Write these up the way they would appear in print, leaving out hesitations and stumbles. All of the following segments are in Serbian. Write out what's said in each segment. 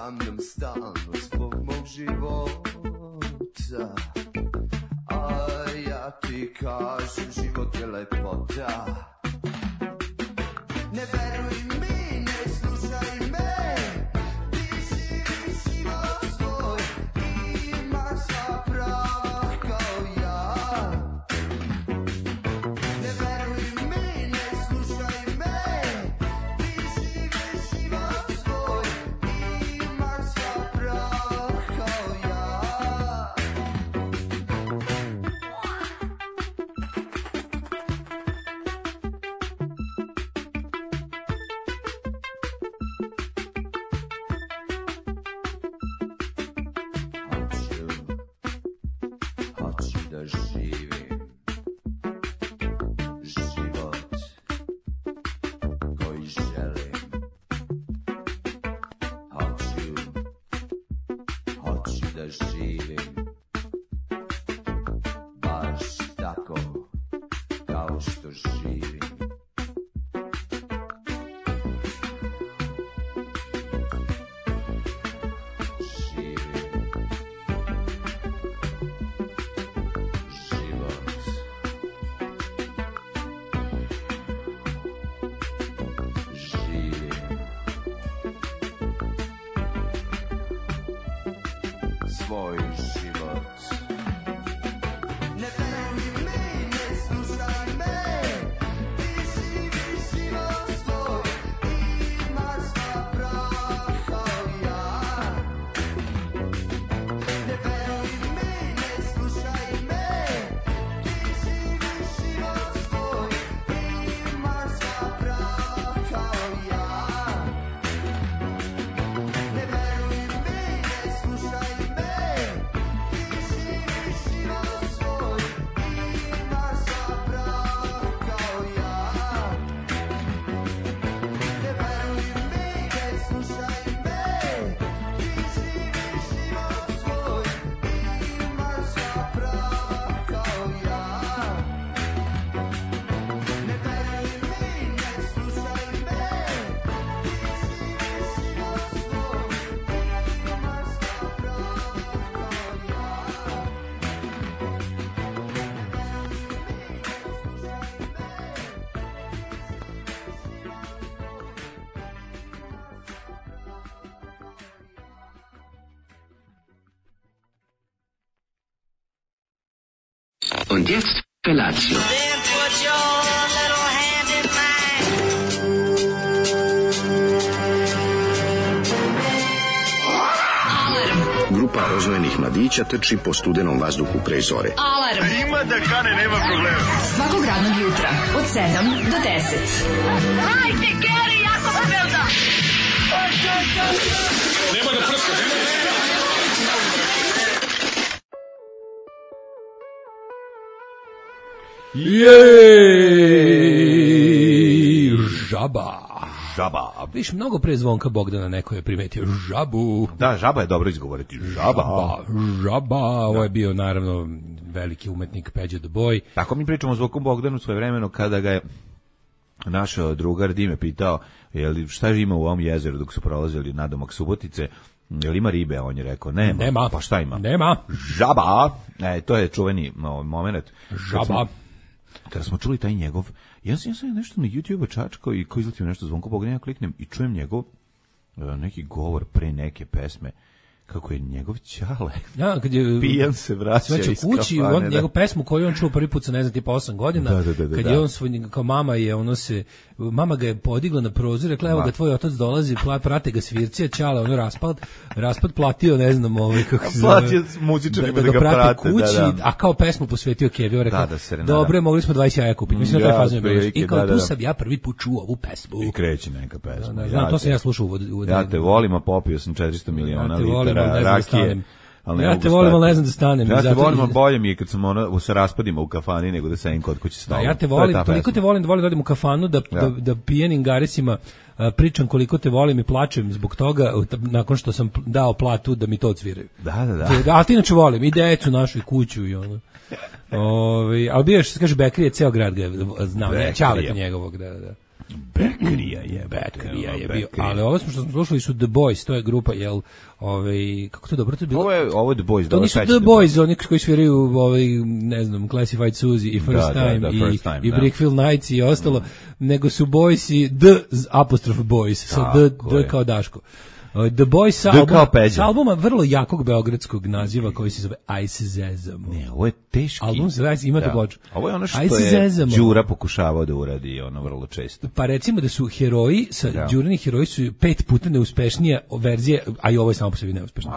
sanjam stalno zbog mog života, a ja ti kažem život je lepota. Ne veruj mi, ne slušaj me, ti živiš život svoj, imaš sva prava kao ja. Ne veruj mi, ne slušaj me, ti živiš život svoj, imaš sva prava kao ja. Hoću da živim život koji želim. Hoću da živim baš tako kao što živim. Svoj život. Ne veruj mi, ne slušaj me, ti živiš život svoj, imaš sva prava kao ja. Ne veruj mi, ne slušaj me, ti živiš život svoj, imaš sva prava kao ja. Ne veruj mi, ne slušaj me, Und jetzt Felatio. Then put your little hand in mine. Grupa rozvojenih mladića trči po studenom vazduhu pre zore. Alarm. Ima da kane, nema problema. Svakog radnog jutra od 7 do 10. Hajde, Geri, jako se velda. Nema da prska, nema da prska. Jej, žaba. Žaba. Viš, mnogo pre Zvonka Bogdana neko je primetio žabu. Da, žaba je dobro izgovoriti. Žaba. Ovo je bio naravno veliki umetnik Peđa the Boy. Tako mi pričamo o Zvonku Bogdanu svojevremeno kada ga je naš drugar Dime pitao šta ima u ovom jezeru dok su prolazili nadomak Subotice. Jel ima ribe? On je rekao nema. Pa šta ima? Nema. Žaba. To je čuveni moment. Žaba. Kada smo čuli taj njegov, ja sam nešto na YouTube čačkao i ko izletio nešto Zvonko Bogdan, ja kliknem i čujem njegov neki govor pre neke pesme, kako je njegov ćale. Ja, kad je pijan se vraća iz kući, kafane. Njegov pesmu koju on čuo prvi put sa ne znam tipa 8 godina, kad je on svoj, kao mama ga je podigla na prozor, rekla evo ga tvoj otac dolazi, prate ga svirci, ćale, ono raspad platio, ne znam, kako se zove. Platio muzičarima da ga prate kući, a kao pesmu posvetio Keviju, rekao, dobro, mogli smo 20 jaja kupiti, mislim da taj fazon je bilo. I kao tu sam ja prvi put čuo ovu pesmu. I kreće neka pesma. Znam, to sam ja slušao. Ja te volim, a popio sam 400 miliona litara rakije. Ja te volim, ali ne znam da stanem. Ja te volim, ali bolje mi je kad sam se raspadimo u kafani nego da sedim kod kuće stolom. Ja te volim, toliko te volim da volim da odim u kafanu, da pijenim garesima pričam koliko te volim i plačem zbog toga nakon što sam dao platu da mi to odsviraju. Da. A ti inače volim i decu našu i kuću i ono. Ali bio što se kaže Bekrije, ceo grad ga je znao, Ćaleta njegovog, da. Bekrija, Beckrija je bio. Ali ovo što smo slušali su The Boys, to je grupa, jel, kako to dobro to je bilo? Ovo je The Boys, to nisu The Boys, oni koji sviraju, ne znam, Classified Suzy i First Time i Brickfield Nights i ostalo, nego su Boys i The Boys, sa D kao Daško. The Boys sa albuma vrlo jakog beogradskog naziva koji se zove Ice Zezamo. Ne, ovo je teški. Album se zove, imate ploču. Ovo je ono što je Đura pokušavao da uradi, ono vrlo često. Pa recimo da su heroji, Đurini heroji su 5 puta neuspešnija verzije, a i ovo je samo po sebi neuspešno.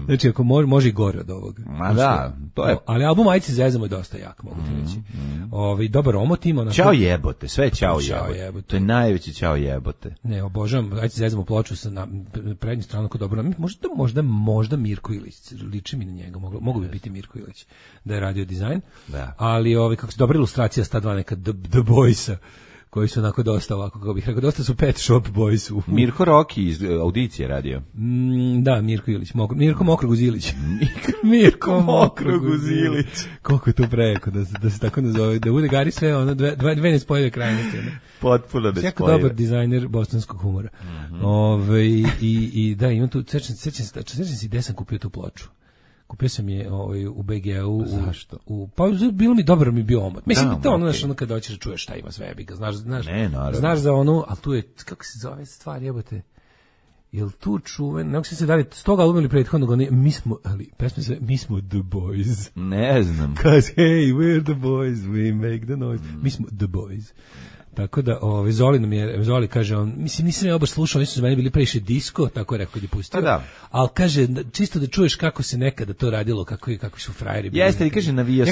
Znači, ako može i gore od ovoga. Ma da, to je. Ali album Ice Zezamo je dosta jak, mogu ti reći. Dobar omot ima. Ćao jebote, sve ćao jebote. To je najveći ćao jebote. Ne, obožavam, Ice Zezamo ploču na prednju stranu kod dobro. Možda Mirko Ilić, liči mi na njega, mogu bi biti Mirko Ilić da je radio dizajn. Da. Ali kako se dobra ilustracija sta dva neka The Boysa koji su onako dosta ovako, kako bih rekao, dosta su Pet Shop Boys. Mirko Roki iz Audicije radio. Da, Mirko Ilić, Mirko Mokroguzilić. Mirko Mokroguzilić. Koliko je to preko da se tako nazove, da bude Gari sve ono dve nespojive krajnosti. Potpuno nespojive. Jako dobar dizajner bosanskog humora. I da, imam tu, sećam se gde sam kupio tu ploču. Kupio sam je u BG-u. Zašto? Pa bilo mi dobro, mi bio omot. Mislim, to ono, znaš, ono kada hoćeš da čuješ šta ima sve, znaš za ono, ali tu je, kako se zove stvar, jebote, jel tu čuven, ne se dalje, s toga albuma ili prethodnog, pesma se, mi smo The Boys. Ne znam. Cause hey, we're the boys, we make the noise. Mi smo The Boys. Tako da, Zoli kaže, mislim, nisam ja baš slušao, nisu za mene bili previše disco, tako je rekao kad je pustio, ali kaže, čisto da čuješ kako se nekada to radilo, kakvi su frajeri bili. Jeste, i kaže, navijao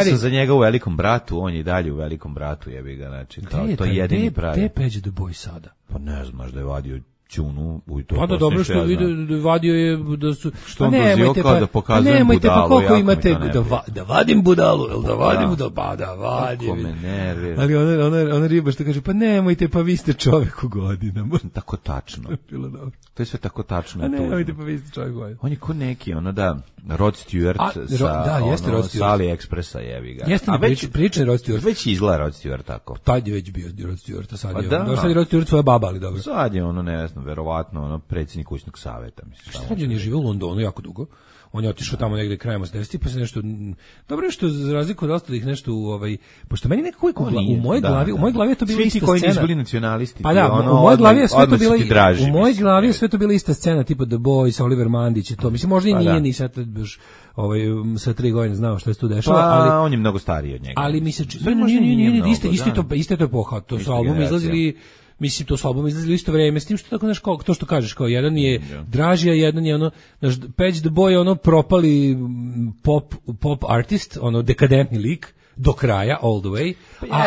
sam za njega u Velikom bratu, on je dalje u Velikom bratu, jebi ga, znači, to je jedini pravi. Gde je Peđa The Boy sada? Pa ne znaš da je vadio Ćunu u to. Pa da, dobro što vadio je da su... Što on dozio kao da pokazujem budalu. Nemojte, pa koliko imate da vadim budalu, jel da vadim budalu? Pa da vadim. Kako me nervira. Ali ona riba što kaže, pa nemojte, pa vi ste čovjek u godinama. Tako tačno. Bilo dobro. To je sve tako tačno. A nemojte, pa vi ste čovjek u godinama. On je ko neki, Rod Stewart sa AliExpressa, jevi ga. Jeste pričan Rod Stewart. Već izgleda Rod Stewart tako. Tad je već bio Rod Stewart, a sad je Rod Stewart svoja baba, ali dobro. Sad je ne znam, verovatno predsjednik kućnog saveta, mislim. Šta on je živio u Londonu jako dugo? On je otišao tamo negde krajem 80-ih, pa se nešto dobro je što za razliku od ostalih nešto pošto meni nekako u mojoj glavi je to bila ista scena. Svi ti koji nisu bili nacionalisti. Pa da, u mojoj glavi je sve to bila u mojoj glavi je sve to bila ista scena, tipa The Boys, Oliver Mandić i to. Mislim možda i nije ni sad baš sa 3 godine znao šta se tu dešava, ali on je mnogo stariji od njega. Ali mi se isto to epoha, to su albumi izlazili. Mislim, to su albumi izlazili u isto vreme, s tim što tako, znaš, to što kažeš, kao jedan je Dražija, jedan je Peć The Boy, propali pop artist, dekadentni lik, do kraja, all the way,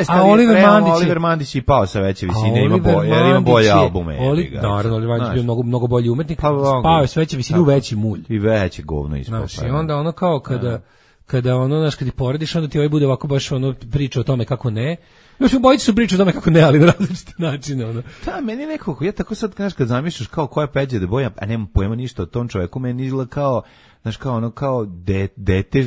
a Oliver Mandić je pao sa veće visine, ima bolje albume. Naravno, Oliver Mandić je bio mnogo bolji umetnik, pao je s veće visine u veći mulj. I veće govno ispao. Znaš, i onda kao kada znaš, kad ti porediš, onda ti bude ovako baš priča o tome kako ne. Još obojice su pričali o tome kako ne, ali na različite načine. Da, meni nekako, ja tako sad, znaš, kad zamišljaš kao koja je Peđa The Boy, a nemam pojma ništa o tom čoveku, meni izgleda kao, znaš, kao dete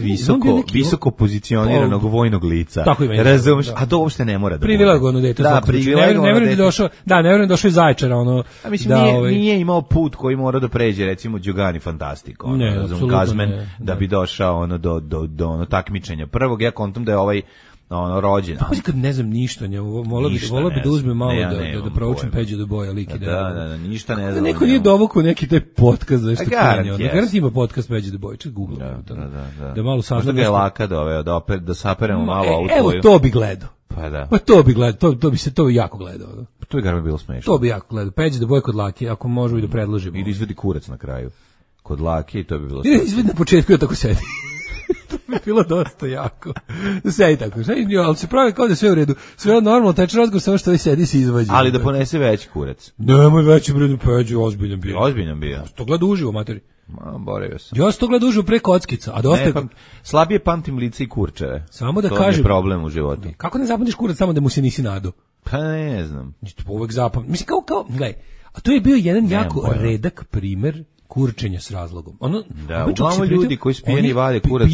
visoko pozicioniranog vojnog lica. Tako ima. Razumeš, a to uopšte ne mora da bude. Privilegovanog dete. Da, privilegovanog dete. Ne vjerujem došao iz Zaječara, A mislim, nije imao put koji mora da pređe, recimo, Đugani Fantastico, Kazmen, da bi došao do takmičenja prvog. Ja kontam da je ovaj rođen. Pa kad ne znam ništa, volao bi da uzmem malo da proučim Peđu do Boja lik i da ništa ne znam. Neko nije dovukao neki taj podcast za što krenio. Garant ima podcast Peđu do Boja, ček Google. Da malo saznam. Možda ga je laka da saperemo malo ovu tvoju. Evo, to bi gledao. Pa da. Pa to bi gledao, to bi jako gledao. To bi garant bilo smešno. To bi jako gledao. Peđu do Boja kod Lake, ako možemo i da predložimo. I da izvedi kurac na kraju. Kod Lake i to bi bilo smešno. Izvedi na početku ja tako sedi. To bi bilo dosta jako. Sedi tako, ali se pravi kao da sve u redu. Sve normalno, teče razgovor samo što sedi se izvađi. Ali da ponese veći kurac. Nemoj veći bredu Peđu, ozbiljan bio. Ozbiljan bio. Ja to gleda uživo, materi. Boravio sam. Ja sam to gleda uživo pre kockica, a dosta... slabije pamtim lice i kurčeve. Samo da to kažem... To je problem u životu. Kako ne zapamtiš kurac samo da mu se nisi nadao? Pa ne znam. Uvek zapamtim. Mislim, kao, gledaj, a to je bio jedan jako redak primer kurčenje s razlogom. Ono, da, uglavnom ljudi koji su pijeni vade kurac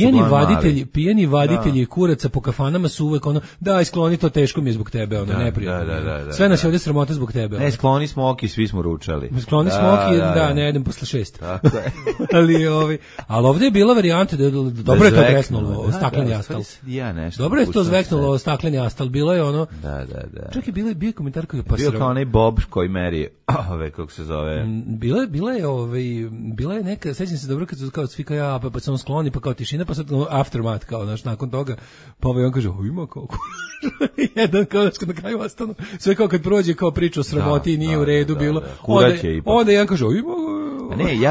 pijeni vaditelji kuraca po kafanama su uvek ono, daj skloni to, teško mi je zbog tebe, ono, neprijatno. Sve nas je ovdje sramota zbog tebe. Ne, skloni smo oki, svi smo ručali. Skloni smo oki, ne jedem posle 6. Tako je. ali ovdje je bila varijanta da dobro je to zveknulo stakleni astal. Dobro je to zveknulo stakleni astal, bilo je ono. Da. Čak je bio komentar koji je bio kao onaj Bob koji meri kako se zove. Bila je neka, sećam se dobro kad su kao svi kao pa sam skloni, pa kao tišina, pa sad aftermath kao nakon toga, pa on kaže ima kao jedan kao na kraju ostanu sve kao kad prođe kao priča o sramoti i nije u redu bilo. Onda jedan kaže ima. Ne,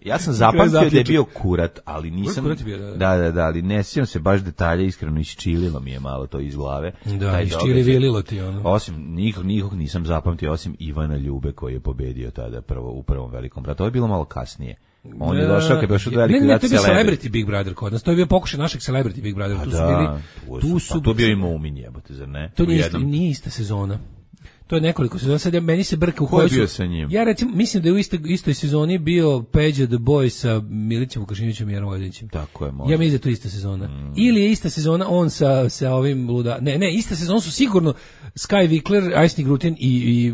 ja sam zapamtio da je bio kurat, ali nisam. Da, ali ne sjećam se baš detalje, iskreno isčililo mi je malo to iz glave. Da, isčilivililo ti ono. Osim nikog nisam zapamtio osim Ivana Ljube koji je pobedio tada u prvom velikom bratu. To je bilo malo kasnije. On je došao kad došao do velike Ne, to je bio Celebrity Big Brother kod nas. To je bio pokušaj našeg Celebrity Big Brother. Tu su to bio i Mumin, jebote, zar ne? To nije ista sezona. To je nekoliko sezona, sad meni se brka u kojoj su... Ko je bio sa njim? Ja recimo, mislim da je u istoj sezoni bio Peđa the Boy sa Milićem Vukašinovićem i Jarom Vojvođićem. Tako je, možda. Ja mislim da je to ista sezona. Ili je ista sezona on sa ovim luda... Ne, ista sezona su sigurno Sky Vikler, Ajsni Grutin i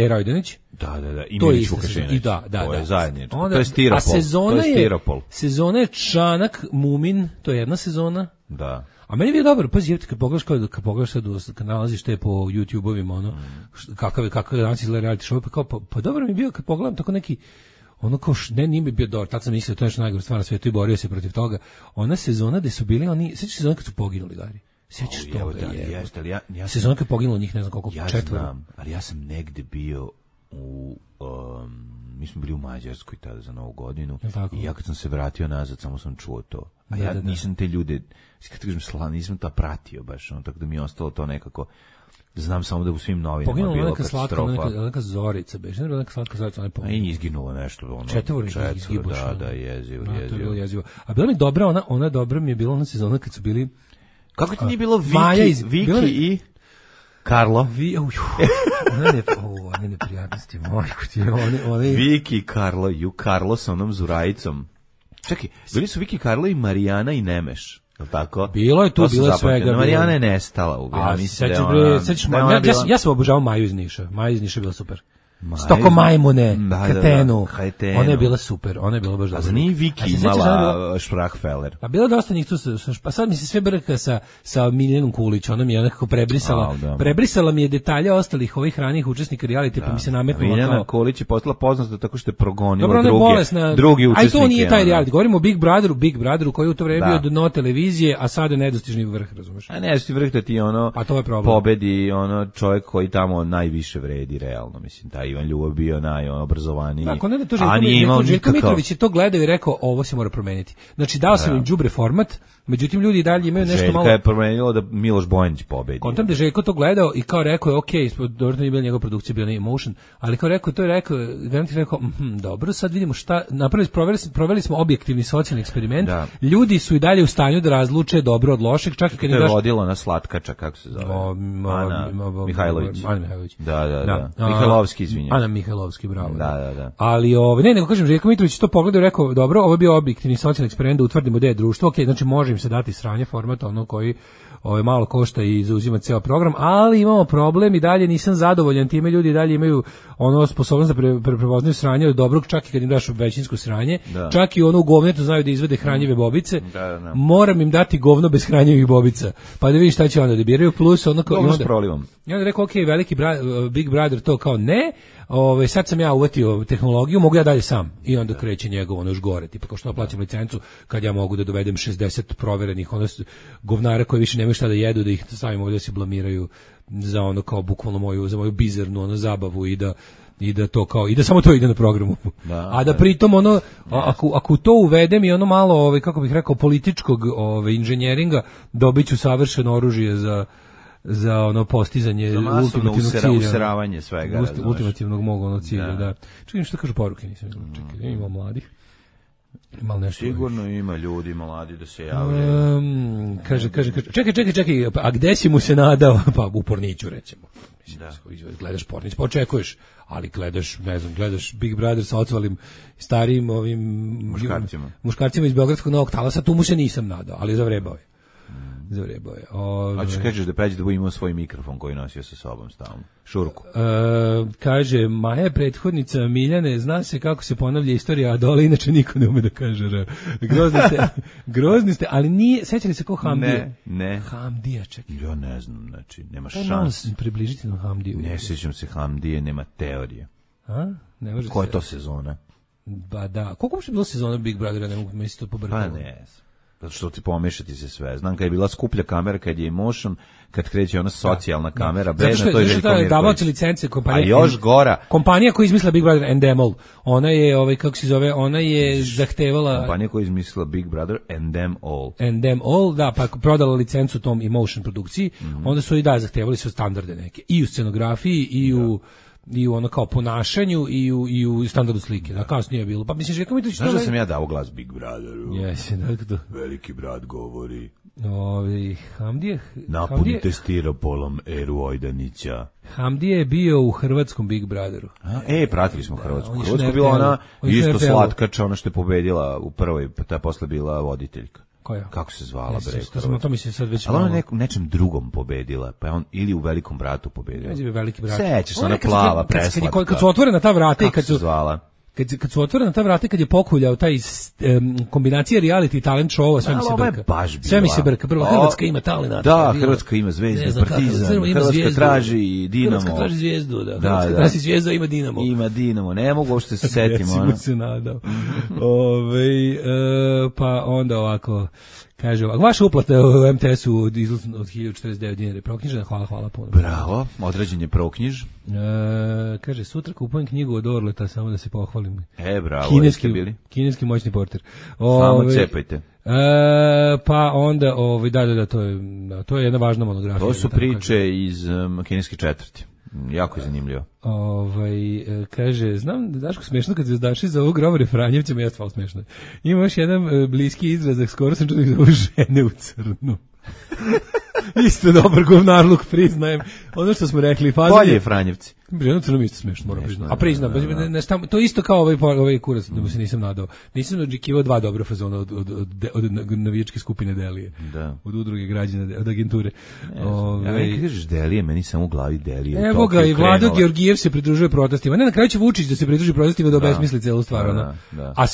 Rajdanić. Da, i Milić Vukašinović. Da. To je zajedničko. To je stiropol. Sezona je Čanak, Mumin, to je jedna sezona. Da. A meni je dobro, pazi, kad pogledaš sad, kad nalaziš te po YouTube-ovima, ono, kakav danas izgleda reality show, pa dobro mi je bio kad pogledam tako neki, ono kao, nije mi bio dobro, tad sam mislio, to je još najgore stvar na svijetu i borio se protiv toga. Ona sezona gde su bili oni, sjećaš sezona kad su poginuli, Gari? Sjećaš toga, je. Sezona kad je poginulo njih, ne znam koliko, 4. Ja znam, ali ja sam negde bio mi smo bili u Mađarskoj tada za Novu godinu i ja kad sam se vratio nazad samo sam čuo to. A ja nisam te ljude, kad kažem nisam ta pratio baš, tako da mi je ostalo to nekako, znam samo da u svim novinama bilo katastrofa. Poginula neka Zorica, neka slatka Zorica, ona je i izginulo nešto. Četvornik izgibuš. Da, jezivo. A bila mi dobra, ona dobra mi je bila ona sezona kad su bili... Kako ti nije bilo Viki i... Karlo. One neprijatnosti, majko ti. Viki i Karlo, Karlo sa onom Zurajicom. Čekaj, bili su Viki, Karlo i Marijana i Nemeš, je li tako? Bilo je tu, bilo je svega. Marijana je nestala. Ja sam obožavao Maju iz Niša. Maja iz Niša je bila super. Stoko majmune, Katenu. Ona je bila super, ona je bila baš dobra. A za nije Viki imala Šprachfeller? A bilo dosta njih tu, pa sad mi se sve brka sa Miljanom Kulić, ona mi je nekako prebrisala mi je detalje ostalih ovih ranijih učesnika reality, pa mi se nametnula kao... Miljana Kulić je postala poznata tako što je progonila drugi učesnike. A to nije taj reality, govorimo o Big Brotheru koji je u to vreme bio dno televizije, a sada je nedostižni vrh, razumeš? A nedostižni vrh da ti ono pobedi čovjek koji tamo najviše vredi, realno, mislim, taj Ivan Ljubav bio najobrazovaniji. Tako, ne da to Željko Mitrović je to gledao i rekao, ovo se mora promeniti. Znači, dao sam im đubre format, međutim, ljudi dalje imaju nešto malo... Željka je promenilo da Miloš Bojanić pobedi. Kontam da je Željko to gledao i kao rekao je, ok, dobro nije bila njegova produkcija, bila na Emotion, ali kao rekao, Garanti rekao, dobro, sad vidimo šta, proveli smo objektivni socijalni eksperiment, ljudi su i dalje u stanju da razluče dobro od lošeg, čak i kad je vodila na Slatkača, kako se zove? Ana Mihajlović. Da. Mihajlovski, izvinjam. Ana Mihajlovski, bravo. Da. Ali nego kažem, Željko Mitrović to pogledao i rekao, dobro, ovo je bio objektivni socijalni eksperiment da utvrdimo da je društvo, ok, znači može im se dati sranje formata, ono koji malo košta i zauzima ceo program, ali imamo problem i dalje nisam zadovoljan time, ljudi dalje imaju sposobnost da prepoznaju sranje od dobrog, čak i kad im daš većinsko sranje, čak i ono u govnetu znaju da izvede hranjive bobice, moram im dati govno bez hranjivih bobica, pa da vidim šta će onda da biraju, plus ono kao... I onda rekao, ok, veliki Big Brother to kao ne, sad sam ja uvatio tehnologiju, mogu ja dalje sam. I onda kreće njegovo još gore, tipa kao što plaćam licencu kad ja mogu da dovedem 60 proverenih govnara koji više nemaju šta da jedu, da ih stavim ovdje da se blamiraju za ono kao bukvalno za moju bizarnu zabavu i da to kao i da samo to ide na programu. A da pritom ako to uvedem i ono malo kako bih rekao političkog inženjeringa, dobiću savršeno oružje za ono postizanje ultimativnog cilja. Useravanje svega. Ultimativnog mog cilja, da. Čekaj, što kažu poruke, nisam čekaj, imamo mladih. Malo nešto. Sigurno ima ljudi mladi da se javljaju. Kaže, čekaj, a gde si mu se nadao? Pa u Porniću, recimo. Da. Gledaš Pornić, pa očekuješ, ali gledaš Big Brother sa ocvalim starijim ovim muškarcima iz Beogradskog Novog Talasa, tu mu se nisam nadao, ali zavrebao je. A ćeš kažeš da pređe da bude imao svoj mikrofon koji nosio sa sobom stalno. Šurku. Kaže, Maja prethodnica Miljane, zna se kako se ponavlja istorija, a dole inače niko ne ume da kaže. Grozni ste, ali nije, sećali se ko Hamdija? Ne. Hamdija, čekaj. Ja ne znam, znači, nema šanse. Približiti na Hamdiju. Ne sjećam se Hamdije, nema teorije. A? Ne može. Koja je to sezona? Ba da, koliko uopšte bilo sezona Big Brothera, ne mogu misliti to pobrkalo. Pa ne, zato što ti pomešati se sve. Znam kad je bila skuplja kamera, kad je Emotion, kad kreće ona socijalna kamera, bedna, to je Željko Mirković. Davaoci licence kompanija. A još gora. Kompanija koja je izmislila Big Brother and Them All. Ona je, kako se zove, ona je zahtevala... Kompanija koja je izmislila Big Brother and Them All. And Them All, da, pa prodala licencu tom Emotion produkciji, onda su i zahtevali su standarde neke. I u scenografiji, i u ono kao ponašanju i u standardu slike. Da, kasnije je bilo. Pa misliš, kako mi to... Znaš da sam ja dao glas Big Brotheru? Jesi, da. Veliki brat govori. Hamdije... Napunite stiropolom Eru Ojdanića. Hamdije je bio u hrvatskom Big Brotheru. Pratili smo Hrvatsku. Hrvatska je bila ona isto slatkača, ona što je pobedila u prvoj, pa ta posle bila voditeljka. Koja? Kako se zvala, to mi se sad već... Ali ona nečem drugom pobedila, pa je on ili u Velikom bratu pobedila. Veliki brat. Sećaš se, ona plava, preslatka. Kad su otvorena ta vrata i kad su zvala. Kad su otvorena ta vrata, kad je pokuljao taj kombinacija reality i talent showa, sve mi se brka. Prvo, Hrvatska ima talenata. Da, Hrvatska ima Zvezdu, Partizan, Hrvatska traži Dinamo. Hrvatska traži Zvijezdu, da. Hrvatska traži Zvijezdu, ima Dinamo. Ima Dinamo, ne mogu uopšte se setimo. Ja si mu se nadao. Pa onda ovako... Kaže, vaša uplata u MTS-u od 1049 dinara je proknjižena, hvala puno. Bravo, određen je proknjiž. Kaže, sutra kupujem knjigu od Orleta, samo da se pohvalim. Bravo, kineski moćni portir. Samo cepajte. Pa onda, to je jedna važna monografija. To su priče iz kineske četvrti. Jako je zanimljivo. Kaže, znam da Daško smešno kad zvezdaši za ovog Gromare Franjevcima, ja stvarno smešno. Ima još jedan bliski izrazak, skoro sam čuo da zove žene u crnu. Isto dobar govnarluk, priznajem. Ono što smo rekli, bolje je Franjevci. Žena u crnom isto smešno, moram priznati. A priznam, to je isto kao ovaj kurac, da mu se nisam nadao. Nisam očekivao dva dobra fazona od navijačke skupine Delije. Da. Od udruge građana, od agenture. Ja kad kažeš Delije, meni samo u glavi Delije. Evo ga, i Vlado Georgijev se pridružuje protestima. Ne, na kraju će Vučić da se pridruži protestima da obesmisli celu stvar. A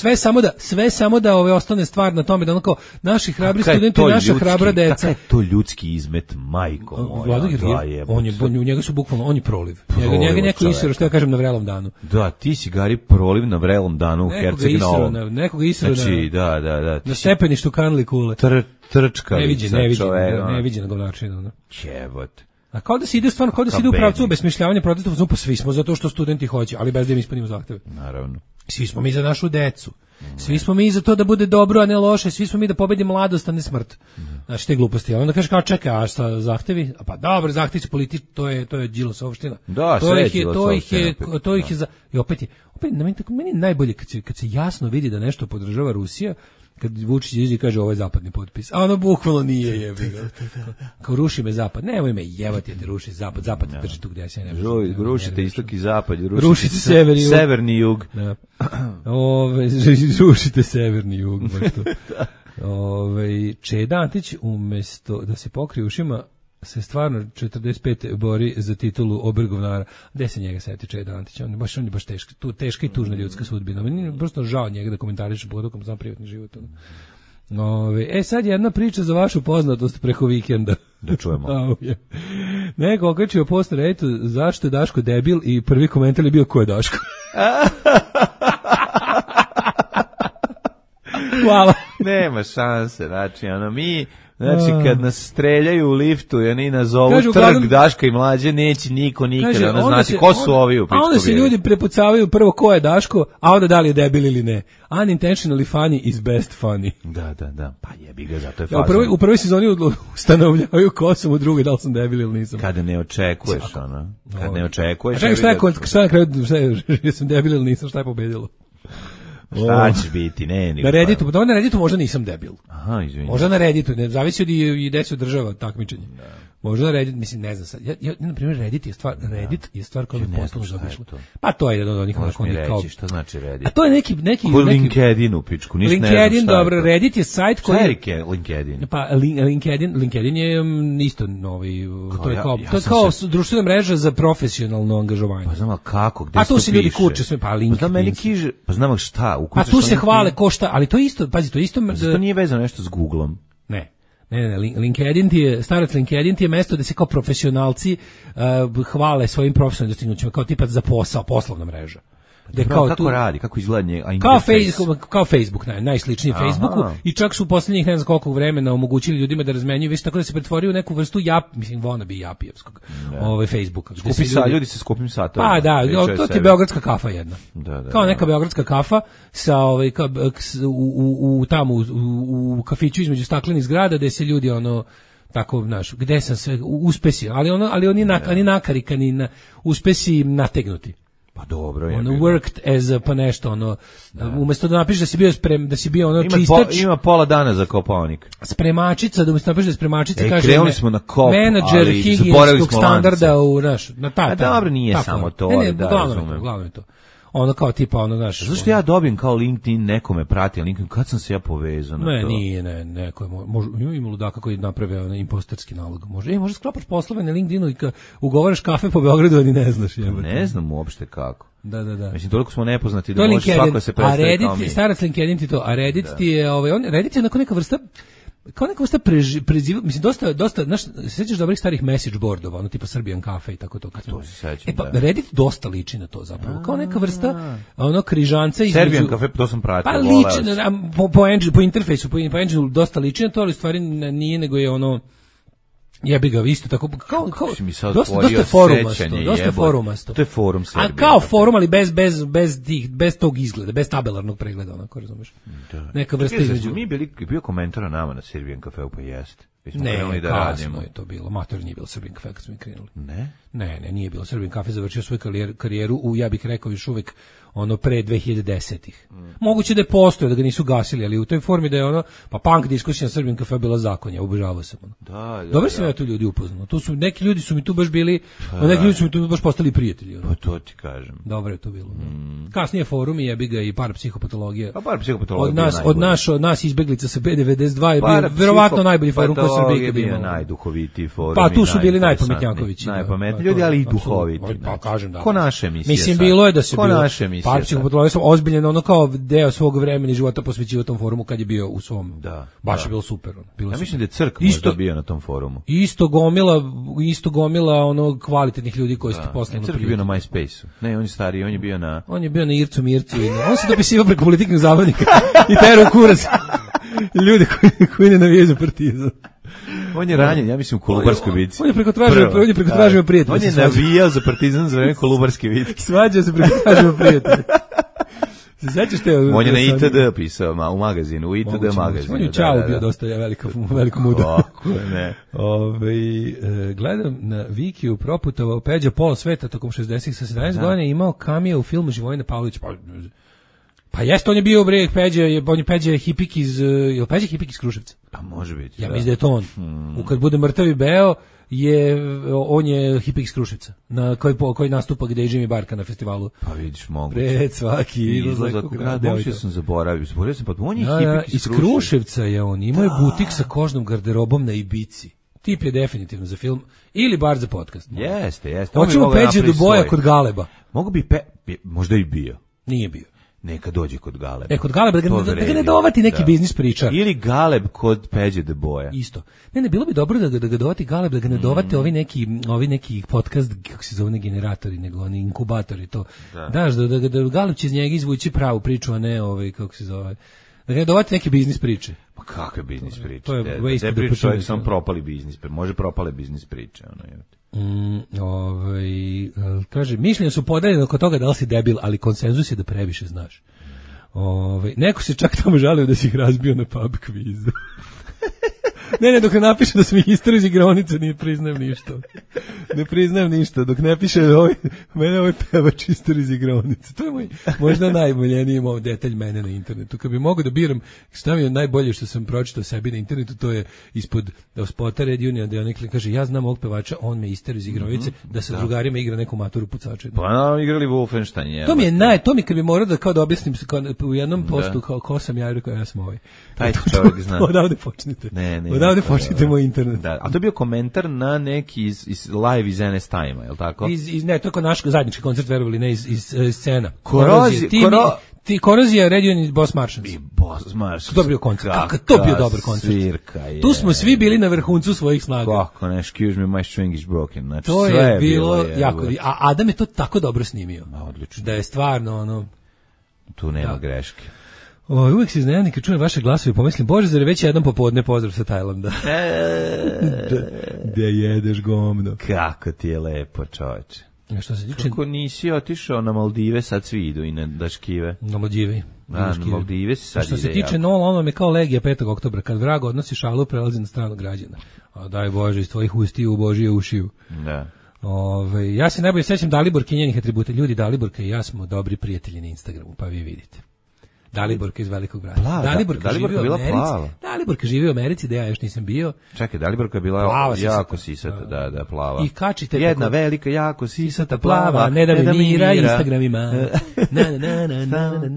sve samo da ove ostane stvar na tome da onako naši hrabri studenti, naša hrabra deca. Kakav je to ljudski izmet, majko moja. Vlado Georgijev, u njega su bukvalno, on je proliv. Njega neko isero, što ja kažem, na vrelom danu. Da, ti si Gari proliv na vrelom danu u Herceg Novom. Nekoga isero, znači, da. Na stepeništu kanali kule. Trčkalica. Neviđena govnačina. Jebote. A kao da se ide stvarno, kao da se ide u pravcu obesmišljavanja protestova, pa svi smo zato što studenti hoće, ali bez da im ispunimo zahteve. Naravno. Svi smo mi za našu decu. Svi smo mi za to da bude dobro, a ne loše, svi smo mi da pobedimo mladost, a ne smrt. Znači, te gluposti. A onda kaže kao, čekaj, a šta zahtevi? A pa dobro, zahtevi su politički, to je Đilasovština. Da, sve je Đilasovština. To ih je za... I opet meni je najbolje kad se jasno vidi da nešto podržava Rusija, kad Vučić izađe i kaže ovo je zapadni potpis. A ono bukvalno nije jebiga. Kao ruši me zapad. Nemoj me jevati da ruši zapad. Zapad te drži tu gdje se ne može. Rušite istok i zapad. Rušite severni jug. Da. Rušite severni jug. Čeda Antić umjesto da se pokrije ušima se stvarno 45 bori za titulu obergovnara. Gde se njega seti Čeda Antić? On je baš teška i tužna ljudska sudbina. Meni je prosto žao njega da komentariše pogotovo znam privatni život. Sad jedna priča za vašu poznatost preko vikenda. Da čujemo. Neko okačio post na Redditu zašto je Daško debil i prvi komentar je bio ko je Daško. Hvala. Nema šanse, znači kad nas streljaju u liftu i oni nazovu trg Daška i Mlađe, neće niko nikada znati ko su ovi u pičku. A onda se ljudi prepucavaju prvo ko je Daško, a onda da li je debil ili ne. Unintentionally funny is best funny. Da. Pa jebi ga, zato je fazno. U prvoj sezoni ustanovljavaju ko sam, u drugoj da li sam debil ili nisam. Kada ne očekuješ, Kad ne očekuješ. A čekaj, šta je na kraju, jesam debil ili nisam, šta je pobedilo? Šta će biti, ne. Na Redditu, na Redditu možda nisam debil. Aha, izvinite. Možda na Redditu, ne zavisi od i gde se održava takmičenje. Možda na Reddit, mislim, ne znam sad. Ja na primjer, Reddit je stvar koja me potpuno zaobišla. Pa to je jedan od onih kao... Šta znači Reddit? A to je neki LinkedIn u pičku, ništa ne znam. LinkedIn, dobro, Reddit je sajt koji... Šta je LinkedIn? Pa LinkedIn je isto novi, to je kao društvena mreža za profesionalno angažovanje. Pa znam kako, gde se to piše? A tu se ljudi kurče sve, pa LinkedIn. Pa znam meni kiže, pa znam šta, a tu se hvale ko šta, ali to isto, pazi, to isto... To nije vezano nešto s Googlom. Ne, LinkedIn ti je, starac LinkedIn ti je mesto da se kao profesionalci hvale svojim profesionalnim dostignućima, kao tipa za posao, poslovna mreža. Kako radi, kako izgleda kao Facebook, najsličniji Facebooku, i čak su u poslednjih ne znam koliko vremena omogućili ljudima da razmenjuju, već tako da se pretvorio u neku vrstu wannabe japijevskog Facebooka. Ljudi se skupim satom. Pa da, to je beogradska kafa jedna. Kao neka beogradska kafa sa tamo u kafiću između staklenih zgrada gde se ljudi tako, znaš, gde sam sve uspesi, ali oni nakarikani, uspesi nategnuti. Pa dobro je. Worked as pa nešto umesto da napišeš da si bio čistač. Ima pola dana za Kopaonik. Spremačica, da umesto napišeš da spremačica kaže krenuli smo na kop, menadžer higijenskog standarda u dobro nije samo to, glavno je to. Kao tipa znaš. Zašto ja dobijem kao LinkedIn nekome prati, LinkedIn kad sam se ja povezao na to? Neko je može ima ludaka koji naprave impostorski nalog. Može sklopaš poslove na LinkedInu i ugovaraš kafe po Beogradu, a ni ne znaš. Ne znam uopšte kako. Da. Mislim, toliko smo nepoznati da može svako se predstavi kao mi. Starac LinkedIn ti to, a Reddit ti je, Reddit je neka vrsta preziva, mislim, dosta, znaš, sećaš dobrih starih message boardova, tipa Serbian Cafe i tako to. To se sećam, da. Reddit dosta liči na to zapravo, kao neka vrsta, križanca između... Serbian Cafe, to sam pratio, pa liči, po interfejsu, po engineu dosta liči na to, ali stvari nije, nego je jebi ga, isto tako, kao dosta forumasto. To je forum Serbije. A kao forum, ali bez tog izgleda, bez tabelarnog pregleda, onako, razumeš? Da. Neka vrsta između. Mi bio komentar o nama na Serbian Cafeu, pa jeste. Ne, kasno je to bilo. Mator nije bilo Serbian Cafe kad smo mi krenuli. Ne, nije bilo. Serbian Cafe završio svoju karijeru u, ja bih rekao, još uvek pre 2010-ih. Moguće da je postojao, da ga nisu gasili, ali u toj formi da je pa punk diskusija na Serbian Cafe bila zakonja, obožavao sam Dobro sam ja tu ljudi upoznao. Neki ljudi su mi tu baš bili, neki ljudi su mi tu baš postali prijatelji. Pa to ti kažem. Dobro je to bilo. Kasnije forum i jebi ga i parapsihopatologija. A parapsihopatologija od nas izbeglica sa B92 je bio verovatno najbolji forum koji Srbija bio najduhovitiji forum. Pa tu su bili najpametnjakovići. Najpametniji ljudi, ali i duhoviti. Pa kažem da. Ko naše emisije. Mislim, bilo je da se bilo. Parapsihopatologija sam ozbiljen, kao deo svog vremena i života posvećivao tom forumu kad je bio u svom. Baš je bilo super. Ja mislim da je Crk možda bio na tom forumu. Isto gomila kvalitetnih ljudi koji ste poslovno Crk je bio na MySpace-u. Ne, on je stariji, on je bio na Ircu Mircu. On se dopisivao preko politiknih zabavnika i terao kurac ljudi koji ne navijaju za Partizan. On je ranjen, ja mislim, u Kolubarskoj bitci. On je preko tražio prijatelja. On je navijao za Partizan za vreme Kolubarske bitke. Svađao se preko tražio prijatelja. Se sećaš te? On je na ITD pisao, u magazinu, u ITD magazinu. On je Čau bio dosta veliko muda. Ne. Gledam na Vikiju proputovao Peđa pola sveta tokom 60-ih sa 17 godina i imao kamio u filmu Živojina Pavlović. Pa jeste, on je bio Peđa je hipik iz, je li Peđa hipik iz Kruševca? Pa može biti. Ja mislim da je to on. Kad bude mrtav i beo, on je hipik iz Kruševca, koji nastupa gde je Jimmy Barka na festivalu. Pa vidiš, moguće. Pred svaki izlazak u grad. Moguće sam zaboravio, pa on je hipik iz Kruševca je on, imao je butik sa kožnom garderobom na Ibici. Tip je definitivno za film, ili bar za podcast. Jeste. Hoćemo Peđe do boja kod Galeba. Mogu bi, možda i bio. Nije bio. Neka dođe kod Galeba. Kod Galeba, da ga ne dovati neki biznis pričar. Ili Galeb kod Peđe de Boja. Isto. Ne, bilo bi dobro da ga dovati Galeb, da ga ne dovate ovi neki podcast, kako se zove, ne generatori, nego oni inkubatori, to. Daš, da Galeb će iz njega izvući pravu priču, a ne kako se zove. Da ga ne dovati neke biznis priče. Pa kakve biznis priče? To je waste of the čovjek sam propali biznis, može propale biznis priče. Kaže, mišljenja su podeljene oko toga da li si debil, ali konsenzus je da previše znaš. Neko se čak tamo žalio da si ih razbio na pub kvizu. Ne, dok ne napiše da sam istor iz igraonice, ne priznajem ništa. Ne priznajem ništa, dok ne piše mene ovaj pevač istor iz igraonice. To je moj možda najboljeniji detalj mene na internetu. Kad bi mogao da biram šta mi je najbolje što sam pročitao sebi na internetu, to je ispod spota Red Union, da on kaže, ja znam ovog pevača, on me istor iz igraonice, da sa drugarima igra neku maturu pucača. Pa igrali Wolfenstein. To mi kad bi morao da kao da objasnim u jednom postu ko sam ja, rekao ja sam ovaj. Taj čovjek zna. Odavde počnite. Odavde počnite moj internet. Da, a to je bio komentar na neki iz live iz NS Time-a, je li tako? Ne, to je naš zajednički koncert, verovali, ne iz scena. Korozija, Red Union i Boss Martians. I Boss Martians. To je bio koncert. Kako to bio dobar koncert. Tu smo svi bili na vrhuncu svojih snaga. Kako ne, excuse me, my string is broken. Znači, to je bilo jako. A Adam je to tako dobro snimio. Odlično. Da je stvarno tu nema greške. Uvijek se iznenadi kad čujem vaše glasove i pomislim, Bože, zar je već jedan popodne pozdrav sa Tajlanda. Da jedeš gomno. Kako ti je lepo, čoveče. Što se tiče... Kako nisi otišao na Maldive, sad svi idu i na Daškive. Na Maldive. Na Maldive si sad ide. Što se tiče ono je kao legija 5. oktobra, kad vrag odnosi šalu, prelazi na stranu građana. A daj Bože, iz tvojih ustiju u Božije ušiju. Da. Ja se najbolje sećam Daliborke i njenih atributa. Ljudi, Daliborka i ja smo dobri prijatelji na Instagramu, pa vi vidite. Daliborka iz Velikog Brata. Daliborka živi u Americi, da ja još nisam bio. Čekaj, Daliborka je bila jako sisata, da, plava. I kačite jedna velika, jako sisata, plava, ne da mi mira, Instagramima.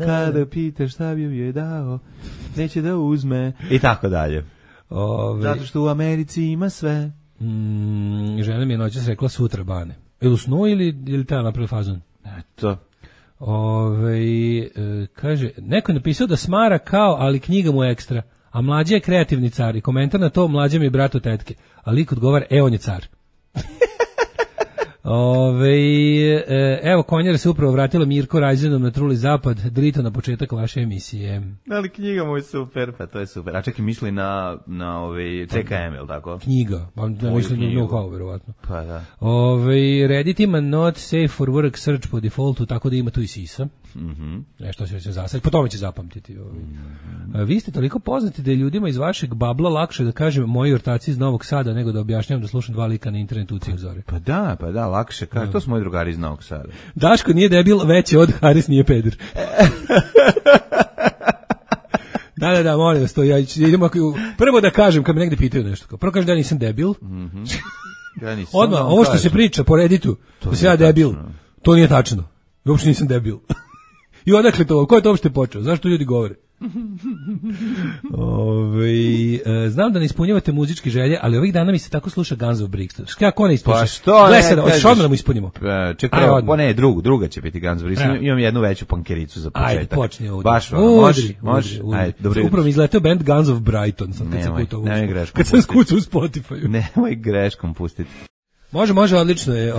Kada pitaš šta bi joj dao, neće da uzme. I tako dalje. Zato što u Americi ima sve. Žena mi je noćas rekla sutra, Bane. Ili u snu ili treba napraviti fazon? Eto. Kaže, neko je napisao da smara kao, ali knjiga mu je ekstra, a Mlađa je kreativni car i komentar na to, Mlađa mi je brat od tetke, a lik odgovara, on je car. Evo, Konjara se upravo vratila Mirko Rajzenom na Truli Zapad, drito na početak vaše emisije. Ali knjiga mu je super, pa to je super. A čekaj, misli na CKM, je li tako? Knjiga, pa mislim na know-how, verovatno. Pa da. Reddit ima not safe for work search po defaultu, tako da ima tu i sisa. Nešto će se zasaditi, po tome će zapamtiti. Vi ste toliko poznati da je ljudima iz vašeg babla lakše da kažem moji ortaci iz Novog Sada nego da objašnjam da slušam dva lika na internetu u Cih Zore. Pa da, lakše kaže. To su moji drugari iz Novog Sada. Daško nije debil, veći od Haris nije peder. Da, molim vas to. Prvo da kažem, kad me negde pitaju nešto. Prvo kažem da ja nisam debil. Odmah, ovo što se priča po Redditu, da se ja debil, to nije tačno. Uopšte nisam debil. I odakle to? Ko je to uopšte počeo? Zašto ljudi govore? Znam da ne ispunjavate muzičke želje, ali ovih dana mi se tako sluša Guns of Brixton. Kako ne ispunjava? Pa što ne kažeš? Hoćeš odmah da mu ispunimo? Čekaj, druga će biti Guns of Brixton. Imam jednu veću pankericu za početak. Ajde, počni ovdje. Baš, može. Upravo mi izletao band Guns of Brighton. Kad sam skucao u Spotify. Nemoj greškom pustiti. Može, odlično je.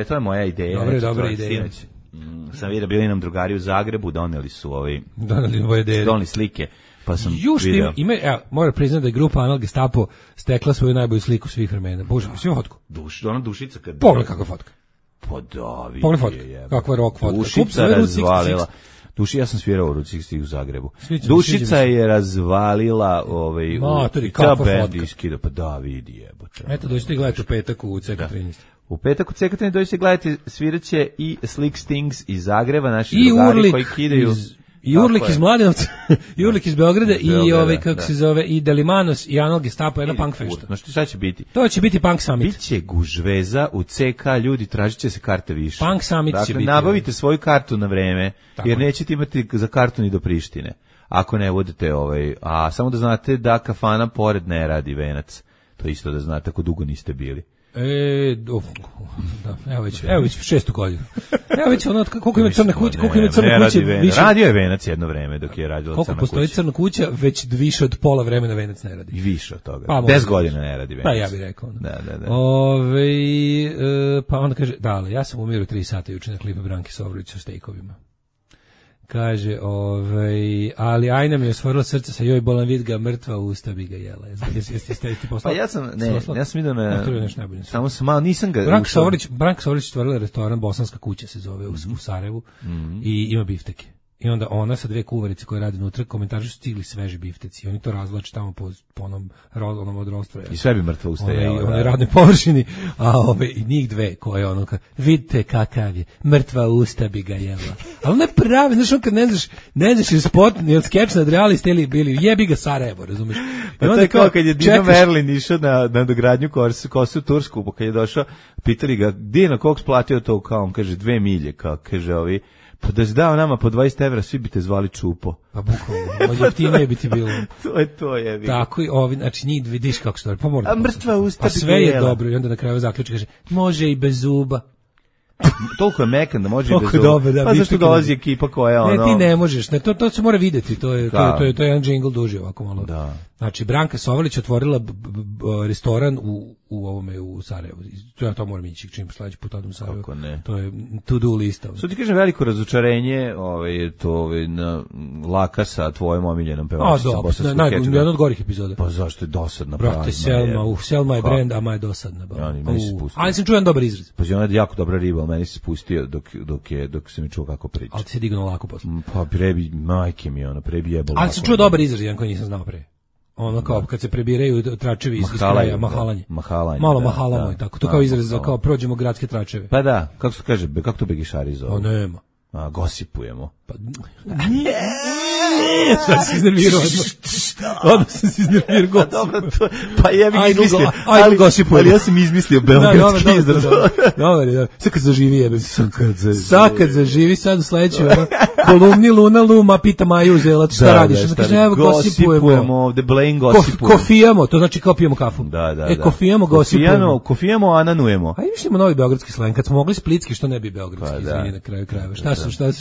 To je moja ideja. Dobra ideja. Sam vidio, bili nam drugari u Zagrebu, doneli su doneli slike, pa sam vidio. Moram priznati da je grupa Anal Gestapo stekla svoju najbolju sliku svih vremena. Bože, svi fotku. Ona Dušica kad... Pogledaj kakva fotka. Pa da, vidi. Pogledaj fotka, kakva rock fotka. Dušica razvalila. Ja sam svirao u Route 66 u Zagrebu. Dušica je razvalila bend. Pa da, vidi jebote. Eto, dođite i gledajte u petak u CK13. U petak u CK13 dođite gledati, sviraće i Slick Stings iz Zagreba, naši drugari koji kidaju... I Urlik iz Mladenovca, i Urlik iz Beograda, i kako se zove, i Delimanos, i Anal Gestapo, jedna punk fešta. No šta će biti? To će biti Punk Summit. Biće gužveza u CK, ljudi, tražit će se karte više. Punk Summit će biti. Nabavite svoju kartu na vreme, jer nećete imati za kartu ni do Prištine. Ako ne budete a samo da znate da kafana pored ne radi Venac. To isto da znate, ako dugo niste bili. Evo već 6. godinu. Evo već koliko ima crna kuća, više. Radio je Venac jedno vreme dok je radila crna kuća. Koliko postoji crna kuća, već više od pola vremena Venac ne radi. I više od toga. 10 godina ne radi Venac. Pa ja bih rekao. Da. Pa onda kaže, ali ja sam umiru 3 sata juče na klipu Branke Sovrović sa stejkovima. Kaže, ali Ajna mi je osvorila srce sa joj bolan vid ga, mrtva usta bi ga jela. Jeste poslao? Pa ja sam vidio samo sam malo, nisam ga... Branka Sovrić stvorila restoran, Bosanska kuća se zove u Sarajevu i ima bifteke. I onda ona sa 2 kuvarice koje rade unutra komentarišu stigli sveži bifteci. Oni to razvlače tamo po onom od rostroja. I sve bi mrtvo ustajalo. Onoj radnoj površini, a i njih 2 koje ono vidite kakav je, mrtva usta bi ga jela. Ali ne pravi, znaš on kad ne znaš je spot, je skeč nad realist ili bili, jebi ga Sarajevo, razumiješ? I onda kao kad je Dino Merlin išao na dogradnju Kosu Tursku, pa kad je došao, pitali ga, Dino, koliko splatio to, kao on kaže 2 milje, kao kaže ovi, pa da si dao nama po 20 evra, svi bi te zvali Čupo. Pa bukvalno, jeftinije bi ti bilo. to je. Tako i ovi, znači njih vidiš kako stvari, pa mora. A mrtva usta pa sve je dobro i onda na kraju zaključi kaže, može i bez zuba. Toliko je mekan da može i bez zuba. Dobar, da, pa zašto dolazi ekipa koja ono... Ne, ti ne možeš, ne, to se mora videti, to je jedan džingl duži ovako malo. Da. Znači, Branka Sovalić otvorila restoran u Sarajevu. To moram ići čim sledeći put odem u Sarajevo. Kako ne? To je to do lista. Što ti kažem, veliko razočarenje, na Laka sa tvojom omiljenom pevačicom bosanskog keča. Jedna od gorih epizoda. Pa zašto je dosadna? Brate, Selma je brend, a ma je dosadna. Ali sam čuo jedan dobar izraz. Pa ona je jako dobra riba, ali meni se spustio dok se mi čuo kako priča. Ali ti se dignuo lako posle. Pa prebi, majke mi prebi jebalo. Ali sam čuo dobar izraz, jedan koji nisam znao pre. Ono kao kad se prebiraju tračevi iz kraja, mahalanje. Malo mahalamo i tako. To kao izraz za kao prođemo gradske tračeve. Pa da, kako se kaže, kako to begišari zove? Nema. Gosipujemo. Pa sad si iznervirao. Odmah sam se iznervirao. Dobro, pa jebi izmislio. Ajde gosipujemo. Ali ja sam izmislio beogradski izraz. Dobar. Sad kad zaživi jebem. Sad kad zaživi, sad u sledeću kolumni Luna Luma pita Maju Uzelac šta radiš. Onda kaže, evo gosipujemo. Ovde Blaine gosipujemo. Kofijamo, to znači kao pijemo kafu. Da. Kofijamo, gosipujemo. Kofijamo, ananujemo. A mislimo novi beogradski slang. Kad smo mogli splitski, što ne bi beogradski, izvini na kraju krajeva.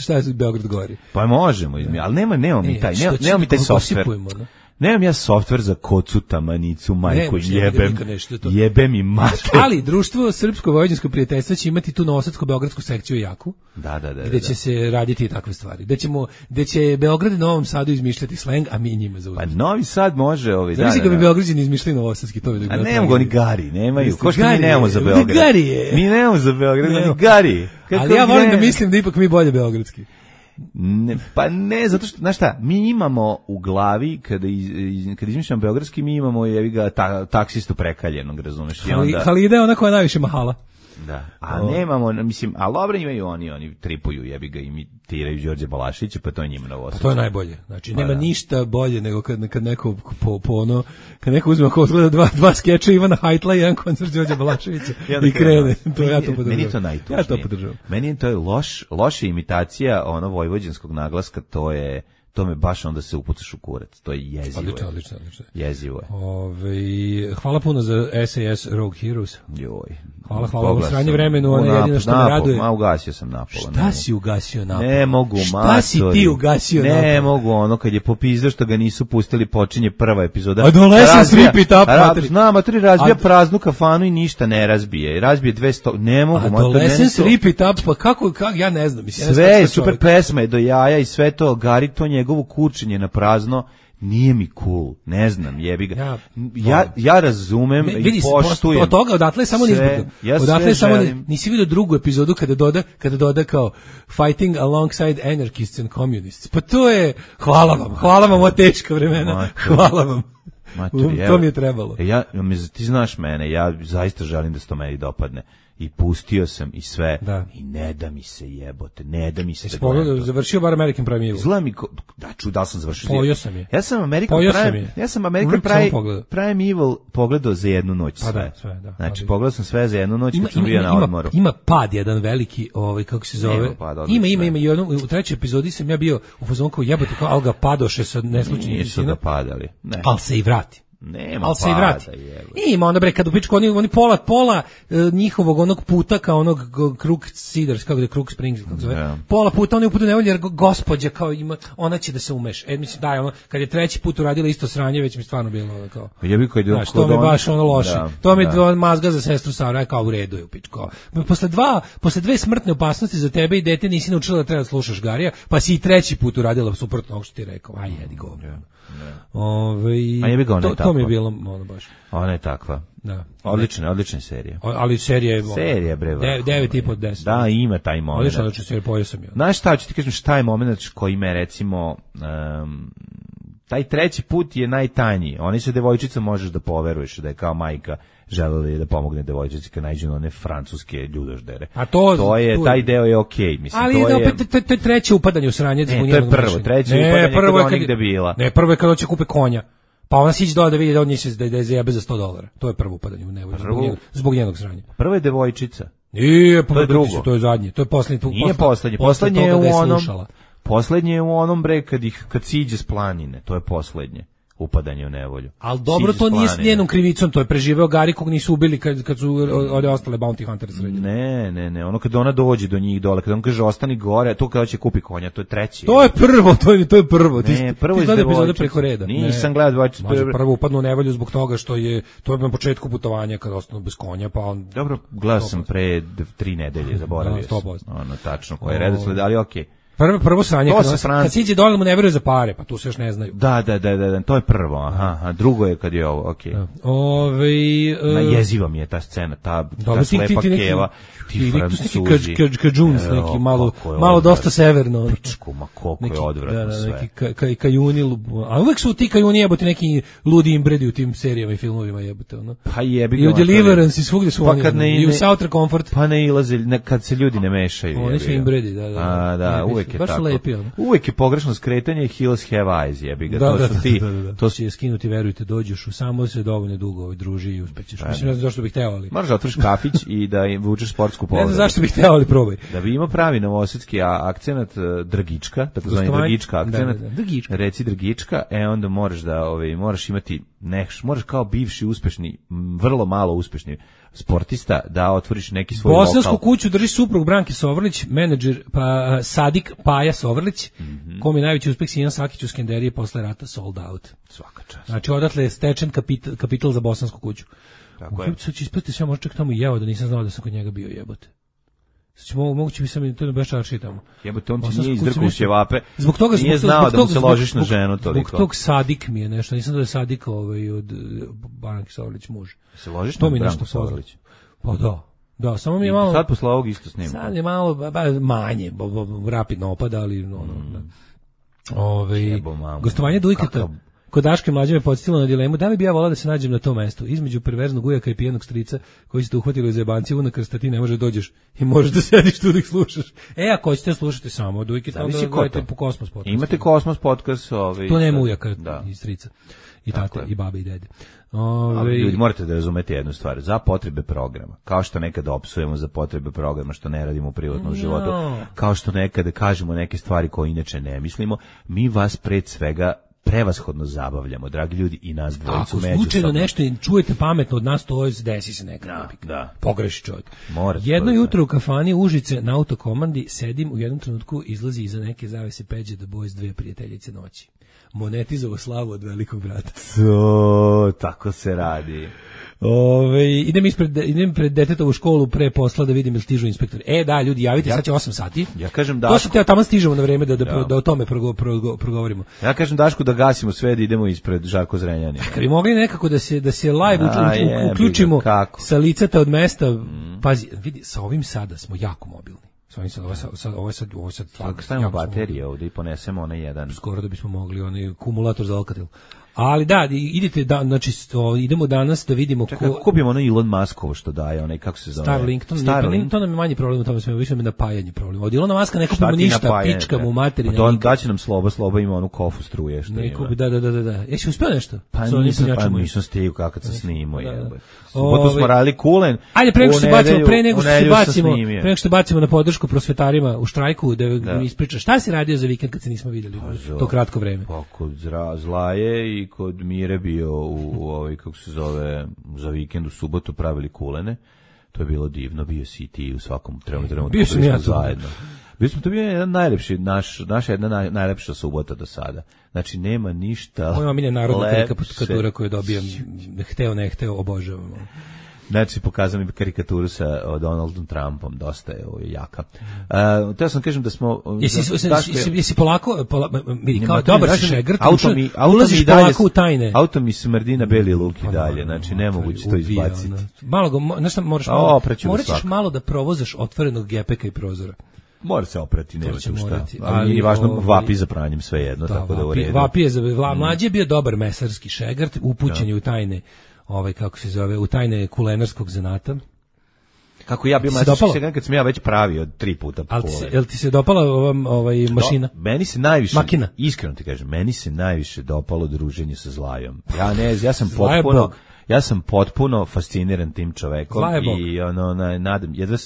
Šta je Beograd govori? Pa možemo, ali nemamo mi taj softver. Nemam ja softver za kocu, tamanicu, majku, jebem i mater. Ali društvo Srpsko-vojvođansko prijateljstvo će imati tu novosadsko-beogradsku sekciju jaku. Da. Gde će se raditi takve stvari. Gde će Beograd i Novom Sadu izmišljati sleng, a mi njima zauzeti. Pa Novi Sad može Znači ga bi Beograđani izmišljali novosadski, to bi da. A nemamo oni gari, nemaju. Ko što mi nemamo za Beograd. Mi nemamo za Beograd, ni gari. Ali ja volim da mislim da ipak mi bolje beogradski. Ne, zato što, znaš šta, mi imamo u glavi, kada izmišljamo beogradski, mi imamo taksistu prekaljenog, razumeš? Halida je ona koja najviše mahala. Da, a nemamo, mislim, ali dobro imaju oni tripuju, jebi ga, imitiraju Đorđe Balašića, pa to je njima novost. Pa to je najbolje, znači nema ništa bolje nego kad neko kad neko uzme ako odgleda dva skeča Ivana Hajtla i jedan koncert Đorđe Balaševića i krene, to ja to podržavam. Meni je to najtužnije. Ja to podržavam. Meni je to loša imitacija vojvođanskog naglaska, to me baš onda se upucaš u kurac. To je jezivo. Odlično. Jezivo je. Hvala puno za SAS Rogue Heroes. Joj. Hvala u sranje vremenu, ona je jedino što me raduje. Ugasio sam napola. Šta si ugasio napola? Ne mogu, Šta si ti ugasio napola? Ne mogu, kad je popizdao što ga nisu pustili, počinje prva epizoda. Adolescence Rip It Up, materi. Materi razbija praznu kafanu i ništa ne razbije. Razbije 200, ne mogu. Adolescence Rip It Up, pa kako, ja ne znam. Sve je super pesma je do jaja i sve to, Gari to njegovo kurčenje na prazno, nije mi cool, ne znam, jebi ga. Ja razumem i poštujem. Od toga odatle samo nizbogno. Odatle samo nisi vidio drugu epizodu kada doda kao fighting alongside anarchists and communists. Pa to je, hvala vam o teška vremena. Hvala vam. To mi je trebalo. Ti znaš mene, ja zaista želim da se to meni dopadne. I pustio sam i sve. I ne da mi se jebote, ne da mi se završio bar American Prime Evil. Zla mi da sam završio. Pojio sam je. Ja sam American Prime Evil pogledao za jednu noć sve. Da. Znači pogledao sam sve za jednu noć kad sam bio na odmoru. Ima pad jedan veliki, kako se zove. Ima i u trećoj epizodi sam ja bio u fazonu kao jebote, kao al ga padoše sa neslučajnim. Nisu da padali. Ne. Al se i vrati. Nema ali se i vrati. Ima onda kad u pičku oni pola njihovog onog puta kao onog Crook Cedars, kako je Crook Springs, kako zove. Pola puta oni uputu nevolje jer gospođa kao ima, ona će da se umeš. Mislim da je ono kad je treći put uradila isto sranje, već mi stvarno bilo kao. To mi baš ono loše. To mi mazga za sestru Sara kao u redu je u pičku. Posle dve smrtne opasnosti za tebe i dete nisi naučila da treba da slušaš Garija, pa si i treći put uradila suprotno onog što ti rekao. Aj jedi govno. A jebi ga, ona je to mi je takva. bilo ono baš. Ona je takva. Da. Odlična serija. Ali serija bre. 9,5 od 10. Da, ima taj moment. Odlična serija, pojeo sam je. Znaš šta, ću ti kažem šta je moment koji me recimo taj treći put je najtanji. Oni se devojčica možeš da poveruješ da je kao majka želela da pomogne devojčici kad nađu one francuske ljudoždere. A to je taj deo je okej, mislim. Ali to je opet to je treće upadanje u sranje zbog njenog. To je prvo, treće upadanje kada ona nigde bila. Ne, prvo je kad hoće kupe konja. Pa ona siđe dole da vidi da on njih da je zajebe za $100. To je prvo upadanje u nevolju zbog njenog sranja. Prvo je devojčica. To je drugo. To je zadnje. To je poslednje. Nije poslednje. Poslednje je u onom. Poslednje je u onom bre kad siđe s planine. To je poslednje upadanje u nevolju. Al dobro, to nije s njenom krivicom, to je preživeo Gari kog nisu ubili kad su ode ostale bounty hunters srednje. Ne, ono kad ona dođe do njih dole, kad on kaže ostani gore, to kada će kupi konja, to je treći. To je prvo, to je prvo. Ne, prvo je epizode preko reda. Nisam gledao devojčicu. Prvo upadnu u nevolju zbog toga što je to na početku putovanja kad ostanu bez konja, pa on. Dobro, gledao sam pre 3 nedelje, zaboravio sam. Ono tačno koji je redosled, ali okej. Prvo sranje, kad siđe dole mu ne veruje za pare, pa tu se još ne znaju. Da, to je prvo, a drugo je kad je ovo, okej. Jeziva mi je ta scena, ta slepa keva, ti Francuzi. Kadžuns, neki malo dosta severno. Pičku, ma koliko je odvratno sve. Neki kajuni, a uvek su ti kajuni jebote neki ludi imbredi u tim serijama i filmovima jebote, ono. Pa jebi ga. I u Deliverance i svugde su oni, i u Southern Comfort. Pa ne ilaze, kad se ljudi ne mešaju. Oni su imbredi, da. Uvek je tako. Uvek je pogrešno skretanje, Hills Have Eyes, jebi ga. To su ti. To će skinuti, verujte, dođeš u samo se dovoljno dugo druži i uspećeš. Mislim, ne znam zašto bih hteo, ali. Možeš da otvoriš kafić i da vučeš sportsku povredu. Ne znam zašto bih hteo, ali probaj. Da bi imao pravi novosadski akcenat Drgička, takozvani Drgička akcenat. Reci Drgička, onda moraš da moraš imati moraš kao bivši uspešni, vrlo malo uspešni sportista da otvoriš neki svoj lokal. Bosansku kuću drži suprug Branke Sovrlić, menadžer Sadik Paja Sovrlić, kom je najveći uspeh Sinan Sakić u Skenderije posle rata sold out. Svaka čast. Znači odatle je stečen kapital za bosansku kuću. Tako je. Sad ću ispratiti sve, možda čak tamo i jeo da nisam znao da sam kod njega bio, jebote. Moguće bi sam to baš čarši tamo. Jebote, on ti nije izdrkao ćevape. Zbog toga nije znao da mu se ložiš na ženu toliko. Zbog tog Sadik mi je nešto, nisam da je Sadik od Branke Sovrlić muž. Se ložiš na Branku Sovrlić? Pa da, samo mi je malo. Sad posle ovog isto snimam. Sad je malo manje, rapidno opada, ali gostovanje Dujketa kod Daške Mlađe me podsjetilo na dilemu da li bi ja volao da se nađem na tom mestu između perverznog ujaka i pijenog strica koji se te uhvatili za jebanci unakrsta, ti ne može dođeš i možeš da sediš tu da ih slušaš. Ako hoćete slušati samo Dujketa, onda gledajte po Kosmos podcast. Imate Kosmos podcast, to nema ujaka i strica. I tate, i babe, i dede. Ali ljudi, morate da razumete jednu stvar. Za potrebe programa, kao što nekada opsujemo za potrebe programa što ne radimo u privatnom životu, kao što nekada kažemo neke stvari koje inače ne mislimo, mi vas pred svega prevashodno zabavljamo, dragi ljudi, i nas dvojicu međusobno. Ako slučajno nešto dečujete pametno od nas, to desi se nekada. Pogreši čovjek. Jedno jutro u kafani Užice na autokomandi sedim, u jednom trenutku izlazi iza neke zavese Peđe The Boys 2 prijateljice noći. Monetizovo slavu od velikog brata. Tako se radi. Idem pred detetovu školu pre posla da vidim jel stižu inspektori. Da, ljudi, javite, sad će 8 sati. Ja kažem Dašku. To što tamo stižemo na vreme da o tome progovorimo. Ja kažem Dašku da gasimo sve, da idemo ispred Žarko Zrenjanina. Kad bi mogli nekako da se live uključimo sa licata od mesta, pazi, vidi, sa ovim sada smo jako mobilni. Ovo je sad stavimo baterije ovdje i ponesemo onaj jedan. Skoro da bismo mogli onaj kumulator za Alcatel. Ali da, idite znači idemo danas da vidimo ko kupimo ono Elon Muskovo što daje, onaj kako se zove. Starlink, to nam je manji problem, tome smo više napajanje problem. Od Elona Muska ne kupimo ništa, pičkamo u materinu. On daće nam sloba ima onu kofu struje što ima. Da. Jesi uspeo nešto? Pa nisam stigao kako se snimao. Subotu smo radili Kulen. Ajde, pre nego što bacimo na podršku prosvetarima u štrajku, da mi ispričaš šta si radio za vikend kad se nismo vidjeli to kratko vreme. Pa kod Zlaje i kod Mire bio u kako se zove, za vikend u subotu pravili kulene. To je bilo divno, bio si i ti u svakom trenutku. Bio sam ja zajedno. To bio jedan najlepši, naša jedna najlepša subota do sada. Znači, nema ništa lepše. Moja milja narodna karikatura koju dobijam, hteo, ne hteo, obožavam. Znači, pokazali mi karikaturu sa Donaldom Trumpom, dosta je jaka. Teo sam kažem da smo... Jesi polako, kao dobar si šegrt, ulaziš polako u tajne. Auto mi smrdi na beli luk i dalje, znači nemoguće to izbaciti. Malo ga, znaš šta, moraš malo da provozaš otvorenog gepeka i prozora. Mora se oprati, nema tu šta. Ali nije važno, vapi za pranjem svejedno, tako da u redu. Vapi je mlađi je bio dobar mesarski šegrt, upućen je u tajne, kako se zove, u tajne kulenarskog zanata. Kako ja bio mesarski šegrt kad sam ja već pravio 3 puta po kole. Jel ti se dopala mašina? Meni se najviše, makina. Iskreno ti kažem, meni se najviše dopalo druženje sa Zlajom. Ja sam potpuno fasciniran tim čovekom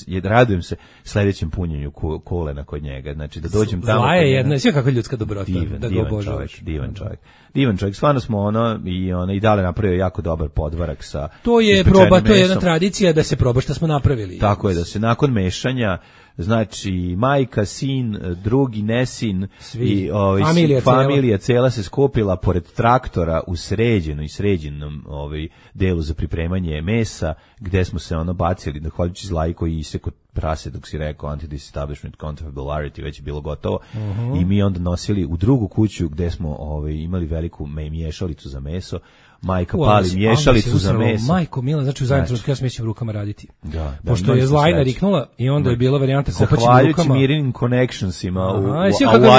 i radujem se sledećem punjenju kolena kod njega. Znači da dođem tamo. Zla je jedna, sve kako ljudska dobrota. Divan čovjek. Stvarno smo i dale napravio jako dobar podvarak sa. To je proba, to je jedna tradicija da se proba šta smo napravili. Tako je, da se nakon mešanja, znači majka, sin, drugi nesin i familija cela se skopila pored traktora u sređenom delu za pripremanje mesa, gde smo se bacili, zahvaljujući Zlaji koji iseko prase dok si rekao anti-disestablishment counterfactuality, već je bilo gotovo. I mi onda nosili u drugu kuću gde smo imali veliku miješalicu za meso. Majka pali miješalicu za meso. Majko Mila, znači u zajedno ja smijećem rukama raditi. Pošto je Zlajna riknula i onda je bila varijanta kopaćim rukama. Zahvaljujući Mirinim connectionsima u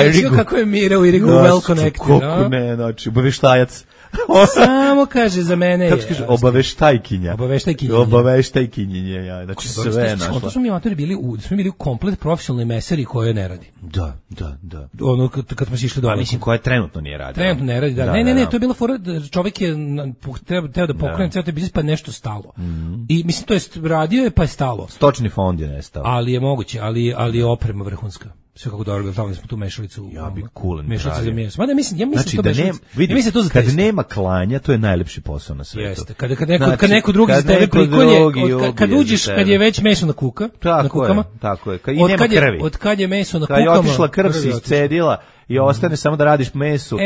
Irigu. Kako je Mira u Irigu well connected. Kako ne, znači obaveštajac. Samo kaže za mene je. Kako kaže obaveštajkinja. Obaveštajkinje, ja. Znači sve našla. To smo mi amatori bili u komplet profesionalnoj mesari koja ne radi. Da. Ono kad smo išli dole. Mislim koja trenutno nije radila. Trenutno ne radi, da. Ne, to je bila fora, čovjek je teo da pokrene ceo taj biznis, pa nešto stalo. I mislim to jest radio je pa je stalo. Stočni fond je nestao. Ali je moguće, ali je oprema vrhunska. Sve kako dobro, tamo smo tu mešalicu. Ja bi kulen. Mešalica za meso. Mada mislim znači, to mešalica. Kad nema klanja, to je najlepši posao na svetu. Jeste. Kad neko drugi za tebe prikolje, kad uđeš, kad je već meso na kukama. Tako je. Kad i nema krvi. Od kad je meso na kukama. Kad je otišla krv se iscedila i ostane samo da radiš mesu.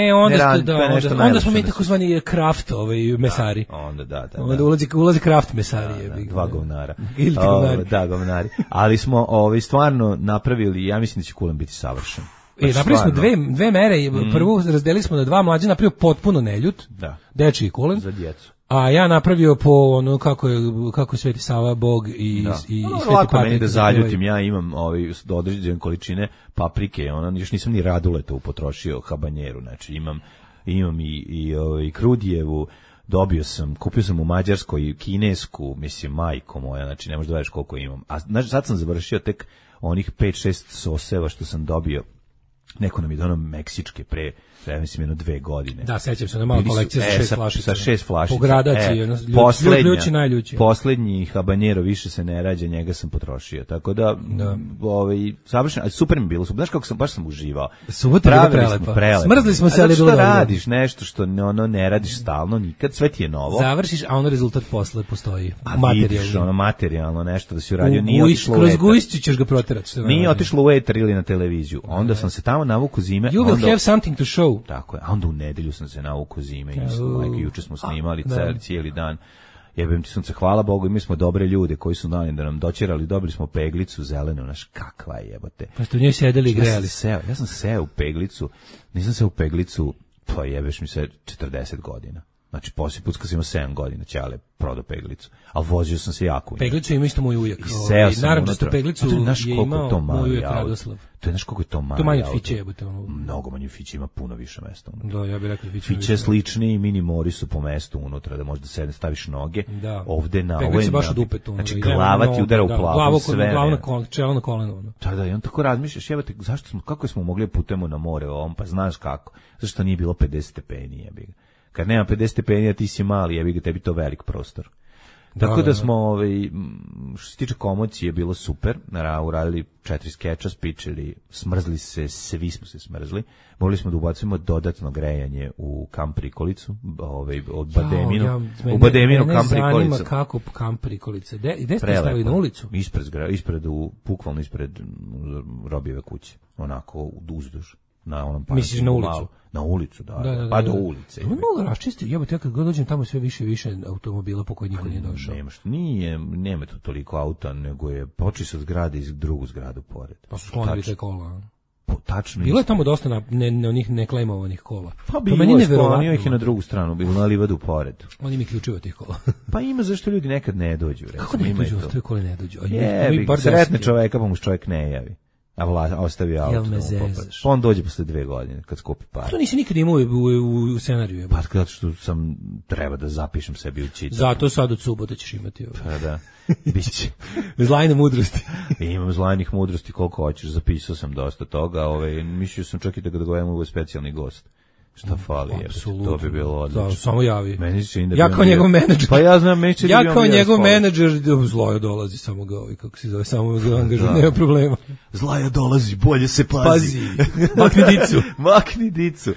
Onda smo mi takozvani kraft mesari. Onda ulazi kraft mesari. Dva govnara. Da, govnari. Ali smo stvarno napravili, ja mislim da će kulen biti savršen. Napravili smo dve mere. Prvu razdelili smo na dva, mlađe napravio potpuno neljut. Dečiji kulen. Za djecu. A ja napravio po ono kako je Sveti Sava Bog i Sveti Lako meni da zaljutim, ja imam određene količine paprike, još nisam ni raduletu potrošio habanjeru, znači imam i krudijevu, kupio sam u Mađarskoj kinesku, mislim majko moja, znači ne možeš da veriš koliko imam. A znači sad sam završio tek onih 5-6 soseva što sam dobio. Neko nam je donao meksičke mislim 2 godine. Da, sećam se, malo kolekcija sa 6 flašica. Sa 6 flašica. Po gradaciji, ljući najljući. Poslednji habanjero više se ne rađa, njega sam potrošio. Tako da, savršeno, super mi bilo. Znaš kako baš sam uživao. Subota je bila prelepa. Smrzli smo se, ali bilo dobro. Radiš nešto što ne radiš stalno, nikad, sve ti je novo. Završiš, a ono rezultat posle postoji. A vidiš, materijalno nešto da si uradio, nije otišlo u eter. Kroz gujšću ćeš ga proterati. Nije otišlo u eter ili na televiziju. Onda sam se tamo navuku zime. You will have something to show. Tako je, a onda u nedelju sam se navuku zime, juče smo snimali cijeli dan. Jebem ti sunce, hvala Bogu, i mi smo dobre ljude koji su dani da nam dočerali, dobili smo peglicu zelenu, naš kakva je jebote. Pa ste u njoj sedeli i grejali. Ja sam seo u peglicu, nisam seo u peglicu, pa jebeš mi se 40 godina. Znači, poslije put kad sam imao 7 godina, Ćale prodao peglicu. Ali vozio sam se jako. Peglicu ima isto moj ujak. I seo sam unutra. Peglicu je imao moj ujak Radoslav. To je znaš koliko je to mali. To manje od Fiće jebote. Mnogo manje od Fiće, ima puno više mesta unutra. Da, ja bih rekao Fiće. Fiće slični i mini mori su po mestu unutra, da možda sedne, staviš noge. Da. Ovde na ovo je baš u dupetu. Znači, glava ti udara u plavu sve. Čelo na koleno. Da, i on tako razmišljaš, jebote, kako smo mogli putemo na more ovom, pa znaš kako. Zašto nije bilo 50 stepeni, jebi ga. Kad nema 50 stepeni, ti si mali, jebi ga, tebi to velik prostor. Tako da smo, što se tiče komocije, bilo super, uradili 4 skeča, spičili, smrzli se, svi smo se smrzli, mogli smo da ubacimo dodatno grejanje u kamp prikolicu, od Bademinu, u Bademinu kamp prikolicu. Mene zanima kako kamp prikolice, gde ste stavili na ulicu? Bukvalno ispred Robijeve kuće, onako uzduž. na onom Misliš na ulicu? Malo, na ulicu, da. Pa do ulice. To je malo raščisti, jebote, ja kad god dođem tamo sve više i više automobila po koji niko nije došao. Nema tu toliko auta, nego je počeo se od zgrade iz drugu zgradu pored. Pa su sklonili te kola. Tačno. Bilo je tamo dosta onih neklejmovanih kola. Pa bilo je, sklonio ih i na drugu stranu, bilo na livadu pored. Oni mi ključeva tih kola. Pa ima zašto ljudi nekad ne dođu. Recimo, kako ne dođu, ostave kole ne dođu? Sretne čoveka pa mu čovjek ne javi. A ostavi auto. Pa on dođe posle 2 godine kad skupi pare. To nisi nikad imao u scenariju. Pa zato što treba da zapišem sebi u čitak. Zato sad od subote ćeš imati. Pa da. Biće. Zlajne mudrosti. Imam zlajnih mudrosti koliko hoćeš, zapisao sam dosta toga, mislio sam čak i da ga dogovorimo u specijalni gost. Šta fali, to bi bilo odlično. Da, samo javi. Ja kao njegov menadžer. Pa ja znam, ja kao njegov menadžer, Zloja dolazi, samo ga kako se zove, samo ga angažuje, nema problema. Zlaja dolazi, bolje se pazi. Makni dicu.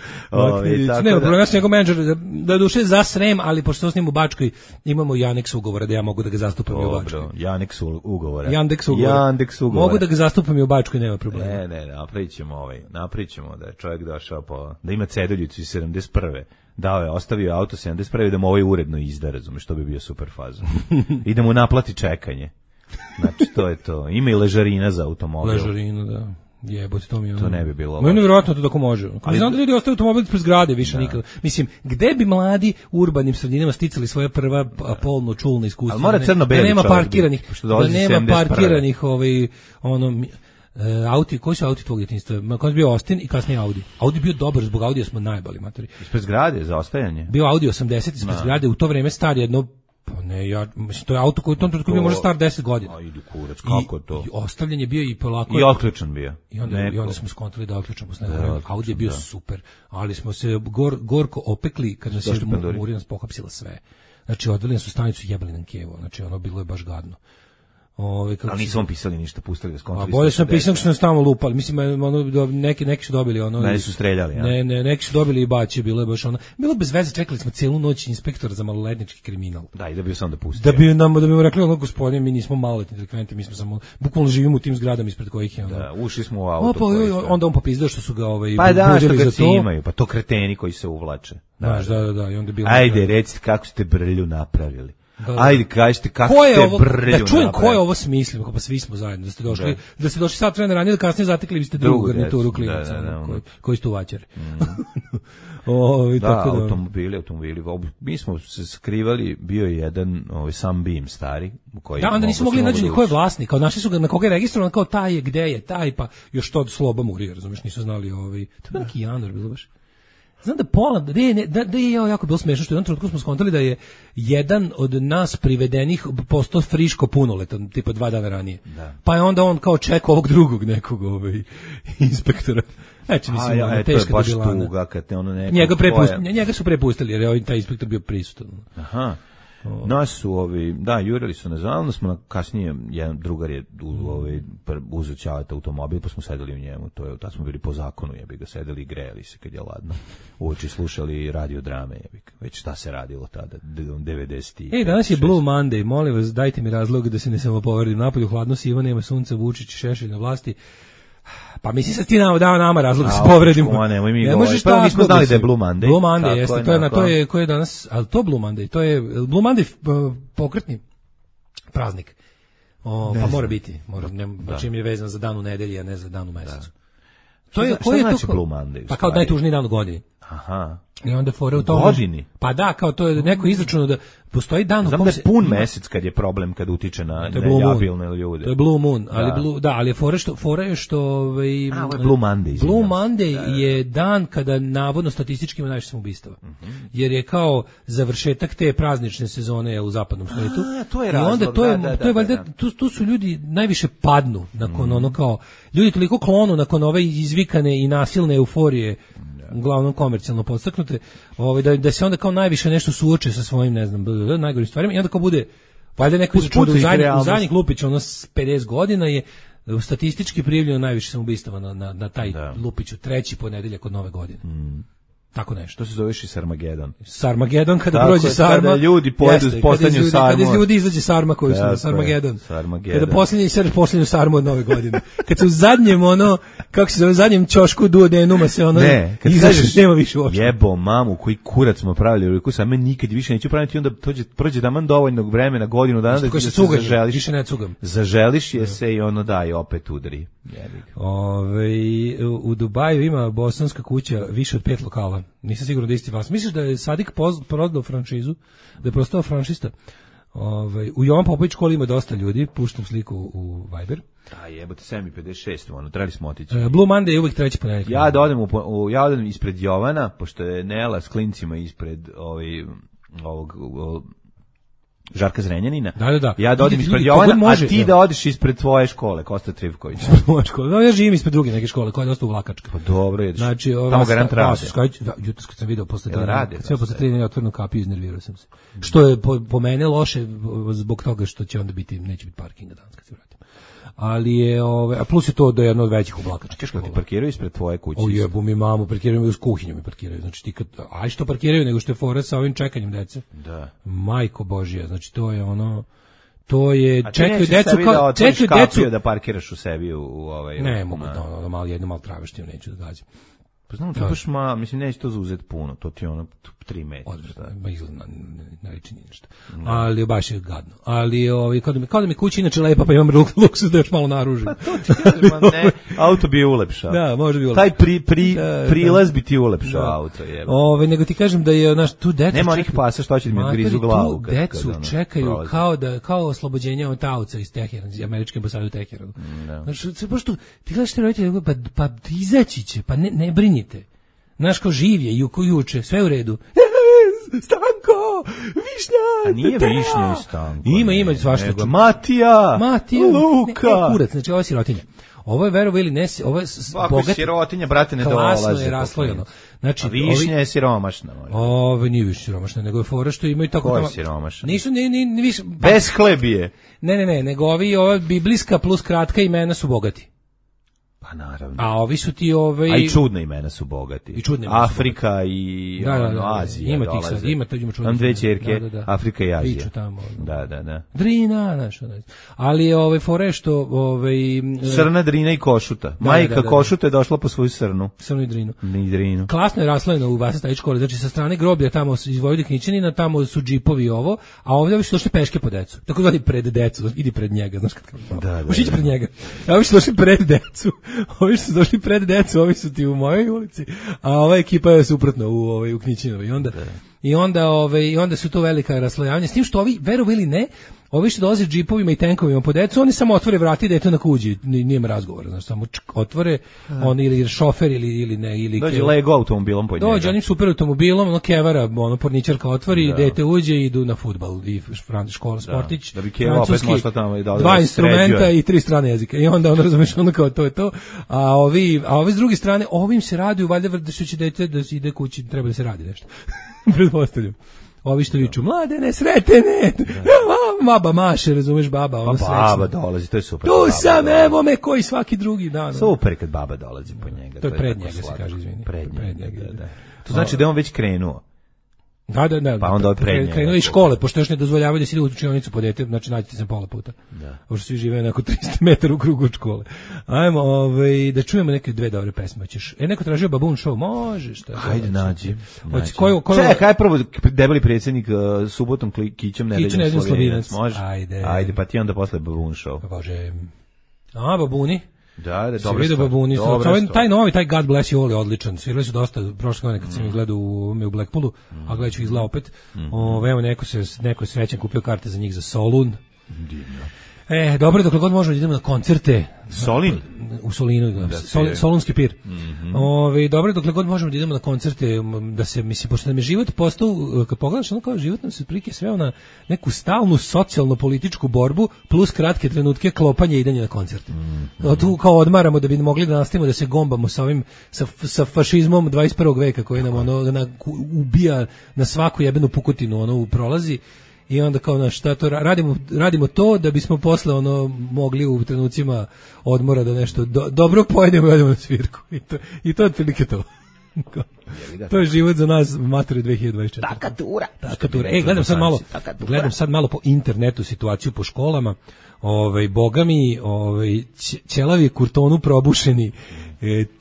Ne, problem, ja sam njegov menadžer, da duše za Srem, ali pošto sam s njim u Bačkoj, imamo i aneks ugovora da ja mogu da ga zastupam i u Bačkoj. Janeks ugovora. Yandex ugovora. Mogu da ga zastupam i u Bačkoj, nema problema. Ne, napričamo da je čovjek došao da ima cedulju 71. Dao je, ostavio auto 71. da mu ovaj uredno izda, razumeš, što bi bio super faza. I da mu naplati čekanje. Znači, to je to. Ima i ležarina za automobil. Ležarina, da. Jebote, to mi je ono. To ne bi bilo. Meni nevjerojatno to tako može. Ali znam da ljudi ostaju automobil ispred zgrade više nikad. Mislim, gde bi mladi u urbanim sredinama sticali svoje prva polno čulna iskustva? Ali mora crno-beli da nema parkiranih, auti, koji su auti tvog djetinjstva? Koji je bio Austin i kasnije Audi. Audi bio dobar, zbog Audija smo najbali matori. Ispred zgrade, za ostajanje? Bio Audi 80 ispred zgrade, u to vreme star jedno, pa ne, mislim, to je auto koji u tom trenutku bio možda star 10 godina. A idu kurac, kako to? I ostavljen je bio i polako. I otključan bio. I onda smo skontali da otključamo s nekog. Audi je bio super, ali smo se gorko opekli kad nas je Murija pohapsila sve. Znači, odveli su stanicu, jebali nam kevo, znači ono bilo je baš gadno. Ali nisu vam pisali ništa, pustili ga skontroli. A bolje sam pisao što sam stalno lupali. Mislim, neki su dobili ono. Ne su streljali, ja. Ne, neki su dobili i baci, bilo je baš ono. Bilo bez veze, čekali smo celu noć inspektora za maloletnički kriminal. Da, i da bi sam da pustio. Da bi mu rekli ono, gospodine, mi nismo maloletni delikventi, mi smo samo bukvalno živimo u tim zgradama ispred kojih je ono. Da, ušli smo u auto. Onda on popizdao što su ga pa da, što ga imaju, pa to kreteni koji se uvlače. Da, i onda bilo. Ajde, recite kako ste brlju napravili. Ajde, kažite kako ste brlju. Da čujem ko je ovo smislio, pa svi smo zajedno, da ste došli sat vremena ranije, da kasnije zatekli biste drugu garnituru klinaca, koji su vaćari. Da, automobili. Mi smo se skrivali, bio je jedan Sunbeam stari. Da, onda nisu mogli naći ko je vlasnik, kao našli su ga na koga je registrovan, kao taj je, gde je taj, pa još to od Sloba Murija, razumiješ, nisu znali to je neki januar bilo baš. Znam da pola, da je jako bilo smešno što u jednom trenutku smo skontali da je jedan od nas privedenih postao friško punoletan, tipa 2 dana ranije. Da. Pa je onda on kao čekao ovog drugog nekog inspektora. Znači, mislim, teška debilana. Njega su prepustili, jer je taj inspektor bio prisutan. Aha. Nas su jurili su nas, onda smo kasnije, jedan drugar je uzeo ćavat automobil, pa smo sedeli u njemu, tad smo bili po zakonu, jebi ga, sedeli i grejali se kad je ladno, uoči slušali radio drame, jebi ga, već šta se radilo tada, 90. Danas je Blue Monday, molim vas, dajte mi razlog da se ne samo povrdim, napolju hladno sivo, nema sunca, Vučić, Šešelj na vlasti. Pa mislim sad ti dao nama razlog da se povredimo. Ne možeš tako. Nismo znali da je Blue Monday. Blue Monday jeste, to je koji je danas, ali to Blue Monday, to je Blue Monday pokretni praznik. Pa mora biti, čim je vezan za dan u nedelji, a ne za dan u mesecu. To je koji je to Blue Monday? Pa kao najtužniji dan u godini. Aha. I onda fore u tom godini. Pa da, kao to je neko izračunao da postoji dan u kom se pun mesec kad je problem kad utiče na nejabilne ljude. To je Blue Moon, ali je fore što ovo je Blue Monday. Blue Monday je dan kada navodno statistički ima najviše samoubistava. Jer je kao završetak te praznične sezone u zapadnom svetu. To je razlog. I onda to je valjda tu su ljudi najviše padnu nakon ono kao ljudi toliko klonu nakon ove izvikane i nasilne euforije, uglavnom komercijalno podstaknute, da se onda kao najviše nešto suoče sa svojim, ne znam, najgorim stvarima i onda kao bude, valjda neko u zadnjih lupić, ono 50 godina je statistički prijavljeno najviše samoubistava na taj lupiću, 3. ponedeljak od Nove godine. Tako nešto. To se zoveš i Sarmagedon. Sarmagedon kada prođe sarma. Kada ljudi pojedu postanju sarmu. Kada iz ljudi izađe sarma koju su na Sarmagedon. Sarmagedon. Kada posljednju sarmu od nove godine. Kad se u zadnjem kako se zove, zadnjem ćošku duodenuma se kad izađeš, nema više uopšte. Jebo mamu, koji kurac smo pravili, koji sam nikad više neću praviti, onda prođe taman dovoljno vremena, godinu dana da se zaželiš. Više ne cugam. Zaželiš je se i i opet udari. U Dubaju ima bosanska kuća više od 5 lokala. Nisam siguran da isti vas. Misliš da je Sadik prodao franšizu? Da je postao franšista? U Jovan Popović školi ima dosta ljudi. Puštam sliku u Viber. Jebote, 7:56, trebali smo otići. Blue Monday je uvijek treći ponedeljak. Ja odem ispred Jovana, pošto je Nela s klincima ispred ovog Žarka Zrenjanina. Da. Ja dođem ispred Jovana, a ti da odiš ispred tvoje škole, Kosta Trivković. Ja živim ispred druge neke škole, koja je dosta uvlakačka. Pa dobro, jedeš. Znači, tamo garant rade. Jutros kad sam video posle 3 otvorenu kapiju, iznervirao sam se. Što je po mene loše, zbog toga što će onda neće biti parkinga danas kad se vratim. Ali je, a plus je to da je jedno od većih uvlakačkih škola. Ti parkiraju ispred tvoje kuće? Jebu mi mamu, parkiraju mi uz kuhinju mi parkiraju. Znači ti što parkiraju, nego što je fora sa ovim čekanjem dece. Da. Majko Božija, znači to je to je čekaju decu da parkiraš u sebi u Ne mogu malo traveštiju neću da gađam. Pa znam, to baš mislim, neće to zauzeti puno, to ti 3 metra. Ba izgleda, ne liči ni ništa. Ali baš je gadno. Ali kao da mi kuća inače lepa, pa imam luksus da još malo naružim. Pa to ti kažem, ne, auto bi je ulepšao. Da, može bi ulepšao. Taj prilaz bi ti ulepšao auto. Nego ti kažem da je, tu decu... Nema onih pasa što će mi odgrizu glavu. Tu decu čekaju kao oslobođenje od taoca iz Teherana, iz američke ambasade u Teheranu. Znači, baš tu, ti gledaš te roditelje, pa izaći će, pa ne brini. Znaš, kao živ je, juče, sve u redu. Stanko, Višnja! A nije Višnja i Stanko. Ima svašta. Matija, Luka. Ne, kurac, znači ovo je sirotinja. Ovo je verovo ili ne, ovo je bogat. Sirotinja, brate, ne dolaze. Klasno je raslojeno. Znači, Višnja je siromašna. Ovo nije više siromašna, nego je fora što imaju tako... Ko je siromašna? Nisu, ni više... Bez hlebije. Ne, nego ova biblijska plus kratka imena su bogati. Pa naravno. A ovi su ti A i čudna imena su bogati. I čudne Afrika i Azija. Ima tih sad, ima čudne. Tam dve ćerke, Afrika i Azija. Priču tamo. Da. Drina, znaš. Ali fore što Srna, Drina i Košuta. Majka Košuta je došla po svoju srnu. Srnu i Drinu. Ni Drinu. Klasno je raslojeno u Vasastajić škole. Znači sa strane groblja tamo iz Vojvodiknićanina, tamo su džipovi a ovdje su došli peške po decu. Tako zvani pred decu, idi pred njega, znaš kako. Da. Ušići pred njega. A ovi su došli pred decu. Ovi su došli pred decu, ovi su ti u mojoj ulici, a ova ekipa je suprotno u Knićinovoj. I onda su to velika raslojavanja. S tim što ovi, verovi ili ne, ovi što dolaze džipovima i tenkovima po decu, oni samo otvore vrata i dete na kuđi, nijema razgovora, znači samo otvore, on ili šofer ili ne, ili dođe Lego automobilom po njega. Dođe onim super automobilom, kevara, porničarka otvori, dete uđe i idu na fudbal i škola, sportić, da bi Keva opet možda tamo i da 2 instrumenta i 3 strane jezika. I onda razumeš, kao to je to. A ovi s druge strane, ovim se raduju, valjda da će dete da ide kući, treba da se radi nešto. Pretpostavljam. Ovi što viču, mladene, sretene, baba maše, razumeš, baba, ono srećno. Baba dolazi, to je super. Tu sam, evo me, koji svaki drugi dan. Super kad baba dolazi po njega. To je pred njega, se kaže, izvini. Pred njega, da. To znači da je on već krenuo. Da. Pa onda krenuo iz škole, pošto još ne dozvoljavaju da se ide u učionicu po dete, znači nađete se pola puta. Da. Pošto svi žive nekako 300 metara u krugu od škole. Ajmo, da čujemo neke 2 dobre pesme. Hoćeš? Neko tražio Babun show, može šta. Hajde, nađi. Čekaj, prvo debeli predsjednik subotom Kićom nedeljom Slovinac. Može? Ajde, pa ti onda posle Babun show. Pa Bože. A, Babuni? Da, dobro. Se vidi Babuni. Taj novi, taj God Bless You All je odličan. Svirali su dosta prošle godine kad sam ih gledao u Blackpoolu, a gledat ću ih zla opet. Evo, neko je srećan kupio karte za njih za Solun. Divno. Dobro, dokle god možemo da idemo na koncerte. Solin? U Solinu, Solunski pir. Dobro, dokle god možemo da idemo na koncerte, da se, mislim, pošto nam je život postao, kad pogledaš, kao život nam se prike sveo na neku stalnu socijalno-političku borbu, plus kratke trenutke klopanja i idanja na koncerte. Tu kao odmaramo da bi mogli da nastavimo da se gombamo sa ovim, sa fašizmom 21. veka koji nam ubija na svaku jebenu pukotinu, prolazi. I onda kao šta to radimo to da bismo posle mogli u trenucima odmora da nešto dobro pojedemo i odemo na svirku. I to je otprilike to. To je život za nas, matori 2024. Takatura. Gledam sad malo po internetu situaciju po školama. Boga mi, ćelavi kurtonu probušeni.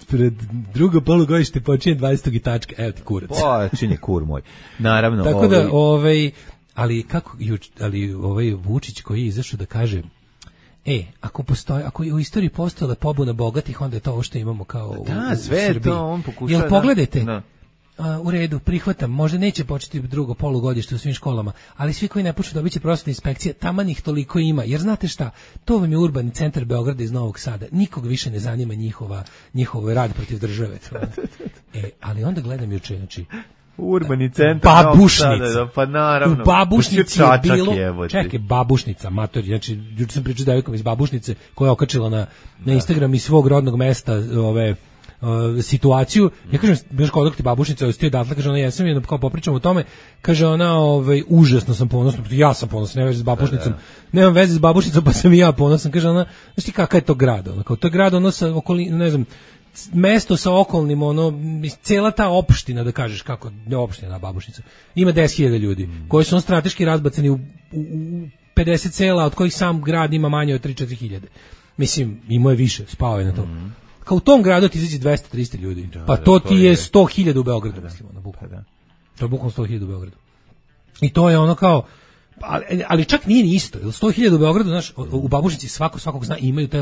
Pred drugo polugodište počinje 20. tačka. Evo ti kurac. Počinje kur moj. Naravno. Tako da, ali Vučić koji je izašao da kaže ako je u istoriji postojala pobuna bogatih, onda je to ovo što imamo kao u sve Srbiji. To on pokušava. Jel pogledajte? U redu, prihvatam, možda neće početi drugo polugodište u svim školama, ali svi koji ne počnu dobit će prosvetna inspekcija, taman ih toliko ima, jer znate šta, to vam je urbani centar Beograda iz Novog Sada, nikog više ne zanima njihov rad protiv države. Ali onda gledam juče, znači, urbani centar Babušnica. Pa naravno. U Babušnici je bilo, čekaj, Babušnica, matori, znači, juče sam pričao s devojkom iz Babušnice koja je okačila na Instagram iz svog rodnog mesta situaciju. Ja kažem, baš kao dok ti Babušnica ostio odatle, kaže ona, jesam je, kao popričamo o tome, kaže ona, užasno sam ponosna, ja sam ponosan, nema veze s Babušnicom, nemam veze s Babušnicom, pa sam i ja ponosan, kaže ona, znaš ti kakav je to grad, kao to je grad, sa okolini, ne znam, mesto sa okolnim, cela ta opština, da kažeš kako, ne opština na Babušnica, ima 10.000 ljudi, koji su strateški razbacani u 50 sela, od kojih sam grad ima manje od 3-4 hiljade. Mislim, imao je više, spao je na to. Kao u tom gradu ti izađe 200-300 ljudi. Pa to ti je 100.000 u Beogradu, mislim, bukvalno. To je bukvalno 100.000 u Beogradu. I to je ono kao, ali čak nije ni isto. 100.000 u Beogradu, znaš, u Babušnici svakog zna, imaju taj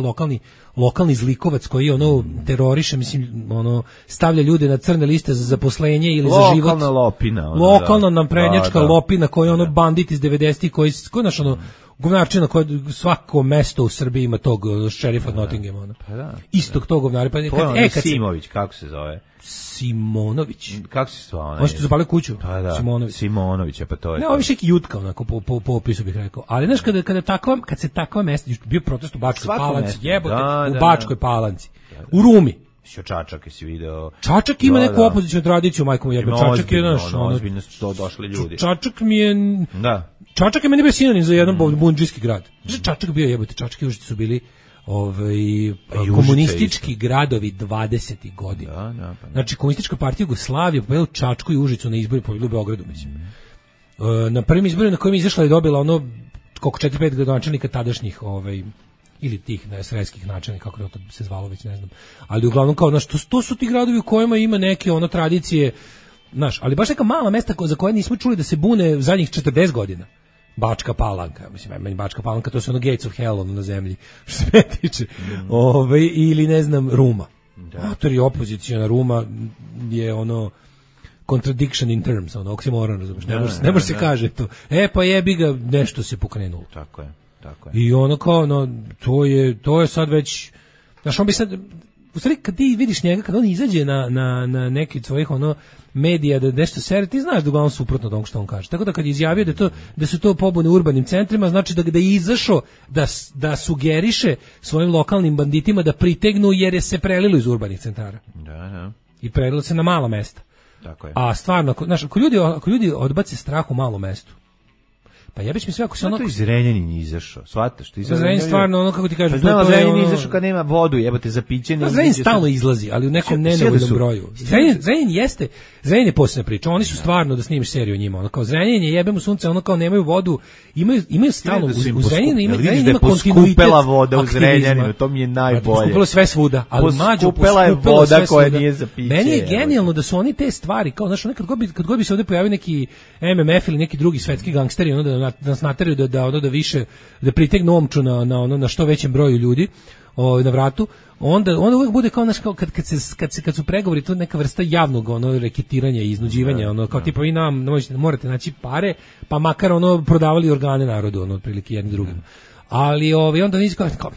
lokalni zlikovac koji teroriše, mislim, stavlja ljude na crne liste za zaposlenje ili za život. Lokalna lopina. Lokalna naprednjačka lopina koji bandit iz 90-ih koji znaš, govnarčina koja svako mesto u Srbiji ima tog šerifa od Nottinghama. Istog tog govnara. Simović, kako se zove? Simonović. Kako se zove? On što zapalio kuću. Simonović, pa to je. Ne, ovo više jutka, onako, po opisu bih rekao. Ali znaš, kad se takva mesta, bio protest u Bačkoj Palanci, jebote, u Bačkoj Palanci, u Rumi. Čačak si video. Čačak ima neku opoziciju tradiciju, majko mu jebe. Čačak je, znaš, ozbiljno su to došli ljudi. Čačak mi je... Da. Čačak je meni bio sinonim za jedan bundžijski grad. Čačak bio jebote, Čačak i Užice su bili komunistički gradovi 20. godina. Znači, komunistička partija Jugoslavije pobedila Čačku i Užicu na izbori, pobedila u Beogradu, mislim. Na prvim izborima na kojim je izašla je dobila koliko 4-5 gradonačelnika tadašnjih ili tih sredskih načelnika, kako to se zvalo, već ne znam. Ali uglavnom kao, znaš, to su ti gradovi u kojima ima neke tradicije, znaš, ali baš neka mala mesta za koje nismo čuli da se bune zadnjih 40 godina. Bačka Palanka, mislim, meni Bačka Palanka, to su Gates of Hell na zemlji, što se me tiče. Ili, ne znam, Ruma. Autori opozicijona Ruma je contradiction in terms, oksimoron, razumiješ, ne može se kaže to. Pa jebi ga, nešto se pokrenulo. Tako je. I kao, to je sad već, znaš, on bi sad, u stvari, kad ti vidiš njega, kad on izađe na neki od svojih medija da nešto sere, ti znaš da uglavnom suprotno od onog što on kaže. Tako da kad je izjavio da su to pobune u urbanim centrima, znači da je izašao da sugeriše svojim lokalnim banditima da pritegnu jer je se prelilo iz urbanih centara. Da. I prelilo se na mala mesta. Tako je. A stvarno, znaš, ako ljudi odbace strah u malom mestu, pa jebiš mi sve ako se to iz Zrenjanin izašao, shvataš? Zrenjanin stvarno, kako ti kažem, to je Zrenjanin izašao kad nema vodu, jebote, za piće. Zrenjanin stalno izlazi, ali u nekom nenevoljnom broju. Zrenjanin je posebna priča, oni su stvarno da snimiš seriju o njima, kao Zrenjanin je jebemo sunce, kao nemaju vodu, imaju stalno, u Zrenjaninu ima kontinuitet voda u Zrenjaninu, to mi je najbolje. Poskupila sve svuda, ali mađo poskupila je voda koja nije za piće. Meni je genijalno da su oni te stvari, kao, znaš, kad god bi se ovde pojavio neki MMF ili neki drugi svetski gangsteri, da nas nateraju da više, da pritegnu omču na što većem broju ljudi na vratu, onda uvijek bude kao, znaš, kao kad su pregovori, to neka vrsta javnog reketiranja i iznuđivanja, kao tipa vi nam morate naći pare, pa makar prodavali organe narodu, otprilike jedni drugim. Ali onda nisu kao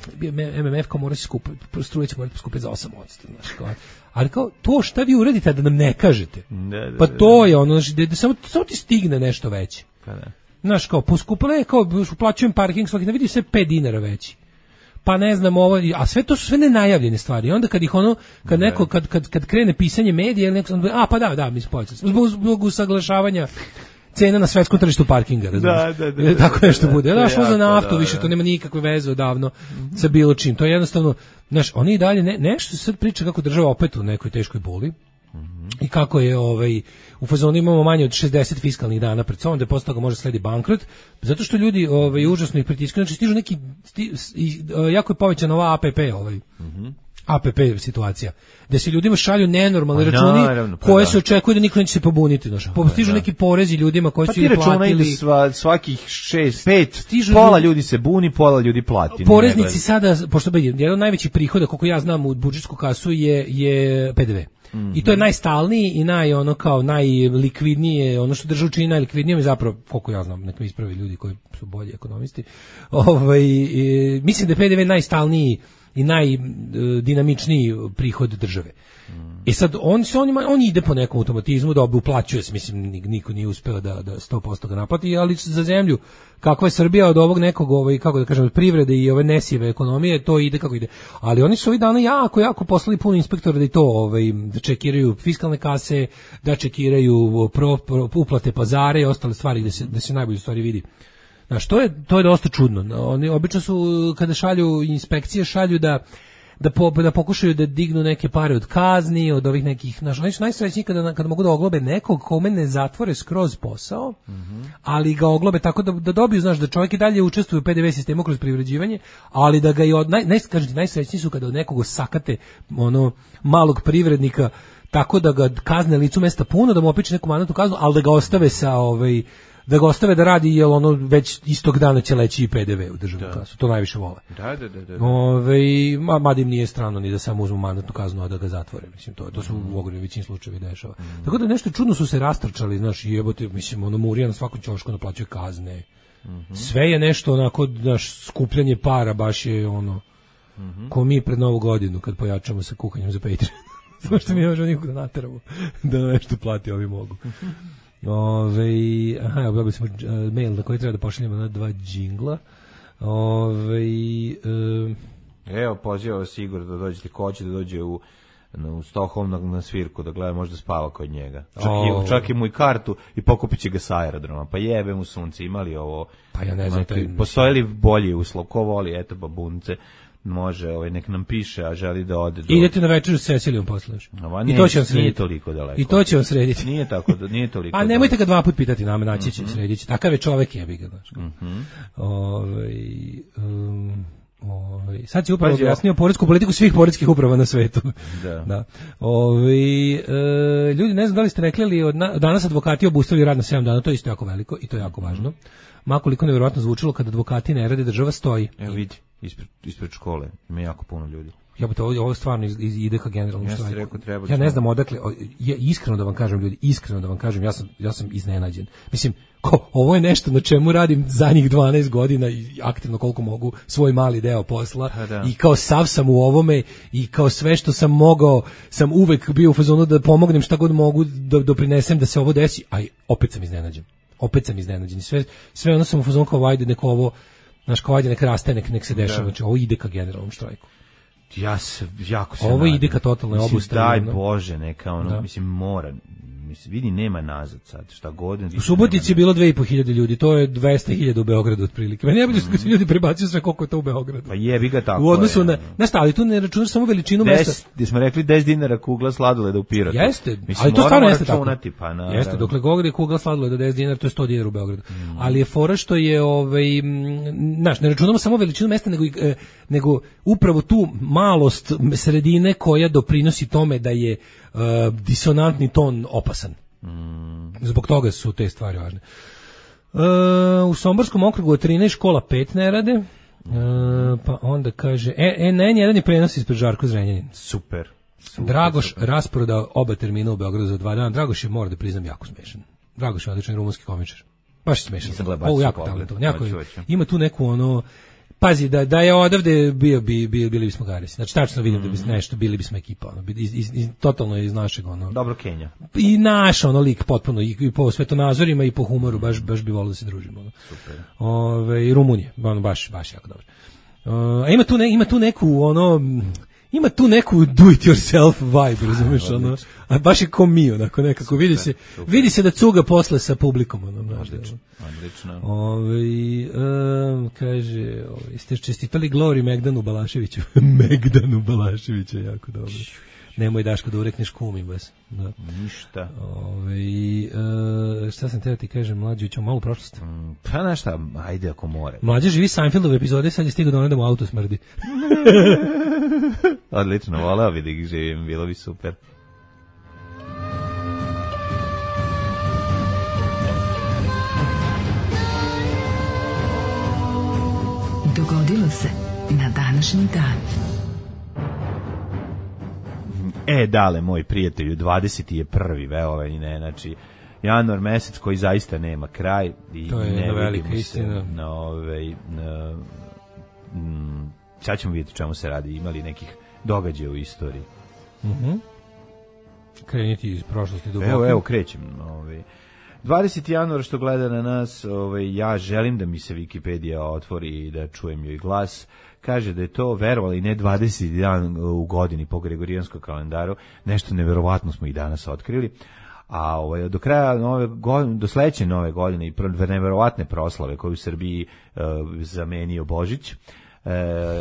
MMF kao mora se skupiti, struje će morati poskupiti za 8%, znaš, kao. Ali kao, to šta vi uradite da nam ne kažete? Pa to je da samo ti stigne nešto veće. Znaš, kao, poskupila je, kao, uplaćujem parking svaki, da vidi sve 5 dinara veći. Pa ne znam, a sve to su sve nenajavljene stvari. I onda kad ih kad neko, kad krene pisanje medija, ili neko, da, mi smo zbog usaglašavanja cena na svetskom tržištu parkinga, razumiješ? Tako nešto bude. Znaš, za naftu više, to nema nikakve veze odavno sa bilo čim. To je jednostavno, znaš, oni i dalje, nešto se sad priča kako država opet u nekoj teškoj boli. I kako je u fazonu imamo manje od 60 fiskalnih dana pred sobom, da posle toga može sledi bankrot, zato što ljudi užasno ih pritiskaju, znači stižu neki jako je povećana ova APP APP situacija, gde se ljudima šalju nenormalni računi koje se očekuje da niko neće se pobuniti. Stižu neki porezi ljudima koji su im platili. Svakih 6-5, pola ljudi se buni, pola ljudi plati. Poreznici sada, pošto jedan od najvećih prihoda, koliko ja znam u budžetsku kasu, je PDV. I to je najstalniji i najlikvidnije, ono što državu čini najlikvidnijom, i zapravo, koliko ja znam, nek me ispravi ljudi koji su bolji ekonomisti, mislim da je PDV najstalniji i najdinamičniji prihod države. I sad on ide po nekom automatizmu da uplaćuje se, mislim niko nije uspeo da 100% ga naplati, ali za zemlju kakva je Srbija od ovog nekog kako da kažem od privrede i ove nesijeve ekonomije, to ide kako ide. Ali oni su ovih dana jako poslali puno inspektora da i to da čekiraju fiskalne kase, da čekiraju uplate pazare i ostale stvari da se najbolje stvari vidi. Znaš, to je dosta čudno. Oni obično su, kada šalju inspekcije, šalju da pokušaju da dignu neke pare od kazni, od ovih nekih, oni su najsrećniji kada mogu da oglobe nekog kome ne zatvore skroz posao, ali ga oglobe tako da dobiju, znaš, da čovjek i dalje učestvuje u PDV sistemu kroz privređivanje, ali da ga i najsrećniji su kada od nekog sakate malog privrednika tako da ga kazne licu mesta puno, da mu opiče neku mandatnu kaznu, ali da ga ostave da ga ostave da radi, jer već istog dana će leći i PDV u državnu kasu. To najviše vole. Da. Mada im nije strano ni da samo uzmu mandatnu kaznu, a da ga zatvore. Mislim, to su u ogromnoj većini slučajevi dešava. Tako da nešto čudno su se rastrčali, znaš, jebote, mislim, Murija na svakom ćošku naplaćuje kazne. Sve je nešto onako, znaš, skupljanje para, baš je ko mi pred Novu godinu, kad pojačamo sa kuhanjem za Patreon. Samo što mi ne možemo nikog da nateramo da nešto plati, ovi mogu. Dobili smo mail na koji treba da pošaljemo na 2 džingla. Evo, pozivao Sigur da dođete, ko će da dođe u Stockholm na svirku, da gleda, možda spava kod njega. Čak i mu i kartu i pokupit će ga sa aerodroma. Pa jebe mu sunce, imali ovo. Pa ja ne znam. Postoje li bolji uslov? Ko voli, eto, babunce, može, nek nam piše, a želi da ode. Idete na večeru s Cecilijom poslaš. I to će vam srediti. Nije toliko daleko. I to će vam srediti. Nije tako, nije toliko. A nemojte ga 2 puta pitati, naći će, sredit će. Takav je čovek, jebi ga, znaš. Sad si upravo objasnio poresku politiku svih poreskih uprava na svetu. Da. Ljudi, ne znam da li ste rekli, ali danas advokati obustavili rad na 7 dana, to je isto jako veliko i to je jako važno. Makoliko nevjerojatno zvučilo kada advokati ne rade, država stoji. Evo vidi, ispred škole ima jako puno ljudi. Ovo stvarno ide ka generalnom štrajku. Ja ne znam odakle, iskreno da vam kažem, ljudi, ja sam iznenađen. Mislim, ovo je nešto na čemu radim zadnjih 12 godina i aktivno koliko mogu svoj mali deo posla i kao sav sam u ovome i kao sve što sam mogao sam uvek bio u fazonu da pomognem šta god mogu da doprinesem da se ovo desi, a opet sam iznenađen. Sve ono sam u fazonu kao ajde neko ovo, znaš, kao ajde nek raste, nek se dešava, znači ovo ide ka generalnom štrajku. Ja se jako se ovo ide ka totalnoj obustavi. Daj Bože, neka mislim mora. Mislim, vidi, nema nazad sad, šta god. U Subotici je bilo 2.500 ljudi, to je 200.000 u Beogradu otprilike. Meni je bilo što se ljudi prebacuju sve koliko je to u Beogradu. Pa jebi ga tako. U odnosu na stali, tu ne računaš samo veličinu mesta. Gdje smo rekli 10 dinara kugla sladoleda u Pirotu. Jeste, ali to stvarno jeste tako. Pa, jeste, dokle govori kugla sladoleda 10 dinara, to je 100 dinara u Beogradu. Ali je fora što je, znaš, ne računamo samo veličinu mesta, nego upravo tu malost sredine koja doprinosi tome da je disonantni ton opasan. Zbog toga su te stvari važne. U Somborskom okrugu od 13 škola 5 ne rade. Pa onda kaže N1 je prenos ispred Žarko Zrenjanin. Super. Dragoš rasprodao oba termina u Beogradu za 2 dana. Dragoš je, mora da priznam, jako smešan. Dragoš je odličan rumunski komičar. Baš smešan. Ovo jako talentovan. Ima tu neku pazi, da je odavde bili bismo garisi. Znači, tačno vidim da bi nešto, bili bismo ekipa. Totalno iz našeg, Dobro Kenja. I naš, lik potpuno, i po svetonazorima, i po humoru, baš bi volio da se družimo. Super. I Rumunije, baš jako dobro. A ima tu neku, ima tu neku do it yourself vibe, razumeš, ono, a baš je ko mi, onako nekako, vidi se da cuga posle sa publikom, ono, odlično. Kaže, ste čestitali Glory Megdanu Balaševiću. Megdanu Balaševiću, jako dobro. Nemoj Daško da urekneš kumi bas. Da. Ništa. Šta sam teo ti kažem, Mlađe, ćemo malo u prošlost. Pa našta, ajde ako more. Mlađe živi Seinfeldove epizode, sad je stigao da ono da mu auto smrdi. Odlično, voleo bi da ih živim, bilo bi super. Dogodilo se na današnji dan. Dale, moj prijatelju, 21. ne, znači, januar mesec koji zaista nema kraj. I to je ne velika istina. Sad ćemo vidjeti čemu se radi, imali nekih događaja u istoriji. Kreniti iz prošlosti duboko. Evo, krećem. 20. januar što gleda na nas, ja želim da mi se Wikipedija otvori i da čujem joj glas. Kaže da je to, verovali ne, 20. dan u godini po Gregorijanskom kalendaru. Nešto neverovatno smo i danas otkrili. A do kraja do sledeće nove godine i neverovatne proslave koju u Srbiji zamenio Božić,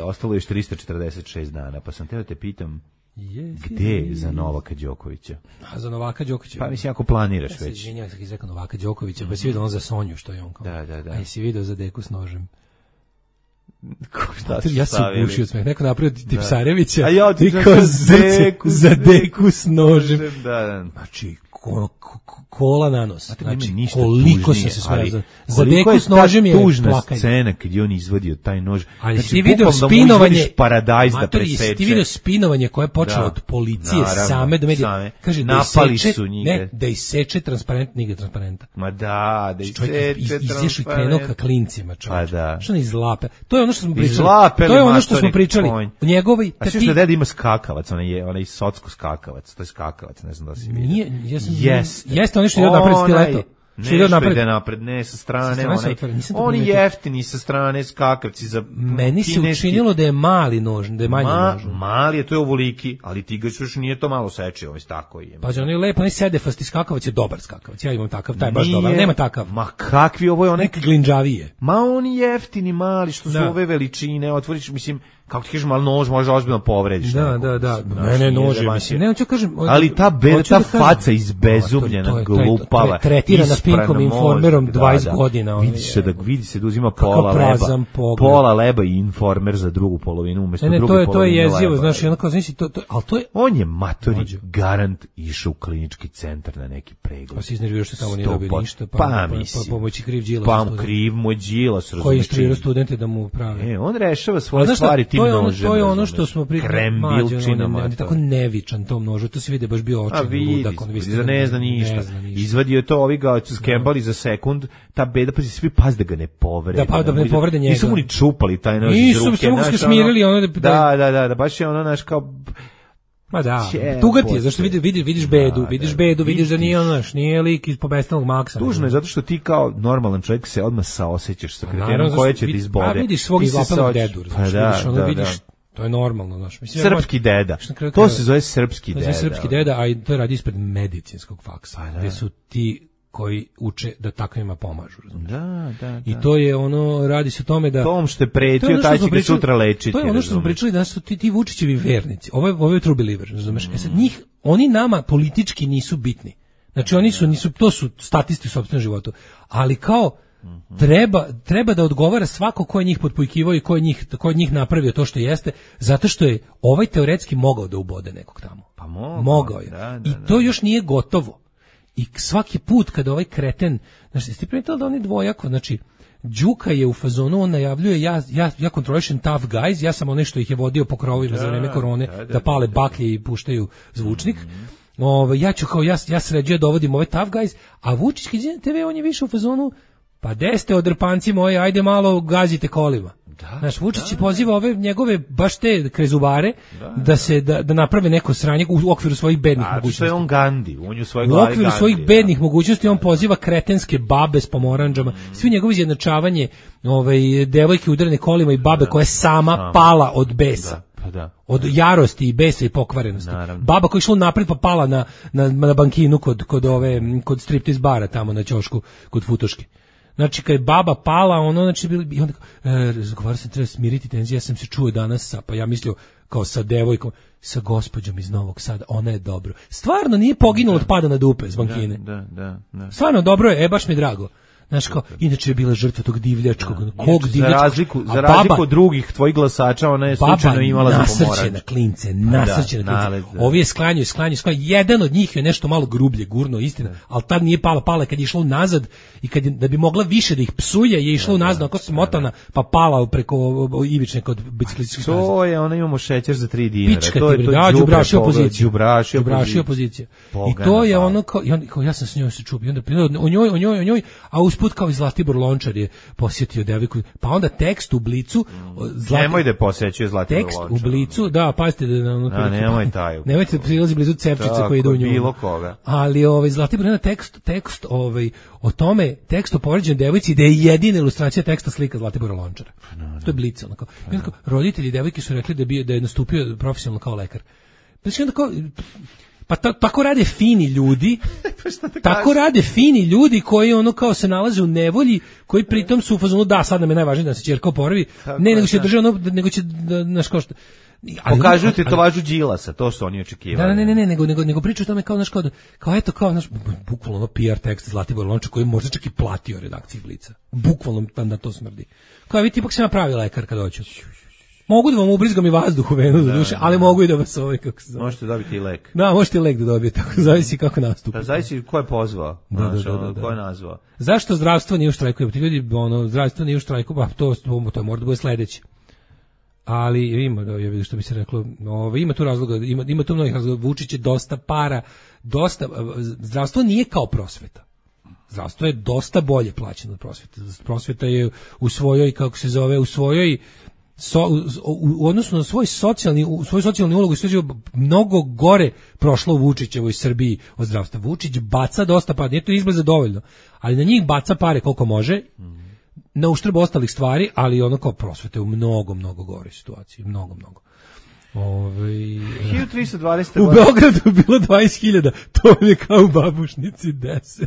ostalo je još 346 dana. Pa sam teo te pitam, gde za Novaka Đokovića? A za Novaka Đokovića? Pa mislim, ako planiraš već. Ja se izvinjam, sam izrekao Novaka Đokovića, pa si vidio on za Sonju, što je on kao. Da. A si vidio za deku s nožem? Šta ja se ugušio od smeh. Neko napravio Tipsarevića. A ja ti za deku s nožem. Da. Znači, kola na nos. Znači, koliko sam se smeo. Za deku s nožem je tužna plakanje. Scena kad je on izvadio taj nož. Ali znači, ti video spinovanje, paradajz da preseče. Ti video spinovanje koje je počelo od policije same do medija. Kaže, napali su njega. Ne, da iseče transparent, nigde transparenta. Ma da iseče transparent. Izašao i krenuo ka klincima, čovječ. Pa da. Što ne izlape? To je ono što smo pričali. Izlapeli, to je ono što smo pričali. Njegovi... A što deda ima skakavac, onaj socko skakavac, to je skakavac, ne znam da si vidio. Nije, jeste ono što je napred stileto. Što ide napred, ne sa strane, oni jeftini sa strane skakavci za meni se učinilo da je mali nož, da je manji nož. Mali je, to je ovoliki, ali ti ga još nije to malo seče, ovaj tako je. Pa on je lepo, onaj sedefasti skakavac je dobar skakavac, ja imam takav, taj je baš dobar, nema takav. Ma kakvi, ovo je onaj glinđavije. Ma oni jeftini, mali, što su ove veličine, otvoriš, mislim, kako ti kažem, ali nož može ozbiljno povrediš. Da. Mene nože, mislim. Ne, hoću kažem... Ali ta faca izbezubljena, glupava, tretirana Pinkom Informerom 20 godina. Vidi se da uzima pola leba i Informer za drugu polovinu, umjesto druge polovine leba. To je jezivo, znaš, onako, znači, ali to je... On je matori garant išao u klinički centar na neki pregled. Pa si iznervio što tamo nije dobio ništa, pa pomoći kriv Đilas. Pa kriv moj Đilas, razumiješ. Koji instruira studente da mu pravi. On rešava svoje stvari tim nožem. To je ono što smo krembilčinama. On je tako nevičan tom nožu, to se vidi baš bio očin ludak. Ne zna ništa. Izvadio je to, ovi ga skembali za sekund, ta beda, pa svi paz da ga ne povrede. Da ne povrede njega. Nisu mu ni čupali taj nož iz ruke. Nisu mu smirili ono da, baš je ono, naš kao... Ma da, tuga ti je, zašto vidiš bedu, vidiš da nije ono, nije lik iz Pobestalog Maksa. Tužno je, zato što ti kao normalan čovjek se odmah saosećaš sa kretenom koje će ti izbode. A vidiš svog izlapelog dedu, vidiš, to je normalno, znaš. Srpski deda, to se zove srpski deda. To se zove srpski deda, a to radi ispred medicinskog faksa, gde su ti koji uče da takvima pomažu, razumiješ? Da. I to je ono, radi se o tome da... Tom što je pretio, taj će ga sutra lečiti. To je ono što smo pričali, da su ti Vučićevi vernici. Ovo je true believer, razumiješ? Sad oni nama politički nisu bitni. Znači oni nisu, to su statisti u sopstvenom životu. Ali kao, treba da odgovara svako ko je njih potpujkivao i ko je njih napravio to što jeste, zato što je ovaj teoretski mogao da ubode nekog tamo. Pa mogao je. I to još nije gotovo. I svaki put kada ovaj kreten, znači, ste primetili da on je dvojako, znači, Đuka je u fazonu, on najavljuje, ja kontrolišem tough guys, ja sam onaj što ih je vodio po krovovima za vreme korone, da pale baklje i puštaju zvučnik, ja ću kao, ja sređujem dovodim ove tough guys, a Vučić kad je TV, on je više u fazonu, pa deste odrpanci moji, ajde malo gazite kolima. Znaš, Vučić poziva ove njegove baš te krezubare da naprave neko sranje u okviru svojih bednih mogućnosti. Što je on Gandhi, on je u svojoj glavi Gandhi. U okviru svojih bednih mogućnosti on poziva kretenske babe s pomoranđama. Svi njegovi izjednačavanje devojke udarene kolima i babe koja je sama pala od besa. Pa da. Od jarosti i besa i pokvarenosti. Naravno. Baba koja je išla napred pa pala na bankinu kod striptiz bara tamo na ćošku kod Futoške. Znači kad je baba pala, ono znači i onda razgovarao sam, treba smiriti tenziju, ja sam se čuo danas pa ja mislio kao sa devojkom, sa gospođom iz Novog Sada, ona je dobro. Stvarno nije poginulo od pada na dupe z bankine. Da. Stvarno dobro je, baš mi je drago. Znaš kao, inače je bila žrtva tog divljačkog, kog divljačkog. Za razliku od drugih tvojih glasača, ona je slučajno imala za pomorač. Nasrćena klince, nasrćena klince. Ovi je sklanjaju. Jedan od njih je nešto malo grublje gurno, istina, ali tad nije pala kad je išla nazad i da bi mogla više da ih psuje, je išla nazad, ako se motana, pa pala preko ivične kod biciklističkih staza. To je, ona imamo šećer za 3 dinara. Pička ti, đubraši opozicija. I to je ono kao, ja sam s njoj se čubio, onda o njoj, a usput kao i Zlatibor Lončar je posjetio devojku, pa onda tekst u Blicu nemoj da posećuje Zlatibor Lončar. Tekst u Blicu, da, pazite da nemoj taj. Nemojte prilazi blizu cepčica koji ide u nju. Bilo koga. Ali Zlatibor ima tekst o tome, tekst o povređenoj devojci da je jedina ilustracija teksta slika Zlatibora Lončara. To je Blic onako. Roditelji devojke su rekli da je nastupio profesionalno kao lekar. Znači onda kao pa tako rade fini ljudi. Tako rade fini ljudi koji ono kao se nalaze u nevolji, koji pritom su u fazonu da sad nam je najvažnije da se ćerka oporavi. Ne, nego će drže ono, nego će naš kao što pokažu ti to važu Đilasa, to što oni očekivali. Ne, nego pričaju o tome kao eto kao naš bukvalno ono PR tekst Zlatibor Lončar koji možda čak i platio redakciji Blica. Bukvalno na to smrdi. Kao vi tipak se napravi lekar kad hoću. Mogu da vam ubrizgam i vazduh u venu za duše, ali mogu i da vas kako se zove. Možete dobiti i lek. Da, možete i lek da dobijete, tako zavisi kako nastupi. Da, zavisi ko je pozvao, ko je nazvao. Zašto zdravstvo nije u štrajku? Ti ljudi, zdravstvo nije u štrajku, pa to mora da bude sledeće. Ali ima, ja vidim što bi se reklo, ima tu razloga, ima tu mnogih razloga, Vučić je dosta para, zdravstvo nije kao prosveta. Zdravstvo je dosta bolje plaćeno od prosvete. Prosveta je u svojoj, u odnosu na svoju socijalni ulogu mnogo gore prošlo u Vučićevoj Srbiji od zdravstva. Vučić baca dosta para, nije to izgleda dovoljno, ali na njih baca pare koliko može, na uštrb ostalih stvari, ali ono kao prosvete u mnogo gore situaciji, mnogo. 1320. U Beogradu je bilo 20.000, to je kao u Babušnici 10.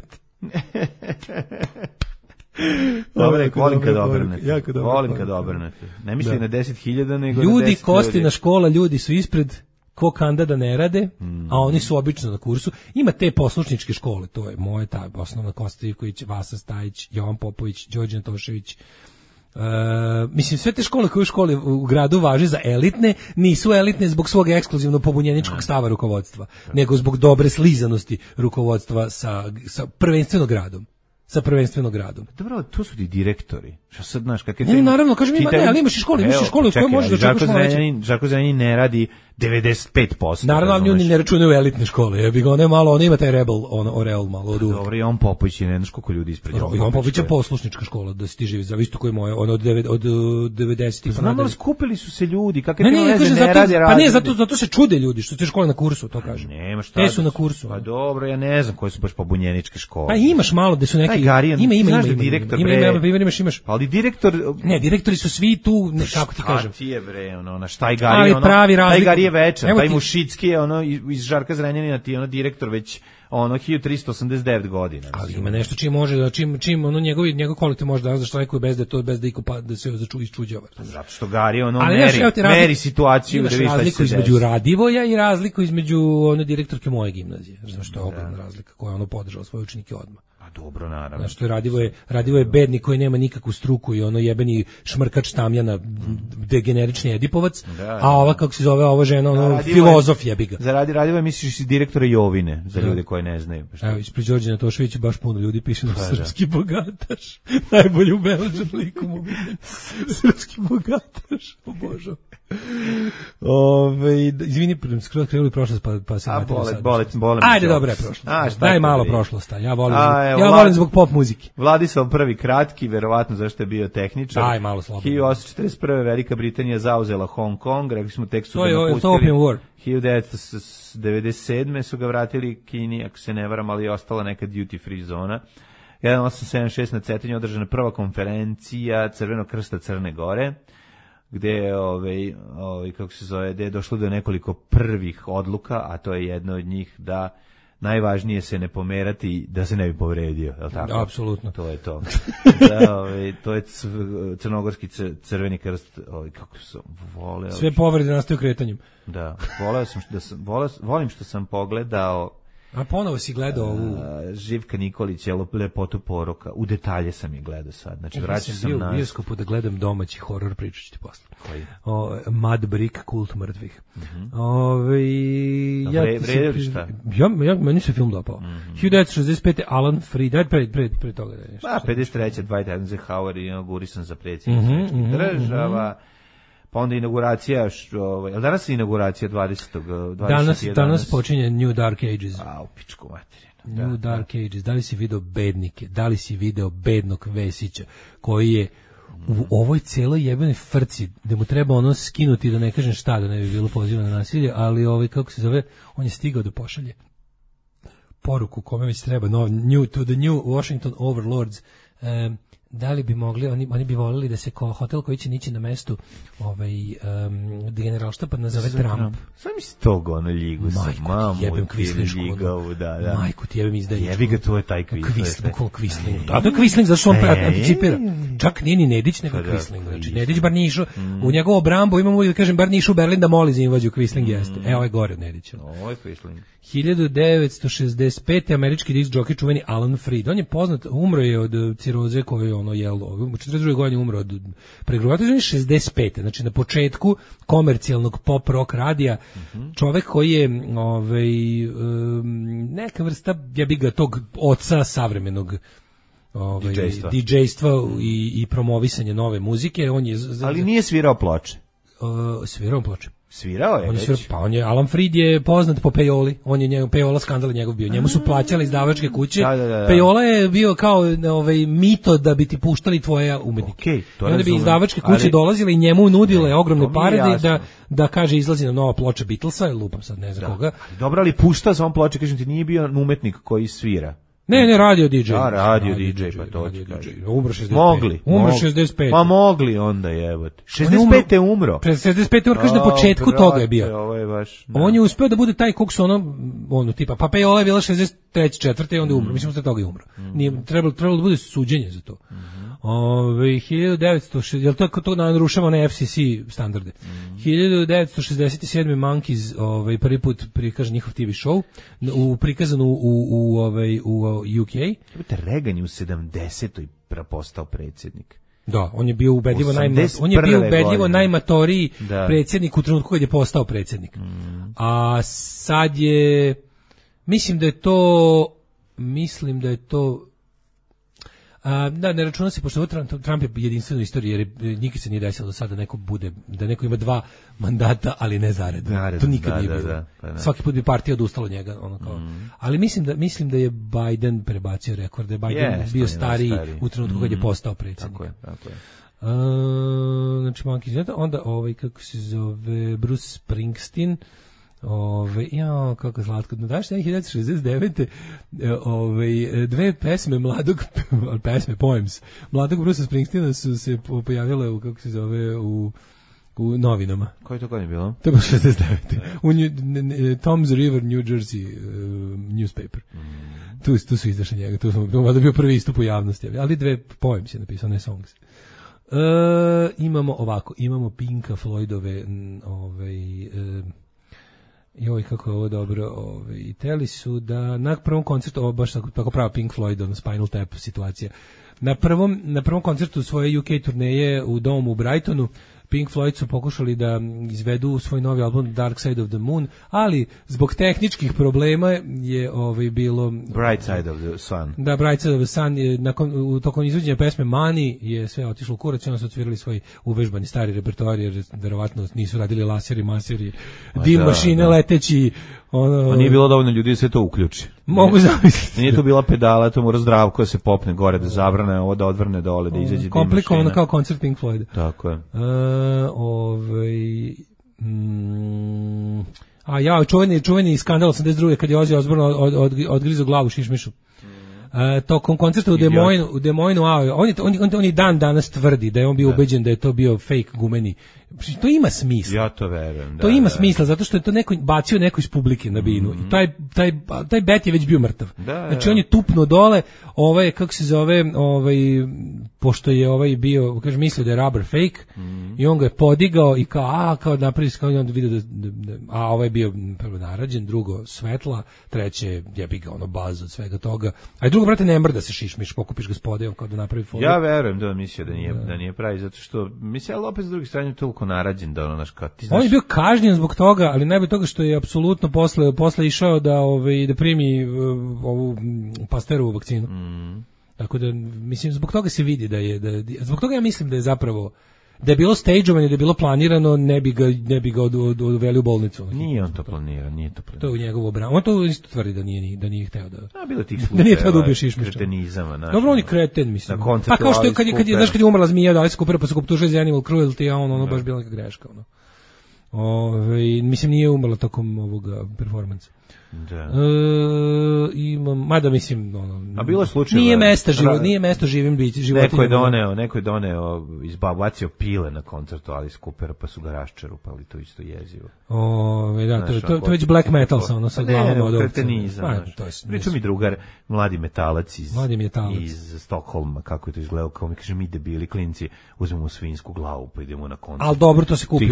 Dobre, volim kad obrnete. Ne misli na 10.000, nego ljudi, na 10 ljudi. Kostina škola, ljudi su ispred, ko kanda da ne rade, a oni su obično na kursu. Ima te poslušničke škole, to je moje, ta osnovna Kosta Ivković, Vasa Stajić, Jovan Popović, Đorđe Antošević. Mislim, sve te škole koje u školi u gradu važe za elitne, nisu elitne zbog svog ekskluzivno pobunjeničkog stava rukovodstva, nego zbog dobre slizanosti rukovodstva sa prvenstvenog gradom. Sa prvenstvenog gradom. Dobro, tu su ti direktori. Šta sad znaš kakve ne, naravno, kažem ali imaš i školu u kojoj možeš da čekaš malo veće. Žarko Zrenjanin ne radi 95%. Naravno, oni ne računaju elitne škole. Ja bih ga on ima taj Oreol malo od uvek. Dobro, i on Popović je ne znaš koliko ljudi ispred. I on Popović je poslušnička škola, da si ti živi, zavisno koji moje, ono od 90-ih. Znamo, skupili su se ljudi, kakve te veze ne radi. Pa ne, zato se čude ljudi, što su te škole na kursu, to kažem. Nema šta. Te su na kursu. Pa dobro, ja ne znam koje su baš pobunjeničke škole. Pa imaš malo da su neki ima. Imaš. Ali direktor... Ne, direktori su svi tu, kako ti kažem. Šta ti je bre, na šta je Gari, taj Gari je večan, taj Mušicki je iz Žarka Zrenjanina, ti je direktor već 1389 godina. Ali ima nešto čim može, čim njegov kolektiv može da štrajkuje bez da iko da se isčuđava. Zato što Gari meri situaciju. Imaš razliku između Radivoja i razliku između direktorke moje gimnazije. Znaš što je ogromna razlika koja je podržala svoje učenike odmah. Dobro, naravno. Znaš, to je Radivo je bednik koji nema nikakvu struku i jebeni šmrkač tamjana, degenerični Edipovac, a ova, kako se zove, ova žena, filozof jebiga. Za Radivo misliš iz direktora Jovine, za ljude koji ne znaju. Evo, ispred Đorđe Antoševića baš puno ljudi piše na srpski bogataš. Najbolji ubeležen likom u srpski bogataš, o Božo. Izvini, skoro krenuli prošlost pa se vratimo sad. Ajde, dobro je prošlost. Daj malo prošlost, ja volim zbog pop muzike. Vladislav prvi kratki, verovatno zašto je bio tehničar. Aj, malo slobodno. 1841. Velika Britanija zauzela Hong Kong, rekli smo tek su ga napustili. To Opium War. 1997. su ga vratili Kini, ako se ne varam, ali je ostala neka duty free zona. 1876 na Cetinju održana prva konferencija Crvenog krsta Crne Gore. gde je kako se zove, gde je došlo do nekoliko prvih odluka, a to je jedno od njih da najvažnije se ne pomerati da se ne bi povredio, je li tako? Apsolutno. To je to. Da, to je crnogorski crveni krst, kako sam voleo. Sve povrede nastaju kretanjem. Da, volim što sam pogledao. A ponovo si gledao ovu Živka Nikolića, Lepotu poroka. U detalje sam je gledao sad. Znači, vraćam sam bio u bioskopu da gledam domaći horor, pričat ću ti posle. Koji? Mad Brick, Kult mrtvih. Vredili šta? Meni se film dopao. 1965. Alan Freed, pre toga. 53. Dwight Eisenhower i inaugurisan za predsjednika država. Pa onda inauguracija, danas je inauguracija 20. Danas počinje New Dark Ages. A, u pičku materinu. New Dark Ages. Da li si video bednike? Da li si video bednog Vesića, koji je u ovoj celoj jebenoj frci, da mu treba ono skinuti, da ne kažem šta, da ne bi bilo poziva na nasilje, ali kako se zove, on je stigao da pošalje poruku kome već treba, to the new Washington overlords, da li bi mogli, oni bi volili da se hotel koji će nići na mestu generalštaba nazove Trump. Sam mi stog ono ljigu sa mamu. Jebem kvislišku. Da. Majku ti jebem izdajničku. Jebi ga, to je taj Kvisling. Da, to je Kvisling, zašto on anticipira. Čak nije ni Nedić, nego Kvisling. Znači, Nedić bar nije išao, u njegovu brambu imamo uvijek da kažem, bar nije išao u Berlin da moli za invaziju, Kvisling jeste. Ovo je gore od Nedića. Ovo je Kvisling. 1965. američki disk džokej čuveni Alan Freed. On je poznat, umro je od ciroze koju je ono jelo. U 42. godini umro od pregruvata. On je 65. Znači na početku komercijalnog pop rock radija. Čovek koji je neka vrsta, ja bih ga tog oca savremenog DJ-stva i promovisanje nove muzike. On je ali nije svirao ploče. Svirao ploče. Svirao je već. Alan Freed je poznat po pejoli. On je Pejola skandal njegov bio. Njemu su plaćali izdavačke kuće. Da. Pejola je bio kao mito da bi ti puštali tvoje umetnike. Okay, onda bi izdavačke kuće dolazile i njemu nudile ogromne pare da kaže izlazi na nova ploča Beatlesa, lupam sad ne znam koga. Dobro, ali pušta sa on ploče, kažem ti, nije bio umetnik koji svira. Ne, radio DJ. Radio DJ, pa to ti kaže. Umro 65. Umro 65. Pa mogli onda jebote. 65 je umro. 65 kaže na početku toga je bio. Ovo je baš. On je uspeo da bude taj kog su ono tipa pa Pejola je bila 63. 4. i onda umro. Mislim da toga je umro. Nije trebalo da bude suđenje za to. 1960, jel to narušava one FCC standarde. 1967. Monkeys prvi put prikaže njihov TV show, prikazano u UK. Reagan je u 70. postao predsjednik. Da, on je bio ubedljivo najmatoriji predsjednik u trenutku kad je postao predsjednik. A sad je mislim da je to da, ne računa se, pošto Trump je jedinstven u istoriji, jer nikad se nije desilo do sada da neko ima 2 mandata, ali ne zaredno. To nikad nije bilo. Svaki put bi partija odustala od njega. Ali mislim da je Biden prebacio rekord, da je Biden bio stariji u trenutku kad je postao predsjednik. Tako je. Znači, onda kako se zove, Bruce Springsteen, kako slatko. Daš 1969. Dve pesme poems mladog Bruce'a Springsteena su se pojavile u, kako se zove, u novinama. Koji to godin je bilo? To je bilo 69. U Tom's River, New Jersey newspaper. Tu su izašli njega. To je bio prvi istup u javnosti. Ali 2 poems je napisao, ne songs. Imamo Pinka Floydove joj, kako je ovo dobro. Teli su da na prvom koncertu, baš tako prava Pink Floyd, Spinal Tap situacija. Na prvom koncertu svoje UK turneje u domu u Brightonu, Pink Floyd su pokušali da izvedu svoj novi album Dark Side of the Moon, ali zbog tehničkih problema je bilo Bright Side of the Sun. Da, Bright Side of the Sun je tokom izvođenja pesme Money je sve otišlo u kurac i onda su odsvirali svoj uvežbani stari repertoar, jer verovatno nisu radili laseri, maseri, dim mašine leteći. Nije bilo dovoljno ljudi da se to uključi. Mogu zamisliti. Nije to bila pedala, to mora Zdravko da se popne gore, da zavrne ovo, da odvrne dole, da izađe dim mašina. Komplikovano kao koncert Pink Floyd. Tako je. Čuveni skandal 82. kad je Ozzy Osbourne odgrizao glavu šišmišu. Tokom koncerta u Des Moines, on i dan danas tvrdi da je on bio ubeđen da je to bio fake gumeni To ima smisla. Ja to verujem. To ima smisla, zato što je to neko bacio neko iz publike na binu. I taj bet je već bio mrtav. Znači on je tupnuo dole, kako se zove, pošto je bio, kaže, mislio da je rubber fake, i on ga je podigao i kao napravi, kao onda vidio da je bio prvo narađen, drugo svetla, treće jebi ga baz od svega toga. A i drugo, brate, ne mrda se šišmiš, pokupiš ga spodejom kao da napravi foru. Ja verujem da on mislio da nije pravi, zato što mislim, ali opet s druge strane toliko narađen da naš kao ti znaš. On je bio kažnjen zbog toga, ali najbolje toga što je apsolutno posle išao da primi ovu Pasterovu vakcinu. Tako da mislim zbog toga se vidi zbog toga ja mislim da je zapravo da je bilo stageovanje, da je bilo planirano, ne bi ga odveli u bolnicu. Nije on to planirao, To je u njegovu obranu. On to isto tvrdi da nije hteo da. Bilo tih slučajeva. Da nije hteo da ubije šišmiša. Kretenizama, dobro, on je kreten, mislim. Pa kao što je kad je umrla zmija, da Alice Cooper pa su optužili za animal cruelty, a ono baš bila neka greška, mislim nije umrla tokom ovoga performansa. Da. Mada mislim a bilo je slučajeva nije mesto živim životinjama. Neko je doneo izbacio pile na koncertu Alice Coopera pa su ga raščerupali, to isto jezivo. To je već black metal sa glavom od ovce. Pričao mi drugar, mladi metalac iz Stokholma, kako je to izgledalo, kao mi kaže, mi debili klinci uzmemo svinsku glavu pa idemo na koncert. Ali dobro, to se kupi.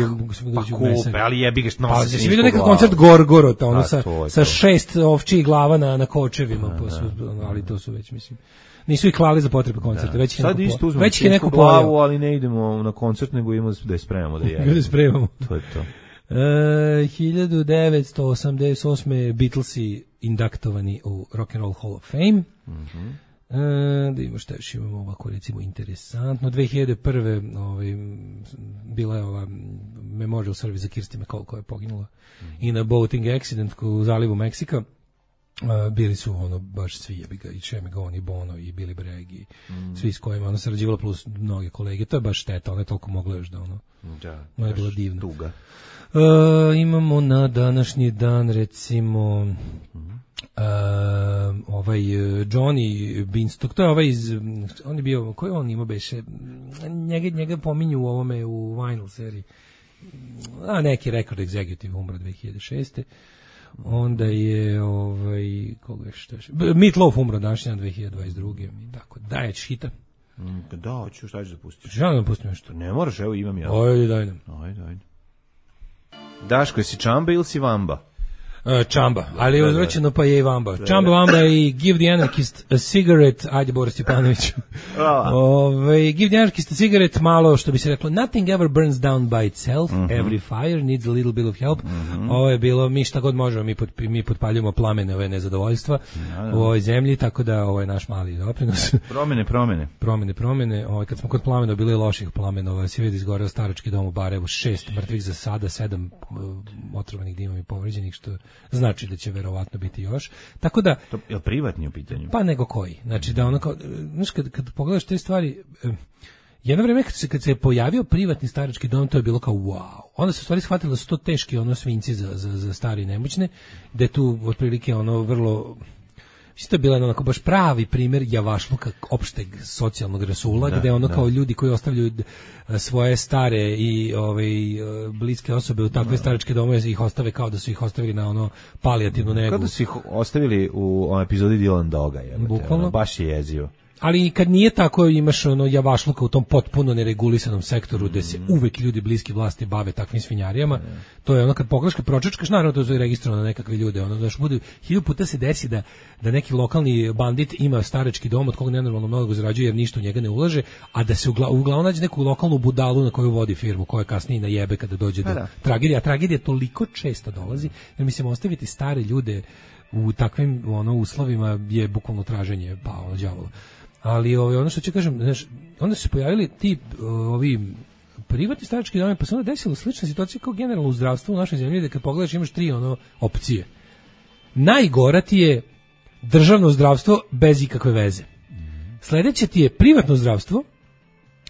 Kupe, ali jebi ga što nosi. Si vidio neki koncert Gorgorota, sa 6 ovčijih glava na kočevima, ali to su već, mislim, nisu ih klali za potrebe koncerta, već ih je neko glavu, ali ne idemo na koncert, nego idemo da je spremamo da jedemo. Da spremamo. To je to. 1988. Beatlesi indaktovani u Rock and Roll Hall of Fame. Da imamo šta još imamo ovako recimo interesantno. 2001. Bila je ova memorial service za Kirsty MacColl koja je poginula i na boating accident u zalivu Meksika. Bili su baš svi jebiga i Chemigon i Bono i Billy Bragg i svi s kojima ona sarađivala plus mnoge kolege. To je baš šteta, ona je toliko mogla još da je bilo divno. Tuga. Imamo na današnji dan recimo Johnny Beanstalk, to je on je bio, koji on ima beše, njega pominju u ovome u Vinyl seriji, neki record executive umro 2006. Onda je koga je što je Meatloaf umro današnji dan 2022. Tako da je hita. Da, hoću, šta ćeš da pustiš? Želim da pustim nešto. Ne moraš, evo imam ja. Ajde. Daško, jesi Čamba ili si Vamba? Čamba, ali je uzročeno pa je i Vamba. Čamba, Vamba i Give the Anarchist a Cigarette, ajde Boris Stjepanović. Give the Anarchist a Cigarette, malo što bi se reklo, nothing ever burns down by itself, every fire needs a little bit of help. Ovo je bilo, mi šta god možemo, mi potpaljujemo plamene ove nezadovoljstva u ovoj zemlji, tako da ovo je naš mali doprinos. Promene. Kad smo kod plamena, bilo je loših plamena, se vidi izgoreo starački dom u Barajevu, 6 mrtvih za sada, 7 otrovanih dimom i povređenih, što znači da će verovatno biti još. Tako da to je privatni u pitanju. Pa nego koji. Znači da kad pogledaš te stvari, jedno vreme kad se pojavio privatni starački dom, to je bilo kao wow. Onda se u stvari shvatilo da su to teški svinjci za stari i nemoćne, da je tu otprilike vrlo isto je bila onako baš pravi primjer javašluka opšteg socijalnog rasula, gde kao ljudi koji ostavljaju svoje stare i bliske osobe u takve staračke domove ih ostave kao da su ih ostavili na palijativnu negu. Kao da su ih ostavili u epizodi Dylan Doga, bukvalno. Baš je jezivo. Ali kad nije tako, imaš javašluka u tom potpuno neregulisanom sektoru gde se uvek ljudi bliski vlasti bave takvim svinjarijama. To je kad pogledaš, kad pročačkaš, naravno to je registrovano na nekakve ljude. Bude 1000 puta se desi da neki lokalni bandit ima starački dom od koga nenormalno mnogo zarađuje jer ništa u njega ne ulaže, a da se uglavnom nađe neku lokalnu budalu na koju vodi firmu, koja kasnije najebe kada dođe do tragedije. A tragedija toliko često dolazi, jer mislim ostaviti stare ljude u takvim uslovima je bukvalno traženje đavola. Ali ono što ću kažem, onda su se pojavili ti ovi privatni starački domovi, pa se onda desila slična situacija kao generalno u zdravstvu u našoj zemlji, da kad pogledaš imaš 3 opcije. Najgora ti je državno zdravstvo bez ikakve veze. Sledeće ti je privatno zdravstvo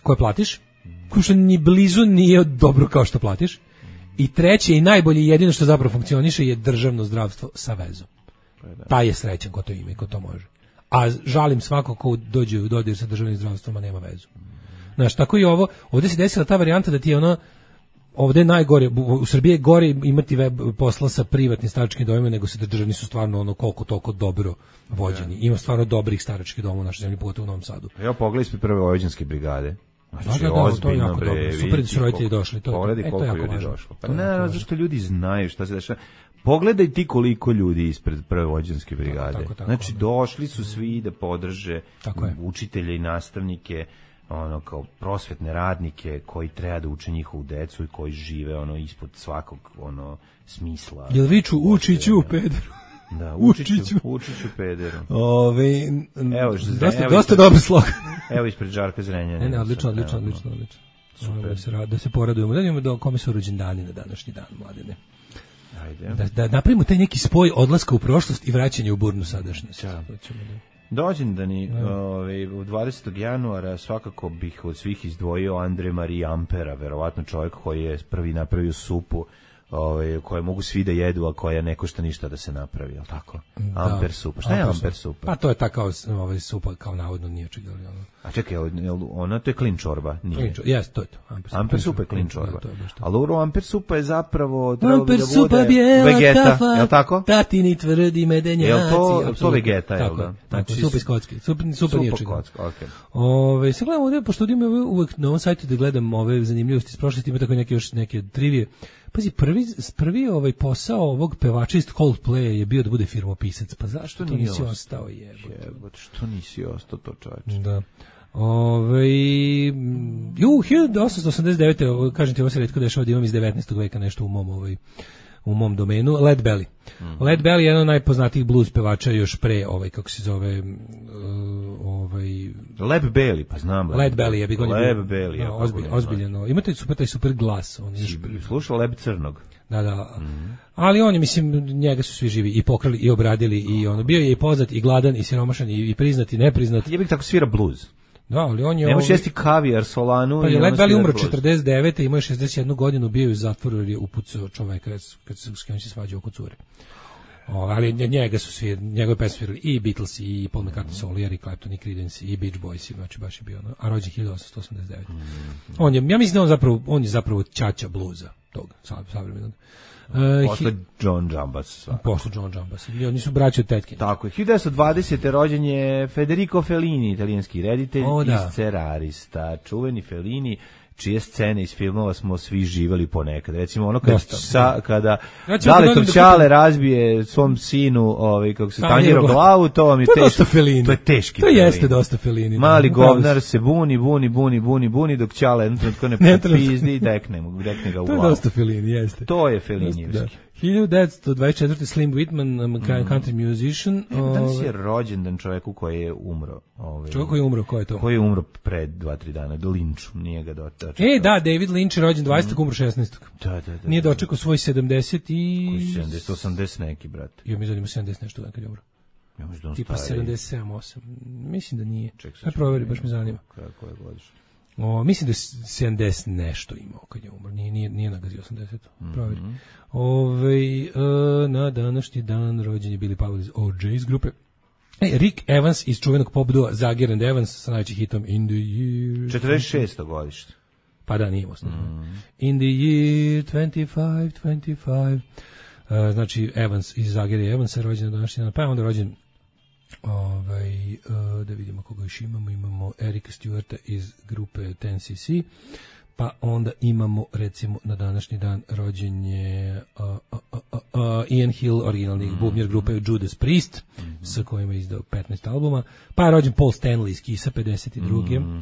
koje platiš, koje što ni blizu nije dobro kao što platiš. I treće i najbolje i jedino što zapravo funkcioniše je državno zdravstvo sa vezom. Taj je srećan ko to ima i ko to može. A žalim svako ko dođe u dodir sa državnim zdravstvom, a nema vezu. Znaš, tako i ovo, ovdje se desila ta varijanta da ti je ovde je najgore, u Srbiji je gore imati posla sa privatnim staračkim domovima nego se državni su stvarno ono koliko toliko dobro vođeni. Ima stvarno dobrih staračkih domova u našoj zemlji, pogotovo u Novom Sadu. Ja pogledaj ispred prve vojvođanske brigade. Znači, to je jako dobro. Super da su roditelji došli. Pogledaj koliko ljudi došlo. Pa ne, zašto ljudi znaju šta se dešava. Pogledaj ti koliko ljudi ispred prve vojvođanske brigade. Znači, došli su svi da podrže učitelje i nastavnike, ono kao prosvetne radnike koji treba da uče njihovu decu i koji žive ono ispod svakog ono smisla. Jel viču Učiću pederu? Da, Učiću pederu. Evo, dosta dobar slogan. Evo ispred Žarka Zrenjanina. Ne, odlično. Super. Da se poradujemo. Da imamo do kome su rođendani na današnji dan, mladine. Ajde. Da napravimo taj neki spoj odlaska u prošlost i vraćanje u burnu sadašnjost. Dođendani u 20. januara svakako bih od svih izdvojio Andre Marie Ampera, verovatno čovjek koji je prvi napravio supu koje mogu svi da jedu, a koja ne košta ništa da se napravi, je li tako? Amper supa. Šta je Amper supa? Pa to je ta kao supa, kao navodno nije čega. A čekaj, ona to je klin čorba? Jes, to je to. Amper supa je klin čorba. Ali Amper supa je zapravo Amper supa bijela vegeta, je li tako? Tatini tvrdi medenjaci. Je li to vegeta, je li da? Tako, supa iz kocke. Supa nije čega. Sad gledam ovdje, pošto imam uvek na ovom sajtu da gledam ove zanimljivosti iz prošlosti, ima tako neke trivije. Pazi, prvi posao ovog pevača iz Coldplaya je bio da bude firmopisac. Pa zašto to nisi ostao? Što nisi ostao to, čovječe? Da. 1889. Kažem ti, ovo se retko dešava da imam iz 19. veka nešto u mom domenu. Led Belly. Led Belly je jedan od najpoznatijih blues pevača još pre, kako se zove, Led Belly, pa znam. Led Belly je bi Led Belly, ozbiljno. Ima taj super glas. Slušao Leb Crnog. Da. Ali on je, mislim, njega su svi živi i pokrali i obradili i ono, bio je i poznat i gladan i siromašan i priznat i nepriznat. Je bih tako svira blues. Da, ali on je... Nemaš jesti kavijar, solanu... Pa je Led Belly umro 49. Imao je 61 godinu, bio je u zatvoru jer je upucao čoveka s kojim se svađao oko cure. Ali njega su svi, njegove pesme svirali i Beatles, i Paul McCartney solo, i Clapton, i Creedence, i Beach Boys, znači baš je bio ono, a rođen 1889. Ja mislim da on je zapravo ćaća bluza tog savremenog. Posle John Jambas. Posle John Jambas. Oni su braći od tetke. Tako je. 1920. rođen je Federico Fellini, italijanski reditelj i scenarista. Čuveni Fellini, čije scene iz filmova smo svi živali ponekad. Recimo ono kada Daletov Ćale razbije svom sinu, kako se tanjiro glavu, to vam je teški. To je teški. To jeste dosta Fellini. Mali govnar se buni dok Ćale ne popizdi i dekne ga u glavu. To je dosta Fellini, jeste. To je Fellinijevski. 1924. Slim Whitman, country musician. Danas je rođendan čovjeku koji je umro. Čovjek koji je umro, ko je to? Koji je umro pre 2-3 dana, do Lynchu, nije ga dočekao. Da, David Lynch je rođen 20. umro 16. Da. Nije dočekao svoj 70 i... 80 neki, brat. Jo, mi zanima 70 nešto dan kad je umro. Tipa 77, 8. Mislim da nije. Aj proveri, baš me zanima. Kako je godišnje? Mislim da je 70 nešto imao kad je umro. Nije nagazio 80. Proveri. Na današnji dan rođen je Billy Powell iz OJ's grupe. Rick Evans iz čuvenog pop dua Zager and Evans sa najvećim hitom In the Year... 46. godište. Pa da, nije osnovno. In the Year 25. Znači, Evans iz Zager i Evans je rođen na današnji dan. Pa je onda rođen da vidimo koga još imamo Erika Stewarta iz grupe 10cc, pa onda imamo recimo na današnji dan rođenje Ian Hill, originalni bubnjar grupe Judas Priest, sa kojima je izdao 15 albuma, pa je rođen Paul Stanley iz Kissa 52.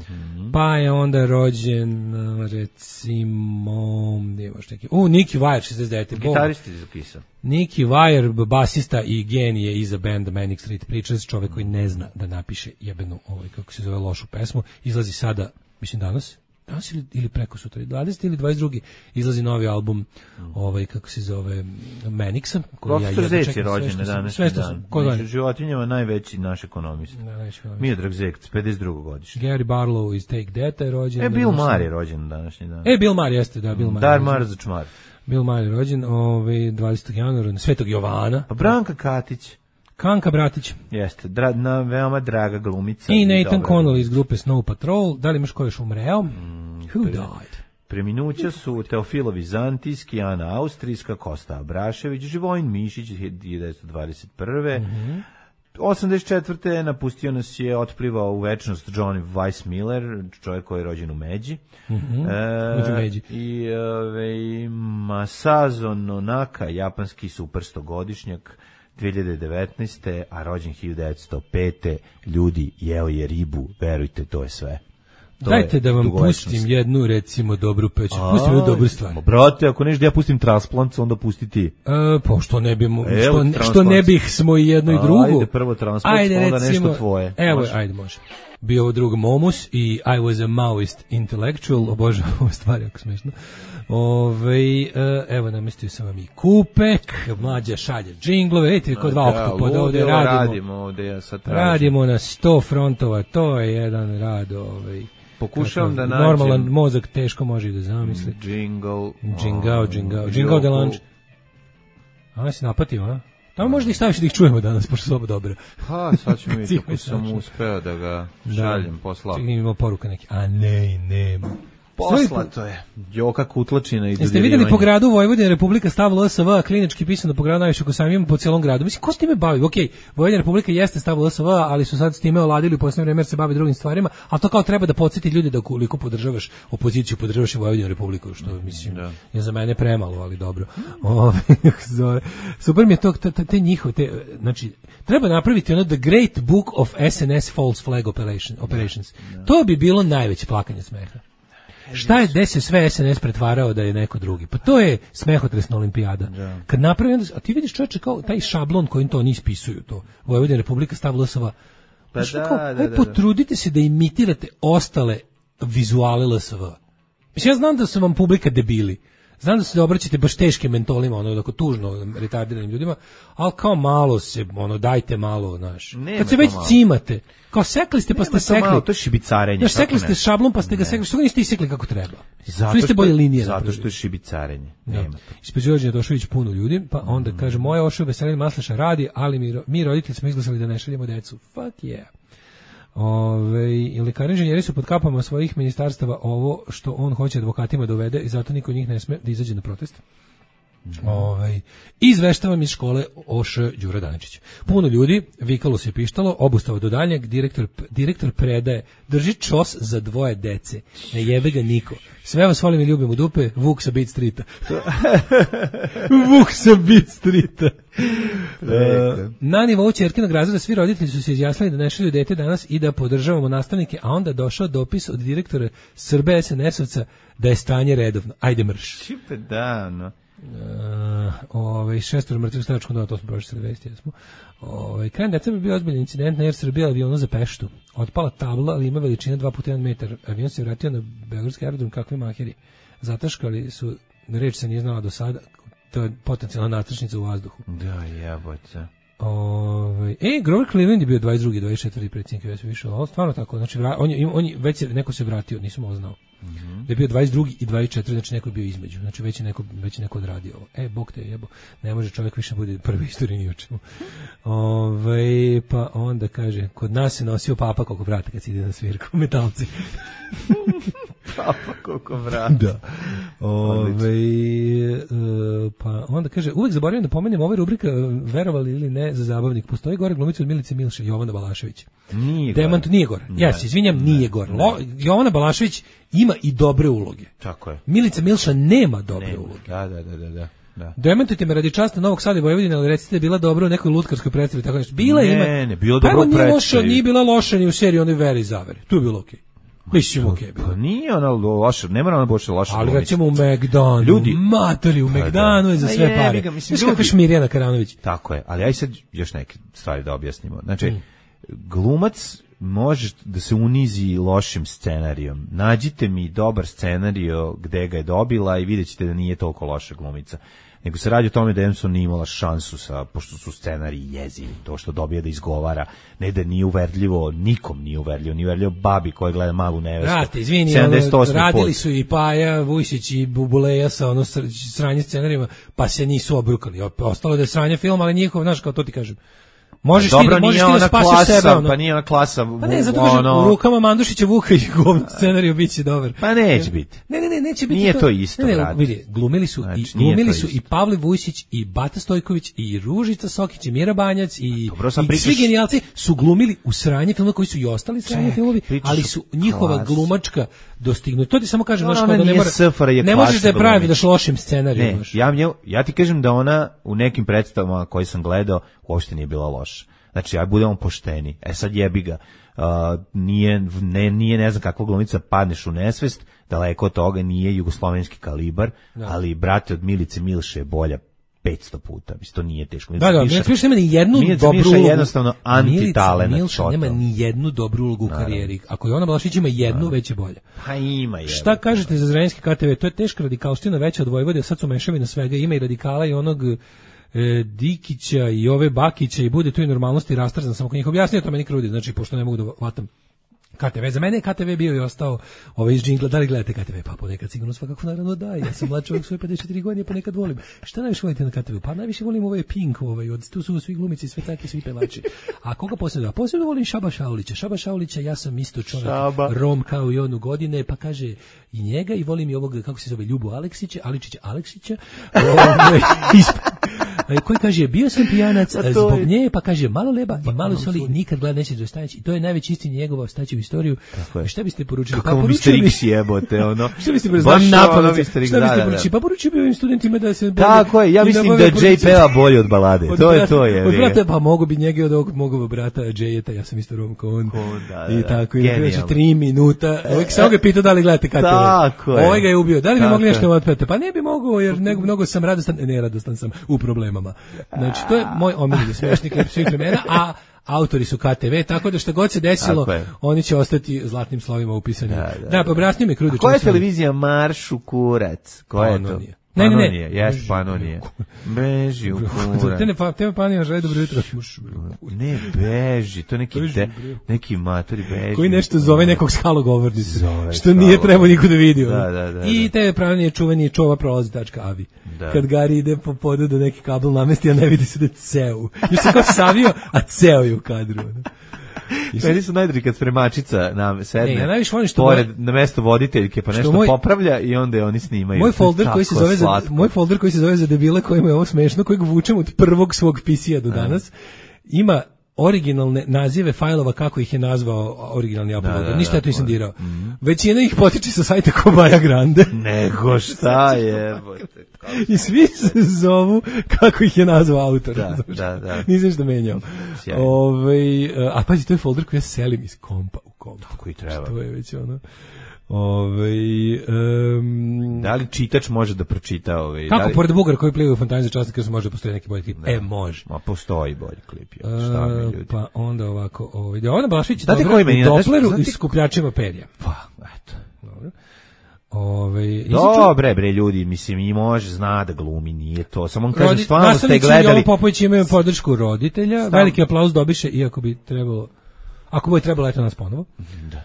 Pa je onda rođen recimo Nicky Wire 69. Gitaristi iz Kissa. Nicky Wire, basista i genije iza benda Manic Street Preachers, čovek koji ne zna da napiše jebenu, kako se zove, lošu pesmu, izlazi sada, mislim danas ili preko sutra, 20. ili 22. izlazi novi album, kako se zove, Manixa. Profesor Zec je rođen na današnji dan. Među životinjama najveći naš ekonomist. Miodrag Zec, 52. godišnje. Gary Barlow iz Take That je rođen. Bill Maher je rođen na današnji dan. Bill Maher jeste, da, Bill Maher. Dar Mar za čmar. Bill Maher je rođen 20. januara, Svetog Jovana. Pa Branka Katić. Kanka Bratić. Jeste, veoma draga glumica. I Nathan Connolly iz grupe Snow Patrol. Da li imaš ko još umreo? Who died? Preminuća su Teofilo Vizantijski, Ana Austrijska, Kosta Abrašević, Živojin Mišić 1921. 84. napustio nas je, otplivao u večnost John Weissmiller, čovjek koji je rođen u Međi. I Masazo Nonaka, japanski super 100-godišnjak, 2019. a rođen 1905. Ljudi, jeo je ribu, verujte, to je sve. Dajte da vam pustim jednu, recimo, dobru peću. Pustim jednu dobru stvar. Brate, ako nešto da ja pustim transplant, onda pusti ti. Pa što ne bi, što ne bih smo i jedno i drugo. Ajde, prvo transplant, onda recimo, nešto tvoje. Evo, ajde, može. Bio ovo drugo Momus i I was a Maoist intellectual, obožavam ove stvari, ako smešno. Evo, namestio sam vam i kupek, mlađa šalje džinglove, vidite, kod dva oktopoda ovde radimo na 100 frontova, to je jedan rad, pokušavam da nađem. Normalan mozak teško može i da zamisli. Džingao de lanč. A, si napatio, a? Tamo možda ih staviš da ih čujemo danas, pošto su oba dobro. Pa, sad ćemo vidjeti kako sam uspeo da ga šaljem, poslao. Čekaj, imamo poruka neki. A ne, nema. Poslato je. Joka Kutlačina i dodirivanje. Jeste vidjeli po gradu Vojvodina Republika stavila LSV, klinički pisano po gradu najviše ko sam imamo po cijelom gradu. Mislim, ko s time bavi? Okej, Vojvodina Republika jeste stavila LSV, ali su sad s time oladili u posljednje vreme jer se bavi drugim stvarima, ali to kao treba da podsjeti ljude da koliko podržavaš opoziciju, podržavaš i Vojvodinu Republiku, što mislim je za mene premalo, ali dobro. Super mi je to, te njihove, znači, treba napraviti ono The Great Book of SNS False Flag Operations. To bi bilo najveće plakanje smeha. Šta je, gde se sve SNS pretvarao da je neko drugi? Pa to je smehotresna olimpijada. Kad napravi, a ti vidiš čovječe kao taj šablon kojim to oni ispisuju, to Vojvodina Republika stavila LSV. Potrudite se da imitirate ostale vizuale LSV. Mislim, ja znam da su vam publika debili. Znam da se obraćate baš teškim mentolima, ono, tako tužno retardiranim ljudima, ali kao malo se, ono, dajte malo, znaš. Kad se već cimate, kao sekli ste pa ste sekli. Malo, to je šibicarenje. Znaš, sekli ste šablon pa ste ga sekli, što ga niste isekli kako treba? Što niste bolje linije napravili? Zato što je šibicarenje. Ispred Đorđe Došović puno ljudi, pa onda kaže, moja Ošo Veselin Maslaša radi, ali mi roditelji smo izglasali da ne šaljemo decu. Fuck yeah. I lekari inženjeri su pod kapama svojih ministarstava ovo što on hoće advokatima da uvede i zato niko od njih ne sme da izađe na protest. Izveštavam iz škole Oš Đura Daničić. Puno ljudi, vikalo se pištalo, obustava do daljnjeg, direktor predaje, drži čos za 2 dece, ne jebe ga niko. Sve vas volim i ljubim u dupe, Vuk sa Beat Streeta. Vuk sa Beat Streeta. Na nivou ćerkinog razreda svi roditelji su se izjasnili da ne šalju dete danas i da podržavamo nastavnike, a onda došao dopis od direktora Srbe SNS-ovca da je stanje redovno. Ajde mrš. Čipe davno. 6 mrtvih stranačkom domu, to smo prošli vesti, jesmo. Krajem decembra bio ozbiljan incident na Air Srbija avionu za Peštu. Otpala tabla, ali ima veličine 2x1 metar. Avion se vratio na beogradski aerodrom, kakvi maheri. Zataškali su, reč se nije znala do sada, to je potencijalna natrčnica u vazduhu. Da, jebote. Grover Cleveland je bio 22. 24. predsjednik US više, ali stvarno tako, znači on već neko se vratio, nisam ovo znao. Da je bio 22. i 24. znači neko je bio između, znači već je neko odradio ovo. Bog te jebo, ne može čovjek više bude prvi istoriji ni u čemu. Pa onda kaže, kod nas se nosio papa koliko vrata kad se ide na svirku, metalci. Papa koliko vrata. Da. Pa onda kaže, uvek zaboravim da pomenem ova rubrika verovali ili ne za zabavnik. Postoji gore glumica od Milice Milše, Jovana Balašević. Nije gore. Ja se izvinjam, nije gore. Jovana Balašević ima i dobre uloge. Tako je. Milica Milša nema dobre uloge. Da. Dementujte me radi časta Novog Sada i Vojvodine, ali recite da je bila dobra u nekoj lutkarskoj predstavi, tako nešto. Bila ima. Ne, bilo dobro u predstavi. Nije bila loša ni u seriji Oni veri i zaveri. Tu je bilo okej. Mislim okej. Pa nije ona loša, ne mora ona boše loša. Ali recimo u Megdanu, ljudi, matori u Megdanu je za sve pare. Znaš kako je Šmirjana Karanović? Tako je, ali aj sad još neke stvari da objasnimo. Znači, glumac može da se unizi lošim scenarijom. Nađite mi dobar scenario gde ga je dobila i vidjet ćete da nije toliko loša glumica. Nego se radi o tome da Emson nije imala šansu pošto su scenariji jezivi, to što dobije da izgovara, ne da nije uverljivo, nikom nije uverljivo babi koja gleda Malu nevestu. Brate, izvini, radili su i Paja, Vujsić i Bubuleja sa sranje scenarijima, pa se nisu obrukali. Ostalo da je sranje film, ali njihov, znaš, kao to ti kažem. Možeš dobro, ti nije da spasiš sebe. Ono. Pa nije ona klasa. Pa ne, zato kažem, u rukama Mandušića Vuka i govno scenariju biće dobar. Pa neće biti. Ne, neće biti. Nije to isto, brate. Vidi, glumili su i Pavle Vujsić i Bata Stojković i Ružica Sokić i Mira Banjac i svi genijalci su glumili u sranje filmova koji su i ostali sranje filmovi, ali su njihova glumačka dostignuta. To ti samo kažem, ne možeš da je praviš lošim scenarijom. Ja ti kažem da ona u nekim predstavama koje sam gledao uopšte nije bila loša. Znači, ja budemo pošteni. Sad jebi ga. Nije ne znam kakva glumica, padneš u nesvest, daleko od toga nije jugoslovenski kalibar, ali brate od Milice Milše je bolja 500 puta. Mislim, to nije teško. Milša nema ni jednu dobru ulogu. Jednostavno antitalent. Milša nema ni jednu dobru ulogu u karijeri. Ako je ona Blašić ima jednu, već je bolja. Pa ima je. Šta kažete za Zrenjanski KTV? To je teška radikalština veća od Vojvode, sad su mešavina svega, ima i radikala i onog Dikića i ove Bakića i bude tu i normalnosti rastrzan, samo ko njih objasnio, to meni krudi, znači, pošto ne mogu da vatam KTV. Za mene je KTV bio i ostao iz džingla. Da li gledate KTV? Pa ponekad sigurno svakako naravno da. Ja sam mlad čovjek svoje 54 godine, ponekad volim. Šta najviše volite na KTV? Pa najviše volim Pink, tu su svi glumici, sve caki, svi pevači. A koga posebno? Posebno volim Šaba Šaulića. Šaba Šaulića, ja sam isto čovjek Rom kao i on u godine, pa kaže i njega i volim i ovog, kako se zove, Ljubu Aleksića. Koji kaže, bio sam pijanac zbog nje, pa kaže, malo leba i malo soli, nikad gleda neće dostanići. I to je najveći istin njegova staći u istoriju. Šta biste poručili? Kako mi Mr. X jebote, ono. Šta biste poručili? Pa poručio bi ovim studentima da se... Tako je, ja mislim da Jay peva bolje od balade. To je. Od brata, pa mogu bi njega od ovog mogovog brata Jayeta, ja sam isto Rom kao on. I tako, i kreće 3 minuta. Uvijek sam ga pitao da li gledate KTV. Ovaj ga je ubio. Da li bi mogli nešto otpeti? Pa ne bi mogao, jer mnogo sam radostan sam u problemama. Znači, to je moj omiljeni smešni klip svih vremena, a autori su KTV, tako da što god se desilo, oni će ostati zlatnim slovima upisani. Da, pa obrasni me krudi. Koja je televizija Maršu kurac? Koja je to? Ne. Jeste Panonije. Beži u kurac. Te me Panonija žele dobro jutro. Ne, beži, to neki matori beži. Koji nešto zove nekog skalogovornice. Što nije trebao niko da vidi. I te Panonije čuveni čova prolazi.avi. Kad Gari ide po podu da neki kabel namesti, a ne vidi se da je ceo. Još se kao savio, a ceo je u kadru. Meni su najdri kad spremačica sedne na mesto voditeljke pa nešto popravlja i onda je oni snimaju. Moj folder koji se zove za debile kojima je ovo smešno, kojeg vučem od prvog svog PC-a do danas, ima originalne nazive fajlova kako ih je nazvao originalni uploader. Ništa ja to nisam dirao. Većina ih potiče sa sajta Kobaja Grande. Nego šta je? I svi se zovu kako ih je nazvao autor. Da. Nisam što menjao. A pazi, to je folder koji ja selim iz kompa u komp. Tako i treba. To je već ono... da li čitač može da pročita kako pored Bugara koji plivaju u fontani za časnik jer može postoji neki bolji klip? Može. Ma postoji bolji klip. Pa onda ovako ona Blašić je dobra u Dopleru i skupljačima perja. Pa eto. Dobro. Bre ljudi, mislim i može zna da glumi, nije to. Samo on kaže stvarno ste gledali. Popović imaju podršku roditelja. Veliki aplauz dobiše iako bi trebalo, ako bi trebalo eto nas ponovo. Da.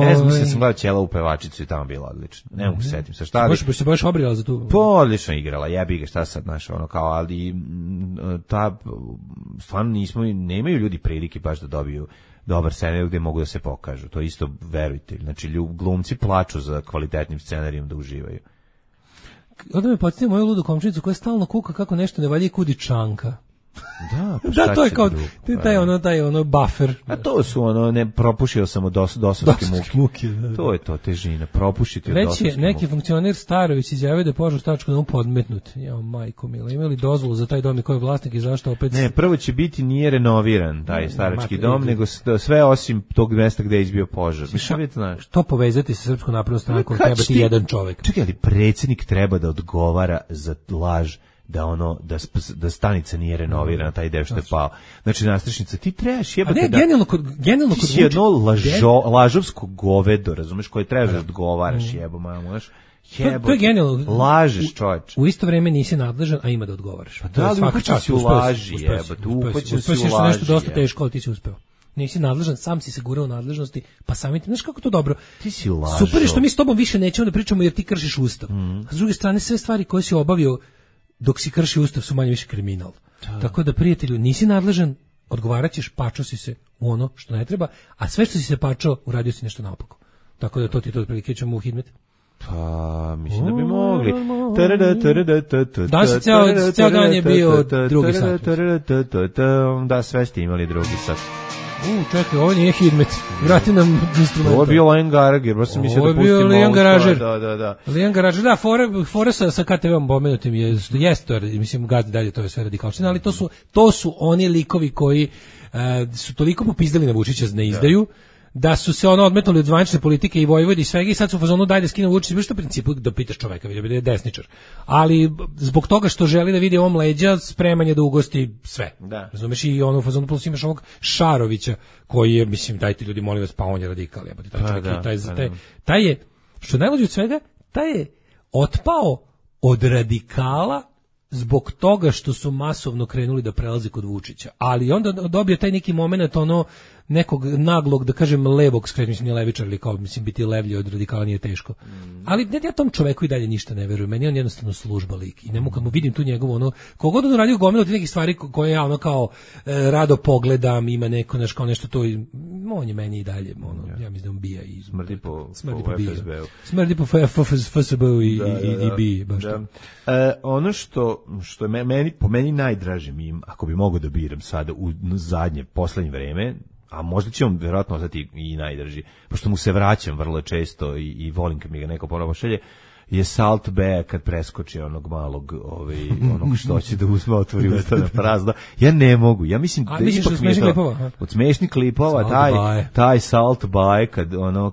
Ne znam, mislim da sam gledao Ćela u pevačicu i tamo bila odlična. Ne mogu setim se šta. Se baš obrijala za tu. Pa odlično igrala, jebi ga, šta sad znaš, ono kao, ali stvarno nemaju ljudi prilike baš da dobiju dobar scenarij gde mogu da se pokažu. To isto verujte. Znači glumci plaču za kvalitetnim scenarijom da uživaju. Onda me podsjeti moju ludu komšinicu koja stalno kuka kako nešto ne valja i kudi Čanka. Da, to je kao taj ono buffer. A to su ne propušio sam od dosovske muke. To je to težina, propušiti od dosovske muke. Neki funkcioner Starović izjavio da je požar stačku da mu podmetnut. Ja, majko mila, imali dozvolu za taj dom i ko je vlasnik i zašto opet... Ne, prvo će biti nije renoviran taj starački dom, nego sve osim tog mesta gde je izbio požar. To povezati sa Srpskom naprednom strankom treba ti jedan čovek. Čekaj, ali predsjednik treba da odgovara za laž da stanica nije renovirana, taj deo što je pao. Znači, nastrešnica, ti trebaš jebate da... Genijalno kod ti si jedno lažovsko govedo, razumeš, koje trebaš da odgovaraš, jebo, mamoš. To je genijalno. Lažeš, čovječ. U isto vreme nisi nadležan, a ima da odgovaraš. Pa da, ali uhoćen si u laži, jebate, uhoćen si u laži. Uspeo nešto dosta teško, ali ti si uspeo. Nisi nadležan, sam si se gurao u nadležnosti, pa samim tim, znaš kako to dobro. Ti si lažo. Super je što mi s tobom više nećemo da pričamo jer ti kršiš ustav. A s druge strane, sve stvari koje si obavio dok si krši ustav su manje više kriminal. Tako da, prijatelju, nisi nadležan, odgovarat ćeš, pačao si se u ono što ne treba, a sve što si se pačao, uradio si nešto naopako. Tako da to ti to otprilike ćemo u Hidmet. Pa, mislim da bi mogli. Danas ceo dan je bio drugi sat. Da, sve ste imali drugi sat. Čekaj, ovo nije Hidmet. Vrati nam instrument. Ovo je bio Lijan Garager, baš sam mislio da pustimo ovo. Ovo je bio Lijan Garager. Da. Lijan Garager, da, fora sa KTV-om pomenutim jeste, mislim, gazdi dalje, to je sve radikalština, ali to su oni likovi koji su toliko popizdali na Vučića na izdaju, da su se odmetnuli od zvanične politike i Vojvodi i svega i sad su u fazonu daj da skinu Vučića, što u principu da pitaš čoveka, vidi da je desničar. Ali zbog toga što želi da vidi ovom leđa, spreman je da ugosti sve. Da. Razumeš, i ono u fazonu plus imaš ovog Šarovića koji je, mislim, dajte ljudi molim vas, pa on je radikal, taj je, što najluđe od svega, taj je otpao od radikala zbog toga što su masovno krenuli da prelaze kod Vučića. Ali onda dobio taj neki moment ono nekog naglog, da kažem, levog skret, mislim, nije levičar, ali kao, mislim, biti levlji od radikala nije teško. Ali ja tom čoveku i dalje ništa ne verujem. Meni je on jednostavno služba lik. I ne mogu, kad mu vidim tu njegovu, ono, kogod on uradio gomilu od nekih stvari koje ja, ono, kao, rado pogledam, ima neko, kao nešto to, on je meni i dalje, ono, ja mislim da on bija i smrdi po FSB-u. Smrdi po FSB-u i bije, baš to. Ono što je po meni najdraži mim, ako bi mogao da biram sada u zadnje, poslednje vreme, a možda će on vjerojatno ostati i najdrži, pošto mu se vraćam vrlo često i volim kad mi ga neko ponovo šalje, je Salt Bae kad preskoči onog malog, onog što će da uzme, otvori usta na prazno. Ja ne mogu, ja mislim da ipak mi je to od smešnih klipova, taj Salt Bae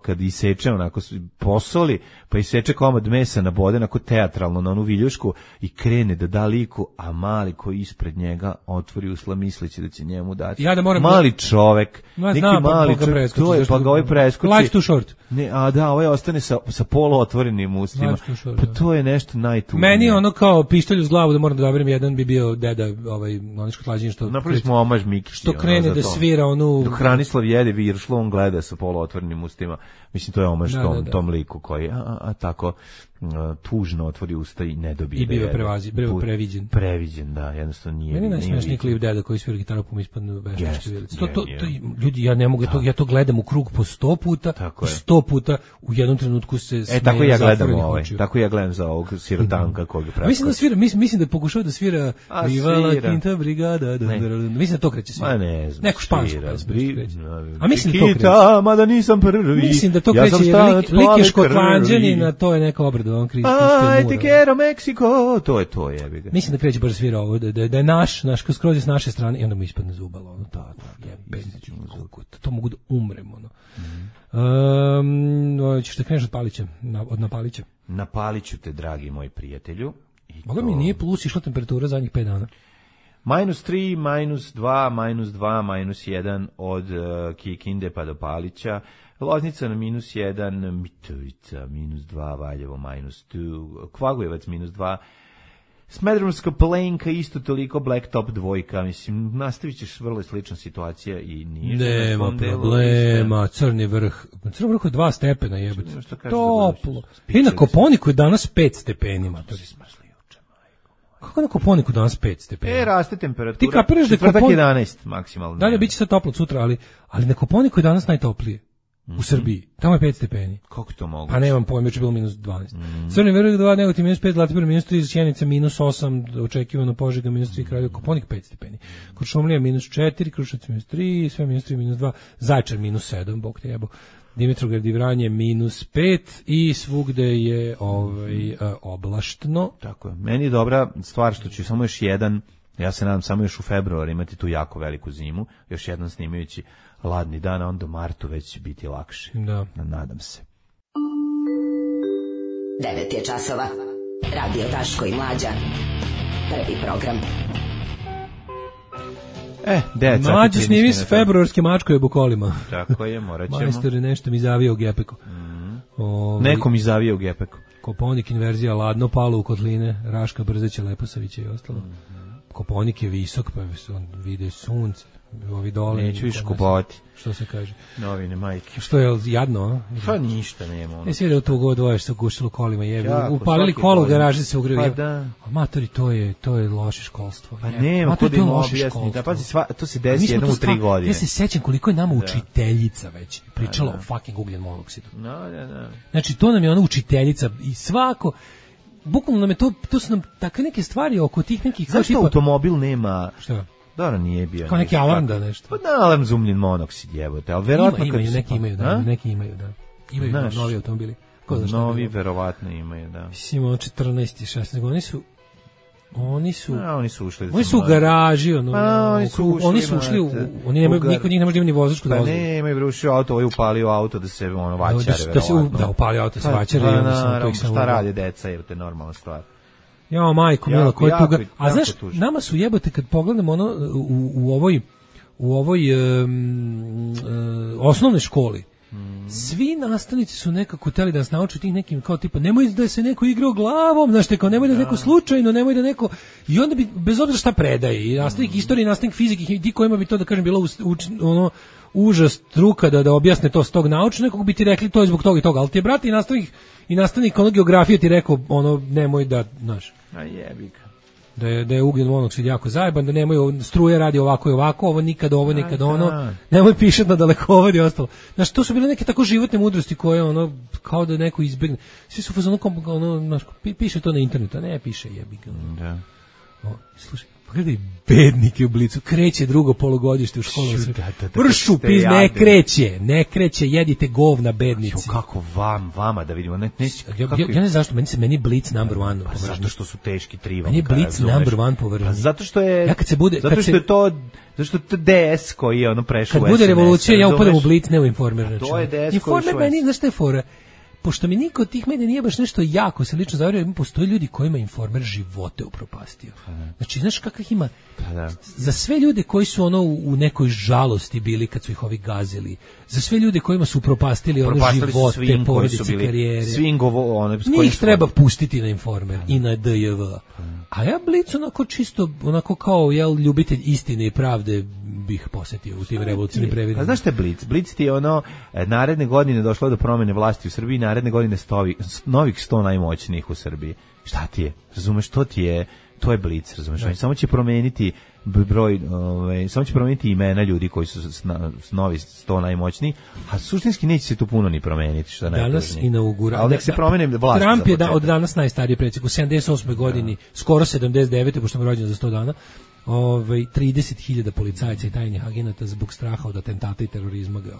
kad iseče onako posoli, pa iseče komad mesa na bode, onako teatralno na onu viljušku i krene da da liku, a mali koji ispred njega otvori usla misleći da će njemu dati. Ja da moram mali čovek, neki mali čovek, pa ga ovaj preskoči. Life too short. Ne, a da, ovaj ostane sa polu otvorenim ustima. Pa to je nešto najtužnije. Meni ono kao pištolj uz glavu da moram da dobirim jedan bi bio deda, Noniško Tlađin što napravili smo omaž Mikići. Što krene da svira onu... Dok Hranislav jede viršlo, on gleda sa polu otvorenim ustima. Mislim, to je omaž tom liku koji, tako tužno otvori usta i ne dobije. I bio previđen. Previđen, da, jednostavno nije. Meni najsmešniji klip deda koji svira gitaru po ispadnu veštačke vilice. Ljudi, ja ne mogu, ja to gledam u krug po 100 puta, 100 puta u jednom trenutku se smeje. Tako ja gledam tako ja gledam za ovog sirotanka kojeg pravi. Mislim da pokušava da svira Viva la Quinta Brigada. Mislim da to kreće svira. Ma ne znam. Neko špansko kreće. A mislim da to kreće. Mada nisam prvi. Mislim da to kreće jer lik je Škotlanđanin, a to je neka obrada. Aj, te quiero Mexico. To je, jebi ga. Mislim da kreće baš svira ovo, da je naš skroz s naše strane i onda mu ispadne zubalo. Ono, to mogu da umrem, ono. Ćeš da kreneš od Palića, od Napalića? Napaliću te, dragi moj prijatelju. Boga mi nije plus išla temperatura zadnjih 5 dana. -3, -2, -2, -1 od Kikinde pa do Palića. Loznica na -1, Mitrovica -2, Valjevo -2, Kvagojevac -2, Smederevska Palenka isto toliko, Blacktop 2, mislim, nastavit ćeš vrlo slična situacija i nije. Nema problema, Crni vrh je 2 stepena, jebate, toplo. I na Koponiku je danas 5 stepeni, to si smrsli juče, majko. Kako na Koponiku danas 5 stepeni? Raste temperatura, ti kapiraš da četvrtak 11 maksimalno. Dalje, bit će sad toplo sutra, ali na Koponiku je danas najtoplije. U Srbiji, tamo je 5 stepeni. Kako to mogu? Pa nemam pojma, juče bilo -12. Crni vrh 2, Negotin -5, Zlatibor -3, Sjenica -8, očekivano Požega -3, Kraljevo, Koponik 5 stepeni. Kuršumlija -4, Kruševac -3, sve -3, -2, Zaječar -7, bog te jebo. Dimitrovgrad i Vranje -5 i svugde je oblaštno. Tako je. Meni je dobra stvar što ću samo još jedan, ja se nadam samo još u februaru imati tu jako veliku zimu, još jedan snimajući ladni dan, a onda u martu već će biti lakše. Da. Nadam se. 9 je časova. Radio Daško i Mlađa. Prvi program. Mlađe snimi s februarske mačkoje kolima. Tako je, morat ćemo. Majstore, nešto mi zavio u gepeku. Neko mi zavio u gepeku. Koponik inverzija, ladno, palo u kotline, Raška, Brzeća, Leposavića i ostalo. Koponik je visok, pa on vide sunce, ovi dole. Neću više kupovati. Što se kaže? Novine, majke. Što je jadno, a? Pa ništa nema. Ono. Jesi vidio tu god dvoje što gušilo kolima, jebi. Upalili kolo u garaži, se ugrili. Pa da. Matori, to je loše školstvo. Pa nema, kod im objasni. Da, pazi, to se desi jednom u 3 godine. Ja se sećam koliko je nama učiteljica već pričala o fucking ugljen monoksidu. Da. Znači, to nam je ona učiteljica i svako... Bukvalno nam je to su nam takve neke stvari oko tih nekih... Zašto automobil nema... Šta? Dobro, nije bio. Kao neki alarm da nešto. Pa da, alarm za ugljen monoksid jebote, ali verovatno neki imaju, da. Imaju novi automobili. Novi verovatno imaju, da. Mislim, 14 i 16 godina oni su ušli. Oni su u garaži, oni su ušli niko njih ne može da ima ni vozačku dozvolu. Pa ne, imaju brušio auto, ovaj upalio auto da se vaćare verovatno. Da upalio auto se vaćare i onda sam to ih samo. Šta radi deca, jer to je normalna stvar. Ja, majko mila, ko je tuga. A znaš, nama su jebote kad pogledamo ono u ovoj osnovnoj školi. Svi nastavnici su nekako hteli da nas nauče tih nekim kao tipa nemoj da se neko igrao glavom, znaš te kao nemoj da neko slučajno, nemoj da neko i onda bi bez obzira šta predaje i nastavnik istorije, nastavnik fizike i ti kojima bi to da kažem bilo užas struka da objasne to s tog naučnog, nekog bi ti rekli to je zbog toga i toga, ali ti je brat i nastavnik geografije ti rekao nemoj da, znaš. A jebi ga. Da je ugljen monoksid jako zajeban, da nemoj struje radi ovako i ovako, ovo nikad ono, nemoj pišati na dalekovod i ostalo. Znaš, to su bile neke tako životne mudrosti koje kao da neko izbegne. Svi su fazonu piše to na internetu, a ne piše jebi ga. Da. Slušaj, pogledaj bednike u Blicu, kreće drugo polugodište u školu. Vršu, ne kreće, jedite govna bednici. Kako vama da vidimo? Ja ne znam zašto, meni Blic number one. Pa zato što su teški trivom. Meni je Blic number one po vremenu. Zato što je... Zato što je DS koji je prešao u SNS. Kad bude revolucija, ja upadam u Blic, ne u Informer. To je DS koji je Informer meni, znaš šta je fora? Pošto mi niko od tih medija nije baš nešto jako se lično zavario, postoje ljudi kojima Informer živote upropastio. Znači, znaš kakvih ima? Za sve ljude koji su u nekoj žalosti bili kad su ih ovi gazili, za sve ljude kojima su upropastili živote, porodice, karijere, njih treba pustiti na Informer i na DJV. A ja Blic čisto kao ljubitelj istine i pravde bih posetio u tim revolucionim previdima. A znaš šta je Blic? Blic ti je naredne godine došlo do promene vlasti u Srbiji, naredne godine novih 100 najmoćnijih u Srbiji. Šta ti je? Razumeš, to ti je, to je Blic, razumeš? Samo će promeniti broj, samo će promeniti imena ljudi koji su novi 100 najmoćniji, a suštinski neće se tu puno ni promeniti, što danas inaugura. Ali nek se promene vlast. Trump je od danas najstariji predsjednik, u 78. godini, skoro 79. pošto je rođen za 100 dana. 30.000 policajaca i tajnih agenata zbog straha od atentata i terorizma ga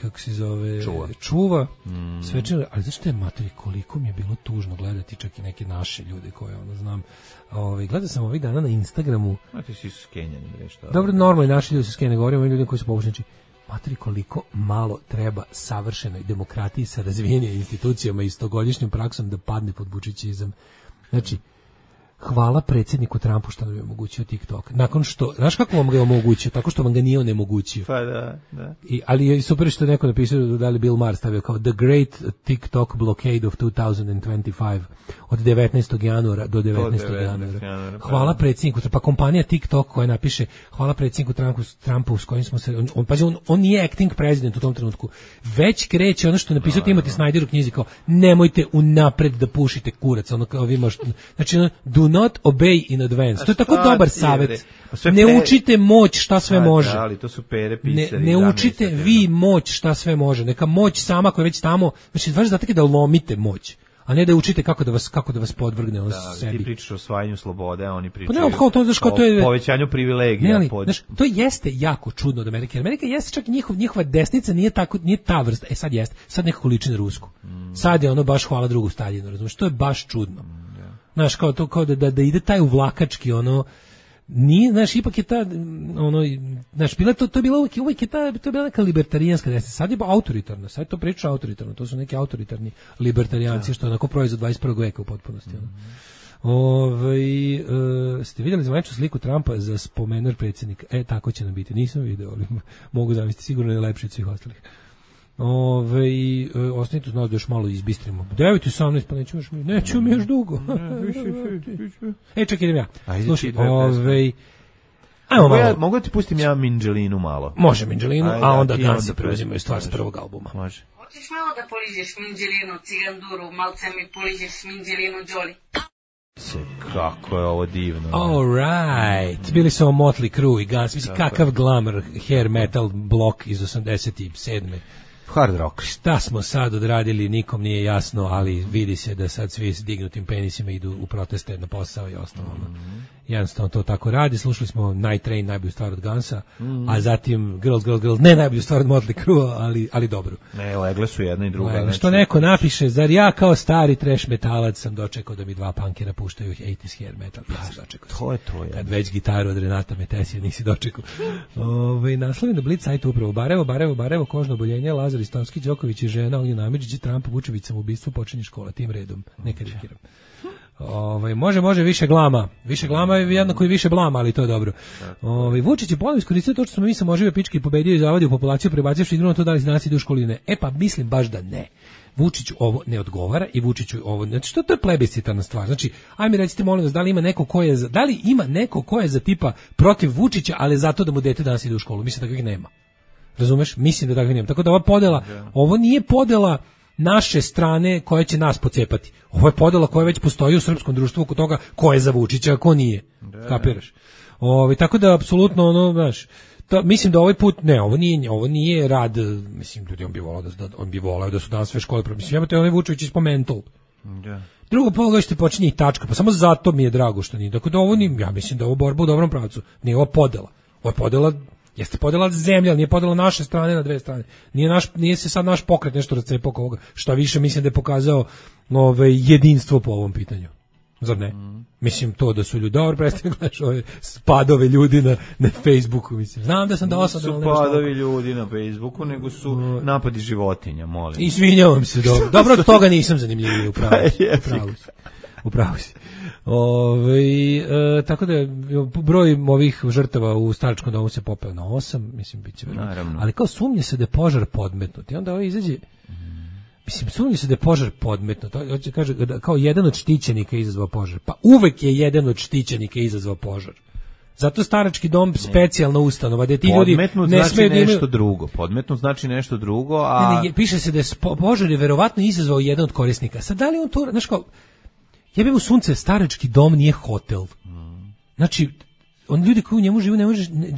kako se zove čuva. Svečano, ali znaš šta je materi, koliko mi je bilo tužno gledati čak i neke naše ljude koje znam. Gledao sam ovih dana na Instagramu. A ti si skenjani nešto. Dobro, normalni naši ljudi su skenjani, govorimo o ljudima koji su povučnici. Materi, koliko malo treba savršenoj demokratiji sa razvijenim institucijama i stogodišnjom praksom da padne pod bučićizam. Znači, hvala predsjedniku Trumpu što nam je omogućio TikTok. Nakon što, znaš kako vam ga je omogućio? Tako što vam ga nije onemogućio. Pa da. Ali je super što je neko napisao da li Bill Maher stavio kao The Great TikTok Blockade of 2025 od 19. januara do 19. januara. Hvala predsjedniku, pa kompanija TikTok koja napiše hvala predsjedniku Trumpu s kojim smo se, on nije acting president u tom trenutku, već kreće ono što je napisao Timothy Snyder u knjizi kao nemojte unapred da pušite kurac, kao vi možete, znači do not obey in advance. To je tako dobar savjet. Ne učite moć šta sve može. Ali to su pere pisari. Ne učite vi moć šta sve može. Neka moć sama koja je već tamo, znači vaš zadatak je da lomite moć, a ne da učite kako da vas podvrgne sebi. Ti pričaš o osvajanju slobode, a oni pričaju o povećanju privilegija. To jeste jako čudno od Amerike. Amerika jeste čak njihova desnica nije ta vrsta. Sad jeste. Sad nekako liči na rusku. Sad je baš hvala drugu Staljinu, razumiješ? To je baš čudno. Znaš, kao da ide taj uvlakački, nije, znaš, ipak je ta, znaš, bila to je bila uvijek je ta, to je bila neka libertarijanska desnica, sad je autoritarna, sad je to priča autoritarno, to su neki autoritarni libertarijanci, što je onako proizvod 21. veka u potpunosti. Ste vidjeli zvaničnu sliku Trumpa za spomenar predsjednika? Tako će nam biti, nisam vidio, ali mogu zamisliti, sigurno je lepši od svih ostalih. Ostanite uz nas da još malo izbistrimo. 9:18, pa nećemo mi još dugo. Čekaj, idem ja. Slušaj, mogu ti pustim ja Minđelinu malo? Može Minđelinu, a onda Gansi preuzimaju stvar s prvog albuma. Može. Hoćeš malo da poližeš Minđelinu, Ciganduru, malce mi poližeš Minđelinu, Đoli? Kako je ovo divno. All right. Bili su ovo Motley Crue i Guns. Mislim, kakav glamour hair metal blok iz 87. Hard rock. Šta smo sad odradili, nikom nije jasno, ali vidi se da sad svi s dignutim penisima idu u proteste na posao i ostalo. Jednostavno to tako radi. Slušali smo Night Train, najbolju stvar od Gunsa, a zatim Girls, ne najbolju stvar od Motley Crue, ali dobru. Ne, legle su jedna i druga. Legle. Što neko napiše, zar ja kao stari trash metalac sam dočekao da mi dva punkera puštaju 80s hair metal. To je to. Kad već gitaru od Renata Metesija nisi dočekao. Naslovi na Blitz sajtu upravo Barevo, kožno oboljenje, Lazar Istonski, Đoković i žena, Ognjen Amidžić, Trump, Vučević, samoubistvo, počinje škola, tim redom. Neka rikiram. Može više glama je jednako i više blama, ali to je dobro. Vučić je ponovno iskoristio to što smo mi samožive pičke i pobedio i zavadio populaciju, prebacivši igru na to da li danas ide u školine. Pa mislim baš da ne. Vučiću ovo ne odgovara i Vučiću ovo, znači što to je plebiscitarna stvar. Znači, ajme recite molim vas, da li ima neko ko je za tipa protiv Vučića, ali zato da mu dete danas ide u školu. Mislim da takvih nema. Razumeš? Mislim da takvih nema. Tako da ova podela, ovo nije podela naše strane koja će nas pocepati. Ovo je podela koja već postoji u srpskom društvu oko toga ko je za Vučića, a ko nije. Kapiraš? Tako da apsolutno mislim da ovaj put ovo nije rad, mislim da on bi voleo da su danas sve škole, mislim imate onaj Vučević iz Mental. Drugo pogledajte počinje i tačka, pa samo zato mi je drago što nije. Dakle, ja mislim da ovo borba u dobrom pravcu. Nije ovo podela. Ovo je podela. Jeste podela zemlja, ali nije podela naše strane na dve strane. Nije se sad naš pokret nešto razcepao oko ovoga. Šta više, mislim da je pokazao jedinstvo po ovom pitanju. Zar ne? Mislim to da su ljudi dobro prestali gledaš ove spadove ljudi na Facebooku, mislim. Znam da sam da osadno. Nisu spadovi ljudi na Facebooku, nego su napadi životinja, molim. Izvinjavam se, dobro. Dobro, od toga nisam zanimljiviji, upravo si. Tako da broj ovih žrtava u staračkom domu se popeo na 8, mislim biće verovatno. Ali kao sumnje se da je požar podmetnut i onda izađe, mislim sumnje se da je požar podmetnut, hoće kaže kao jedan od štićenika izazvao požar, pa uvek je jedan od štićenika izazvao požar. Zato starački dom specijalna ustanova gde ti ljudi ne smeju da imaju nešto drugo. Podmetnut znači nešto drugo, a piše se da je požar je verovatno izazvao jedan od korisnika. Sad da li on to, znaš kao, jebe mu sunce, starački dom nije hotel. Znači, ljudi koji u njemu žive,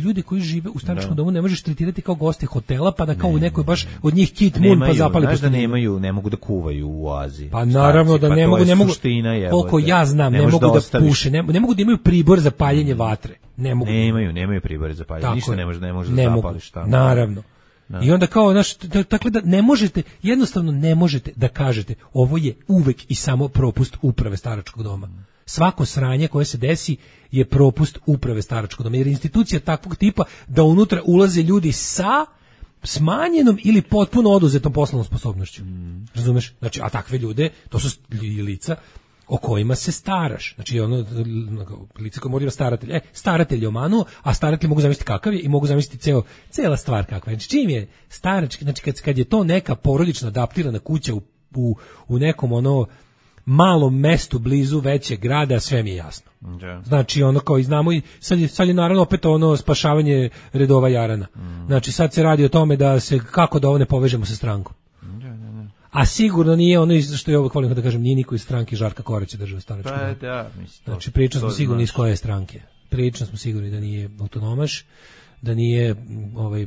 ljudi koji žive u staračkom domu ne možeš tretirati kao goste hotela, pa da kao u nekoj baš od njih Kit Moon pa zapali po stanu. Ne mogu da kuvaju u oazi. Pa naravno da ne mogu, koliko ja znam, ne mogu da puše, ne mogu da imaju pribor za paljenje vatre. Ne mogu. Nemaju pribor za paljenje, ništa ne može da zapališ tamo. Naravno. I onda kao, dakle da ne možete, jednostavno ne možete da kažete ovo je uvek i samo propust uprave staračkog doma. Svako sranje koje se desi je propust uprave staračkog doma, jer je institucija takvog tipa da unutra ulaze ljudi sa smanjenom ili potpuno oduzetom poslovnom sposobnošću. Razumeš? Znači, a takve ljude, to su lica o kojima se staraš. Znači, lice koje mora staratelj. Staratelj je omanuo, a staratelj mogu zamisliti kakav je i mogu zamisliti cela stvar kakva je. Znači, čim je starački, znači kad je to neka porodična adaptirana kuća u nekom malom mestu blizu većeg grada, sve mi je jasno. Znači, kao i znamo, i sad je naravno opet spašavanje redova jarana. Znači, sad se radi o tome kako da ovo ne povežemo sa strankom. A sigurno nije ono što ja uvijek volim da kažem, nije niko iz stranke Žarka Koraća država starački dom. Znači, prilično smo sigurni iz koje je stranke. Prilično smo sigurni da nije autonomaš, da nije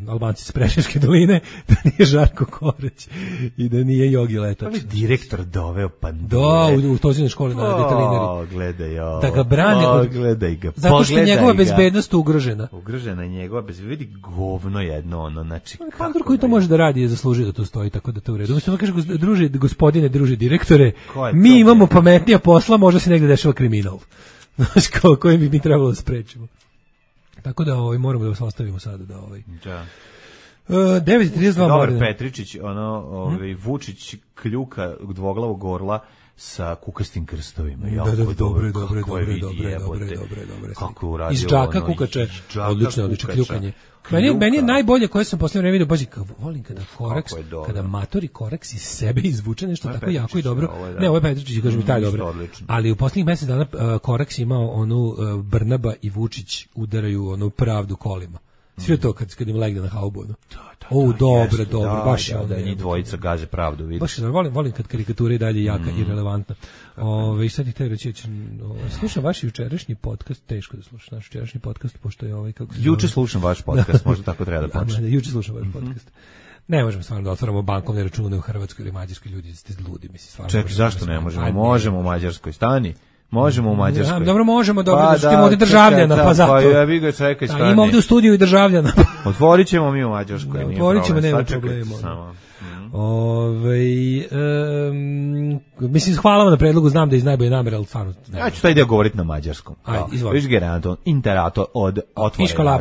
Albanci iz Preševske doline, da nije Žarko Korać i da nije Jogi Letač. Ali direktor doveo pandure. Da, u Tozinoj školi na detalinari. Gledaj ovo. Da ga brane. Gledaj ga. Zato što je njegova bezbednost ugrožena. Ugrožena je njegova bezbednost. Vidi govno jedno, znači. Pandur koji to može da radi je zaslužio da to stoji, tako da to u redu. Mislim, kaže, gospodine, druže direktore, mi imamo pametnija posla, možda se negde dešava kriminal. Znaš, koji bi mi trebalo da sprečimo. Tako da moramo da vas ostavimo sada da 9:32 Dobar Petričić, Vučić kljuka dvoglavog orla sa kukastim krstovima. Dobro. Kako je uradio iz džaka ono, kukače, odlično kljukanje. Kljuka. Meni je najbolje koje sam poslednje vreme vidio, bazi, volim kada Koraks, kada matori Koraks iz sebe izvuče nešto tako Petričić, jako i dobro. ovo je, da. Ne, ovo je Petričić, kažem i taj dobro. Ali u poslednjih mesec dana Koraks imao onu Brnaba i Vučić udaraju onu pravdu kolima. Sve to kad im legne na haubu. Dobro, baš je da njih dvojica gaze pravdu, vidiš. Baš volim kad karikatura je dalje jaka i relevantna. I sad ih te reći, slušam vaš jučerašnji podcast, teško da slušam naš jučerašnji podcast, pošto je ovaj kako se juče slušam vaš podcast, možda tako treba da počne. Juče slušam vaš podcast. Ne možemo stvarno da otvaramo bankovne račune u Hrvatskoj ili Mađarskoj, ljudi ste ludi, mislim stvarno. Čekaj, zašto ne možemo? Možemo u Mađarskoj, stani. Možemo u Mađarskoj. Dobro, možemo, dobro, što imamo ovdje državljana, pa zato. Pa ja vi ga čekaj, stani. Ima ovdje u studiju i državljana. Otvorit ćemo mi u Mađarskoj. Otvorit ćemo, nema problema. Mislim, hvala vam na predlogu, znam da iz najbolje namere, ali stvarno... Ja ću taj dio govoriti na mađarskom. Ajde, izvoli. Viš geranto, interato od otvorena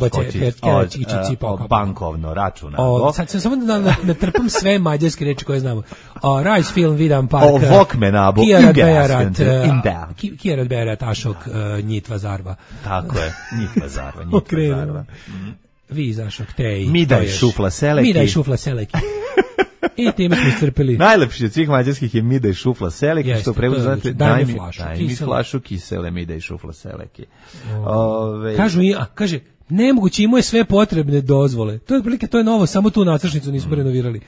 od bankovno računa. Sad sam samo da ne trpam sve mađarske reči koje znamo. Rajs film, vidam park. O Vokmenabo, Kijerat Berat, Ašok, Njitva Zarva. Tako je, Njitva Zarva. Vi Zašok, Tej. Midaj Šufla Seleki. I time smo iscrpili. Najlepši od svih mađarskih je Midaj Šufla Seleki, što prevodu znate, daj mi flašu kisele Midaj Šufla Seleki. Kaže, nemoguće, imao je sve potrebne dozvole. To je otprilike, to je novo, samo tu nacršnicu nismo renovirali.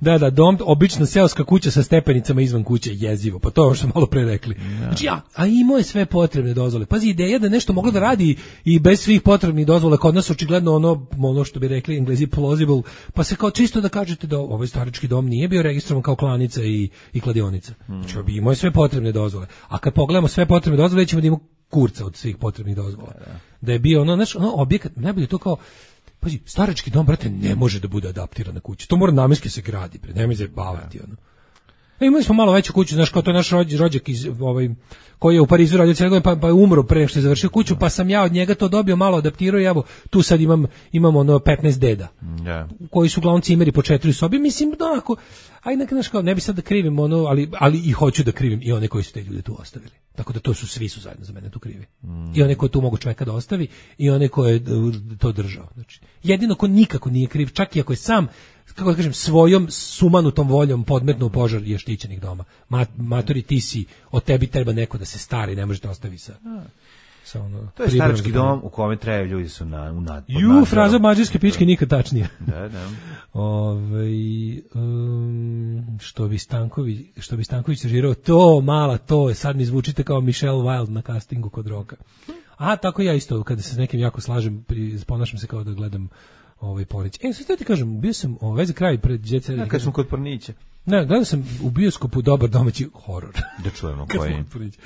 Da, dom, obična seoska kuća sa stepenicama izvan kuće, jezivo, pa to je ovo što smo malo pre rekli. Znači, a imao je sve potrebne dozvole. Pazi, ideja da nešto moglo da radi i bez svih potrebnih dozvola, kod nas očigledno ono što bi rekli Englezi plausible, pa se kao čisto da kažete da ovaj starički dom nije bio registrovan kao klanica i kladionica. Znači, imao je sve potrebne dozvole. A kad pogledamo sve potrebne dozvole, ćemo da imamo kurca od svih potrebnih dozvola. Da je bio ono objekat, najbolje to kao, pazi, starački dom, brate, ne može da bude adaptiran na kuću. To mora namenski se gradi, nemoj zabavati, ono. Imali smo malo veću kuću, znaš, kao to je naš rođak iz, koji je u Parizu radio cijele godine, pa je umro pre nego što je završio kuću, pa sam ja od njega to dobio, malo adaptirao i evo, tu sad imam ono 15 deda, koji su uglavnom cimeri po 4 sobi, mislim, da, ako, ajde, znaš, kao, ne bi sad da krivim ono, ali i hoću da krivim i one koji su te ljude tu ostavili. Tako da svi su zajedno za mene tu krivi. I one koje tu mogu čoveka da ostavi i one koje je to držao. Znači, jedino ko nikako nije kriv, čak i ako je sam, kako da kažem, svojom sumanutom voljom podmetnuo požar je štićenih doma. Matori, ti si, od tebi treba neko da se stari, ne možete ostavi sa ono, to je starački dom u kome trebaju ljudi su fraza mađarske pičke nikad tačnija. Da. Što bi Stanković režirao, to mala, to je, sad mi zvučite kao Michelle Wilde na castingu kod Roka. Tako ja isto, kada se s nekim jako slažem, ponašam se kao da gledam Pornić. Sad ti kažem, bio sam za kraj pred djece. Kad smo kod Pornića. Ne, gledao sam u bioskopu dobar domaći horor. Da čujemo koji.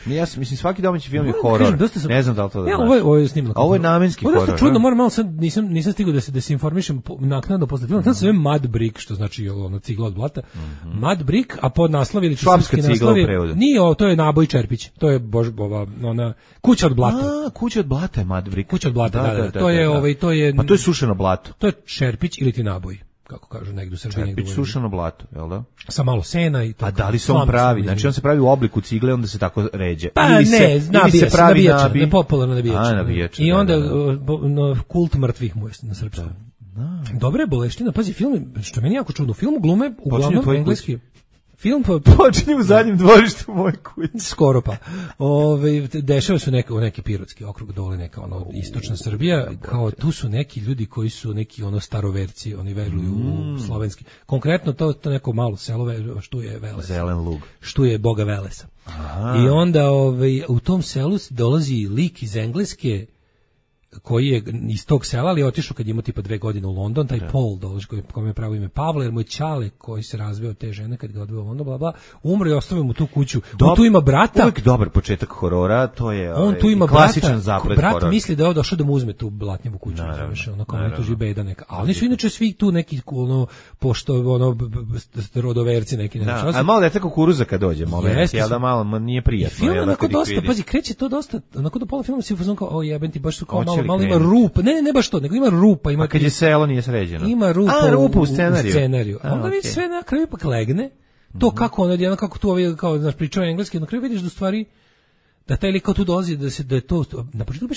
Ja mislim, svaki domaći film je horor. Ne znam da li to da znaš. Ovo je snimno. Ovo je namenski horor. Ovo je čudno, moram malo, sad nisam stigao da se informišem naknadno posle filma. Sad se zove Mud Brick, što znači cigla od blata. Mud Brick, a pod naslov ili švapska cigla u prevodu. Nije, to je Naboj Čerpić. To je ona kuća od blata. Kuća od blata je Mud Brick. Kuća od blata, da. To je pa to je sušeno blato. To je Čerpić ili ti Naboj, kako kažu negdje u Srbiji. Čerpić, sušeno blato, jel da? Sa malo sena i to. A da li se on pravi? Znači on se pravi u obliku cigle, onda se tako ređe. Pa ili se pravi popularno nabijač. I onda kult mrtvih mu je na srpskom. Dobra je boleština, pazi, film, što meni jako čudno, film glume uglavnom engleski. Film počinje u zadnjem dvorištu moje kuće. Skoro pa. Dešava su neki pirotski okrug dole, neka istočna Srbija, kao tu su neki ljudi koji su neki staroverci, oni veruju u slovenski. Konkretno to neko malo selo što je Veles. Zelen lug. Što je boga Velesa. I onda u tom selu dolazi lik iz Engleske koji je iz tog sela, ali je otišao kad je imao tipa 2 godine u London, taj Paul dolazi, kome je pravo ime Pavle, jer mu je ćale koji se razveo te žene kad ga odveo u London, bla, umro i ostavio mu tu kuću. On tu ima brata. Uvijek dobar početak horora, to je on tu ima klasičan zaplet horora. Brat misli da je došao da mu uzme tu blatnjevu kuću, kao ne tuži beda neka. A oni su inače svi tu neki rodoverci neki. A malo dete kukuruza kad dođe, ja da malo nije prijatno. Film onako dosta, pazi, kreće to dosta, onako do pola filma si fuzon kao, o jebem ti, baš su kao malo ima rupa, ne baš to, nego ima rupa. A kad je selo nije sređeno. Ima rupa u scenariju. A onda vidi sve na kraju ipak legne To kako on odjedno, kako tu ovi, kao, znaš, pričao engleski, na kraju vidiš da u stvari, da taj lik kao tu dolazi, da je to, na početku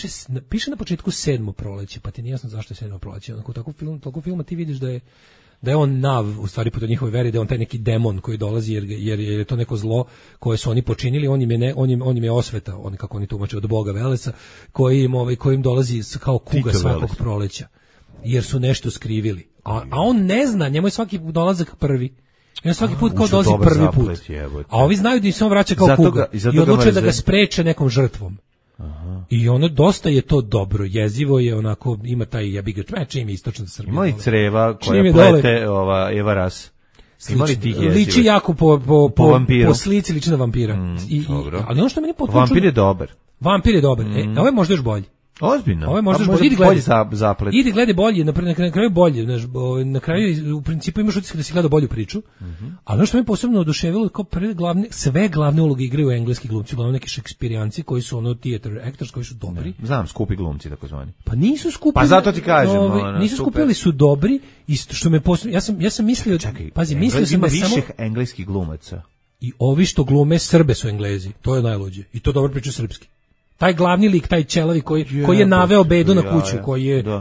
piše na početku 7. proleće, pa ti nije jasno zašto je 7. proleće, onako toliko filma ti vidiš da je on nav, u stvari po toj njihovoj veri, da je on taj neki demon koji dolazi jer je to neko zlo koje su oni počinili, on im je osveta, oni kako oni tumače od Boga Velesa, koji im dolazi kao kuga svakog proleća, jer su nešto skrivili. A on ne zna, njemu je svaki dolazak prvi. I on svaki put kao dolazi prvi put. A ovi znaju da im se on vraća kao kuga i odlučuje da ga spreče nekom žrtvom. Aha. I ono dosta je to dobro, jezivo je, onako ima taj jebiga čim je istočna Srbija. Ima i creva koja plete Eva Ras. Liči jako po slici liči na vampira. Ali ono što meni potpuno Vampir je dobar. Vampir je dobar. Ovo je možda još bolje. Ozbiljno. Ovo je možda bolji zaplet. Idi gledaj bolje, na kraju bolje, na kraju u principu imaš utisak da si gledao bolju priču. A ono što me posebno oduševilo, kao sve glavne uloge igraju engleski glumci, uglavnom neki šekspirijanci koji su ono theater actors koji su dobri. Znam, skupi glumci takozvani. Pa nisu skupi. Pa zato ti kažem, nisu skupi, ali su dobri. Isto što me posebno, ja sam mislio, pazi, mislio sam da samo više engleskih glumaca. I ovi što glume Srbe su Englezi. To je najluđe. I to dobro priča srpski. Taj glavni lik, taj čelavi koji je naveo bedu na kuću,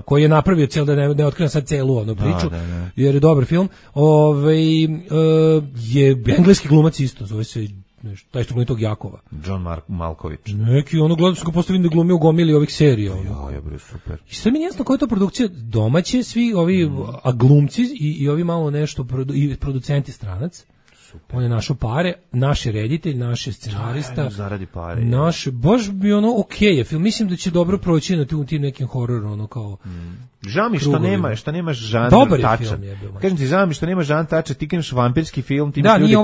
koji je napravio cijel, da ne otkrivam sad celu onu priču, jer je dobar film, je engleski glumac isto, zove se taj što glumi tog Jakova. John Malkovich. Neki, gledam sam ga postavim da glumi u gomili ovih serija. Ja, bre, super. I sve mi je jasno koja je to produkcija domaće, svi ovi, a glumci i ovi malo nešto, i producenti stranac. Super. On je našo pare, naš je reditelj, naš je scenarista. Zaradi pare. Baš bi je film. Mislim da će dobro proći na tim nekim hororom, kao... Žao mi što nemaš žanr tača. Kažem ti, žao mi što nemaš žanr tača, ti kažeš vampirski film, ti imaš ljudi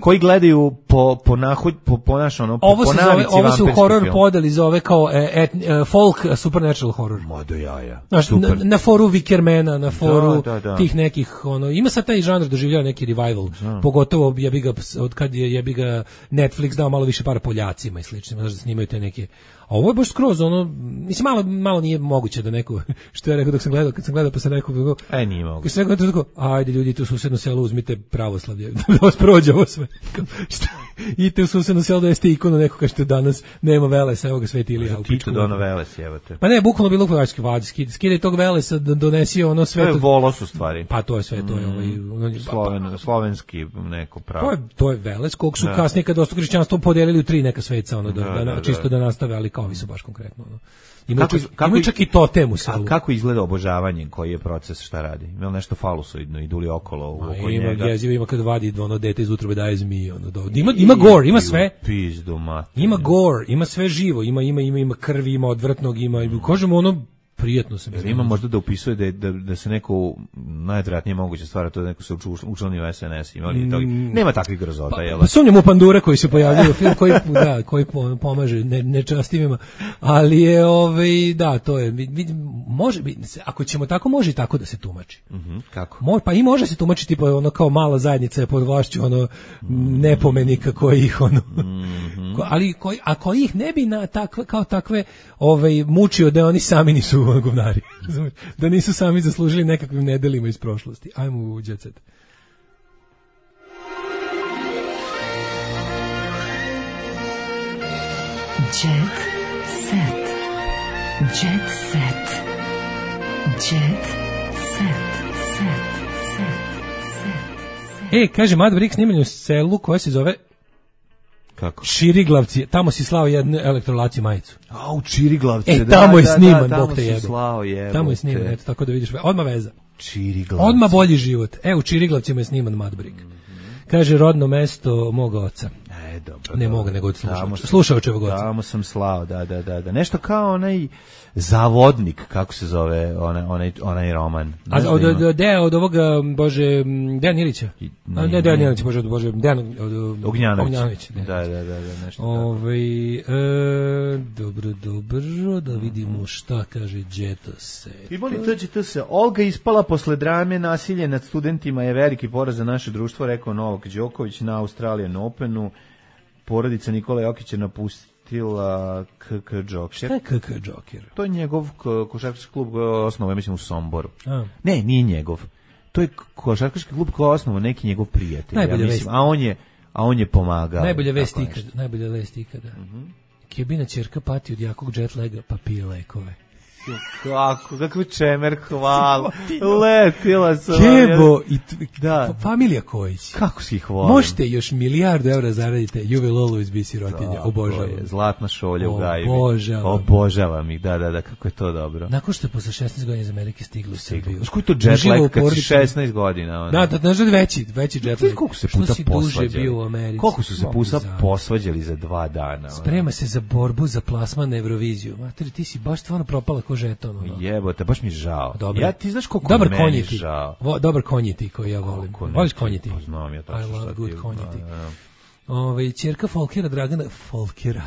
koji gledaju po navici vampirski. Ovo se u horor podeli zove kao folk supernatural horror. Modo jaja. Na foru Wickermana, na foru tih nekih, ima sad taj žanr doživljava neki revival, pogotovo od kad je ga Netflix dao malo više para Poljacima i sličnim, da snimaju te neke. A ovo je baš skroz mislim malo nije moguće da neko, što ja rekao kad sam gledao pa sam rekao, nije moguće. Kad sam rekao, ajde ljudi, tu u susedno selo uzmite pravoslavlje, da vas prođe ovo sve. Idite u susedno selo da jeste ikonu neko, kažete danas nema Velesa, evo ga Sveti Ilija. Tito dono Veles, jebate. Pa ne, bukvalno bilo Hrvatski vađi, skidaj tog Velesa da donesi sve. To je Volos u stvari. Pa to je sve, to je slovenski neko pravo. To je Veles, kog su kasnije kad dosta hrišćanstvo podelili u 3 neka sveca, čisto da nastave, ali kao vi su baš konkretno. Imaju čak i totem u selu. A kako izgleda obožavanje, koji je proces, šta radi? Ima li nešto falusoidno, idu li okolo oko njega? Ima kad vadi dete iz utrobe daje zmije. Ima gore, ima sve. Pizdu mate. Ima gore, ima sve živo, ima krvi, ima odvrtnog, kažemo prijetno se mi. Ima možda da upisuje da se neko najvjerojatnije moguće stvar, to da neko se učlanio u SNS, nema takvih grozota, jel? Pa sumnjam u pandure koji se pojavljaju u film koji pomaže nečastivima, ali je to je može ako ćemo tako, može i tako da se tumači. Kako? Pa i može se tumačiti kao mala zajednica je pod vlašću nepomenika koji ih ali ako ih ne bi kao takve mučio da oni sami nisu govnari. Da nisu sami zaslužili nekakvim nedelima iz prošlosti. Ajmo u Jet Set. Jet Set. Jet Set. Jet Set. Kaže Mad Brick snimanje u selu koja se zove kako? Širiglavci, tamo si slao jednu elektrolaciju majicu. U Čiriglavci. Tamo je sniman, Bog te jebe. Tamo je sniman, eto, tako da vidiš. Odmah veza. Čiriglavci. Odmah bolji život. U Čiriglavcima je sniman Mad Brick. Kaže, rodno mesto moga oca. Dobro. Ne mogu nego slušaočevog oca. Tamo sam slao, da. Nešto kao onaj Zavodnik, kako se zove onaj roman. Od ovoga, Bože, Dejan Ilića? Ne, Dejan Ilić, Bože, Dejan Ognjanović. Da, nešto Dobro, da vidimo šta kaže Jet Set. I boli TGT se, Olga ispala posle drame, nasilje nad studentima je veliki poraz za naše društvo, rekao Novak Đoković na Australian Openu. Porodica Nikola Jokića napustila KK Joker. Šta je KK Joker? To je njegov košarkaški klub osnovao, mislim, u Somboru. Ne, nije njegov. to je košarkaški klub koji je osnovao neki njegov prijatelj, ja mislim, a on je pomagao. Najbolja vest ikada. Kebina ćerka pati od jakog jet laga, pa pije lekove. Kako čemer, hvala. Letila sam. Kebo i familija Kojić. Kako si ih volim. Možete još milijardu evra zaradite, you will always be sirotinja. Obožavam. Zlatna šolja u Gajbi. Obožavam ih, da, kako je to dobro. Nakon što je posle 16 godina iz Amerike stiglo u Srbiju. Znaš koji to jet lag kad si 16 godina? Da, znaš veći jet lag. Koliko se puta posvađali? Koliko su se puta posvađali za 2 dana? Sprema se za borbu za plasman na Euroviziju. Materi, ti si baš stvarno propala žeton. Jebote, baš mi je žao. Ja ti znaš koliko meni je žao. Dobar konjeti koji ja volim. Voliš konjeti? Pa znam ja tačno šta ti. I love good konjeti. Ćerka Folkera Dragana Folkera.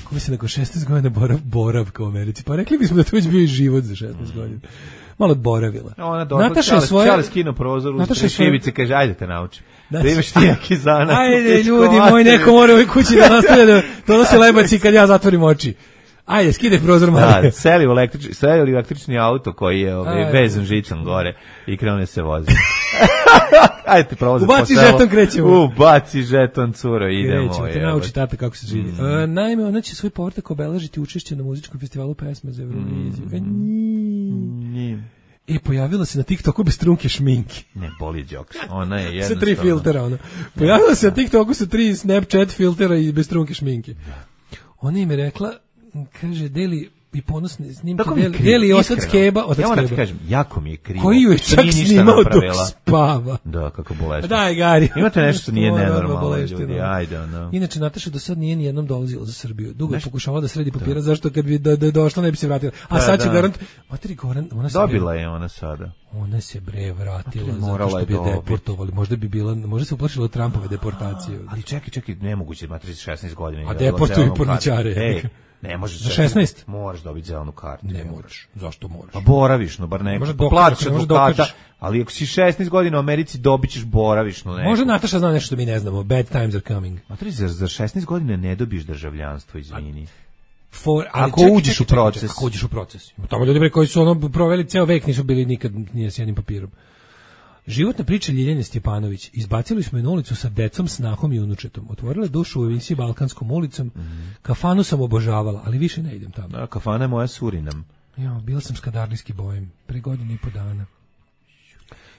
Koji se nakon 16 godina boravka u Americi. Pa rekli bismo da to već bio i život za 16 godina. Malo boravila. Nataša je svoje... Čale skino prozor u šivice, kaže, ajde te naučim. Da imaš ti neki zanak. Ajde, ljudi moji, neko mora u ovoj kući da nastavlja da donosi lebaci kad ja zatvorim oči. Ajde, skide prozor malo. Da, seli u električni auto koji je vezan žicom gore i krene se vozi. Ajde ti provozi po selu. Ubaci žeton, krećemo. Ubaci žeton, curo, idemo. Krećemo, te nauči tata kako se živi. Naime, ona će svoj povratak obeležiti učešće na muzičkom festivalu pesme za Euroviziju. I pojavila se na TikToku bez trunke šminke. Ne, boli džoks. Ona je jednostavno. Sa 3 filtera, ona. Pojavila se na TikToku sa 3 Snapchat filtera i bez trunke šminke. Ona im je rekla, kaže, deli i ponosne snimke, deli otac Keba. Ja moram ti kažem, jako mi je krivo. Koji ju je čak snimao dok spava. Da, kako bolešno. Daj, Gari. Imate nešto što nije nenormalno, ljudi, ajde. Inače, Nataša do sad nije ni jednom dolazila za Srbiju. Dugo je pokušavala da sredi papira, zašto kad bi da došla ne bi se vratila. A sad će garant... Materi, ona se... Dobila je ona sada. Ona se vratila zato što bi je deportovali. Možda se uplašila od Trumpove deportacije. Ali čekaj, nemoguće, materi 16 godina. A deportuju porničare. Ne možeš za 16. Moraš dobiti zelenu kartu. Ne moraš. Zašto moraš? Pa boravišno, bar neko. Platiš advokata, ali ako si 16 godina u Americi dobićeš boravišno neko. Može Nataša zna nešto što mi ne znamo. Bad times are coming. Matri, za 16 godina ne dobiješ državljanstvo, izvini. Ako uđeš u proces. Ako uđeš u proces. Tamo ljudi koji su proveli ceo vek nisu bili nikad nije s jednim papirom. Životna priča Ljiljane Stjepanović. Izbacili smo je na ulicu sa decom, snahom i unučetom. Otvorila dušu u emisiji Balkanskom ulicom. Kafanu sam obožavala, ali više ne idem tamo. Da, kafana je moja Surinam. Bila sam s kadarlijski bojem, pre 1.5 godina.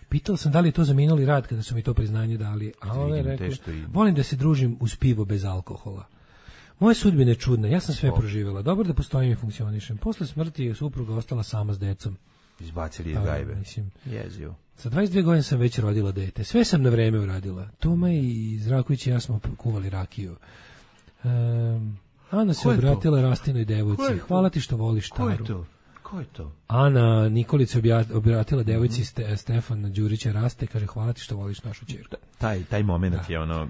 Pitala sam da li je to za minuli rad kada su mi to priznanje dali, a ona je rekla, volim da se družim uz pivo bez alkohola. Moja sudbina je čudna, ja sam sve proživjela. Dobro da postojim i funkcionišem. Posle smrti je supruga ostala sama s decom. Izbacili iz gajbe. Jezio. Sa 22 godine sam već rodila dete. Sve sam na vreme uradila. Toma i Zraković i ja smo kuvali rakiju. Ana se obratila Rastinoj devojci. Hvala ti što voliš Taru. Ko je to? Ana Nikolić se obratila devojci Stefana Đurića Raste. Kaže, hvala ti što voliš našu ćerku. Taj moment je ono...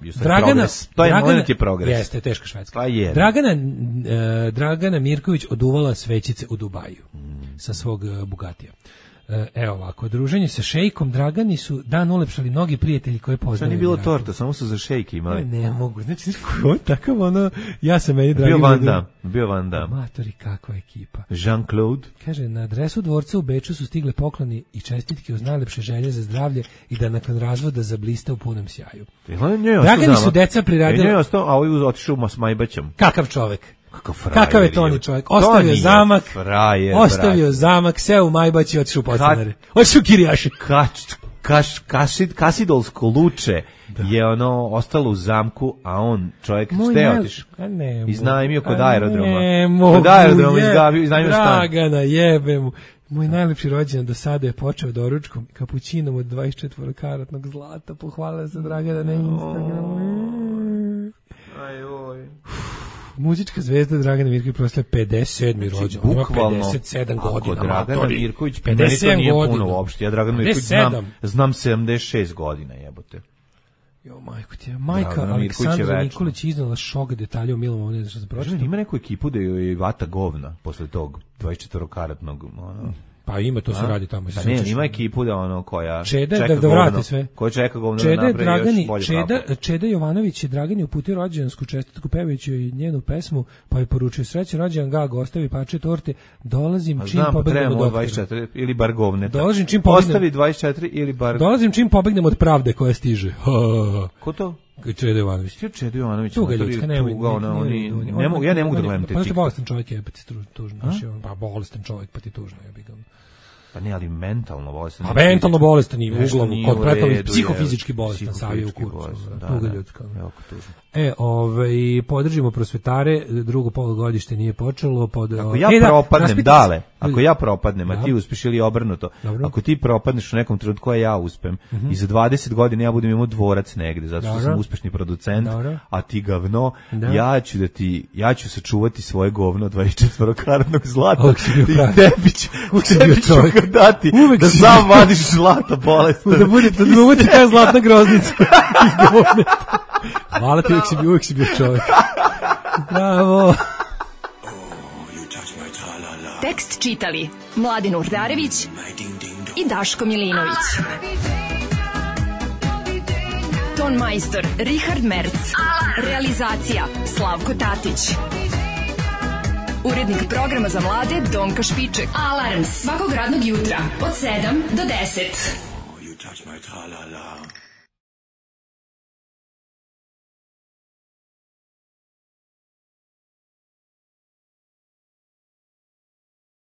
moment je progres. Jeste, teška Švedska. Pa je. Dragana Mirković oduvala svećice u Dubaju sa svog Bugatija. Evo ovako, druženje sa šejkom Dragani su dan ulepšali mnogi prijatelji koje poznaju. Nije bilo torta, samo su za šejke imali. Ne mogu, znači on takav ja sam meni Dragana. Bio Van Damme. Matori, kakva ekipa. Jean-Claude. Kaže, na adresu dvorca u Beču su stigle pokloni i čestitke uz najlepše želje za zdravlje i da nakon razvoda zablista u punom sjaju. Dragani su deca priradili. Ne ostao, a ovaj otišao s Majbaćom. Kakav čovek. Kakav je Toni čovjek? Ostavio zamak, zamak, seo u Majbaći i otišao u podstanare. Otišao u Kirijaši. Kasidolsko luče je ostalo u zamku, a on čovjek šta je otišao? Iznajmio kod aerodroma. Kod aerodroma iznajmio stan. Dragana, jebe mu. Moj najlepši rođendan do sada je počeo doručkom kapućinom od 24 zlata. Pohvalila se Dragana na Instagramu. Ajoj. Muzička zvezda Dragana Mirković proslavlja 57. rođendan. Ima 57 godina. Ako Dragana Mirković, meni to nije puno uopšte. Ja Dragana Mirković znam 76 godina, jebote. Jo, majko ti je. Majka Aleksandra Nikolić iznala šok detalje o Milovom, ne znam što se pročitao. Ima neku ekipu da je vata govna posle tog 24-karatnog. Pa ima, to se radi tamo. Da ne, ima ekipu da ono koja Čeda čeka da vrati sve. Koja čeka govno da napravi još bolje kafu. Čeda Jovanović je Dragani uputio rođendansku čestitku pevajući joj njenu pesmu, pa je poručio srećan rođendan Gago, ostavi parče torte, dolazim čim pobegnem od 24 ili bar govne. Dolazim čim pobegnem. Ostavi 24 ili bar. Dolazim čim pobegnem od pravde koja stiže. Ko to? Čeda Jovanović. Čeda Jovanović. Tuga ljudska, ja ne mogu da gledam te. Pa je bolestan čovjek, je pa ti tužno. Pa bolestan čovjek, pa ti tužno je. Pa ne, ali mentalno bolestan. A mentalno bolestan i uglavnom, kod pretpostavljeni psihofizički bolestan, savije u kurcu. Tuga ljudska. Jako tužno. Podržimo prosvetare, drugo polugodište nije počelo. Ako ja propadnem, Dale, ako ja propadnem, a ti uspeš ili obrnuto, ako ti propadneš u nekom trenutku, a ja uspem, i za 20 godina ja budem imao dvorac negde, zato što sam uspešni producent, a ti gavno, ja ću sačuvati svoje govno 24-karatnog zlata i tebi ću ga dati da sam vadiš zlata bolestan. Da bude ta zlatna groznica. Hvala ti, uvijek si bio čovjek. Bravo. Tekst čitali Mladin Urdarević i Daško Milinović. Ton majstor Richard Merc. Realizacija Slavko Tatić. Urednik programa za mlade Donka Špiček. Alarms svakog radnog jutra od 7 do 10.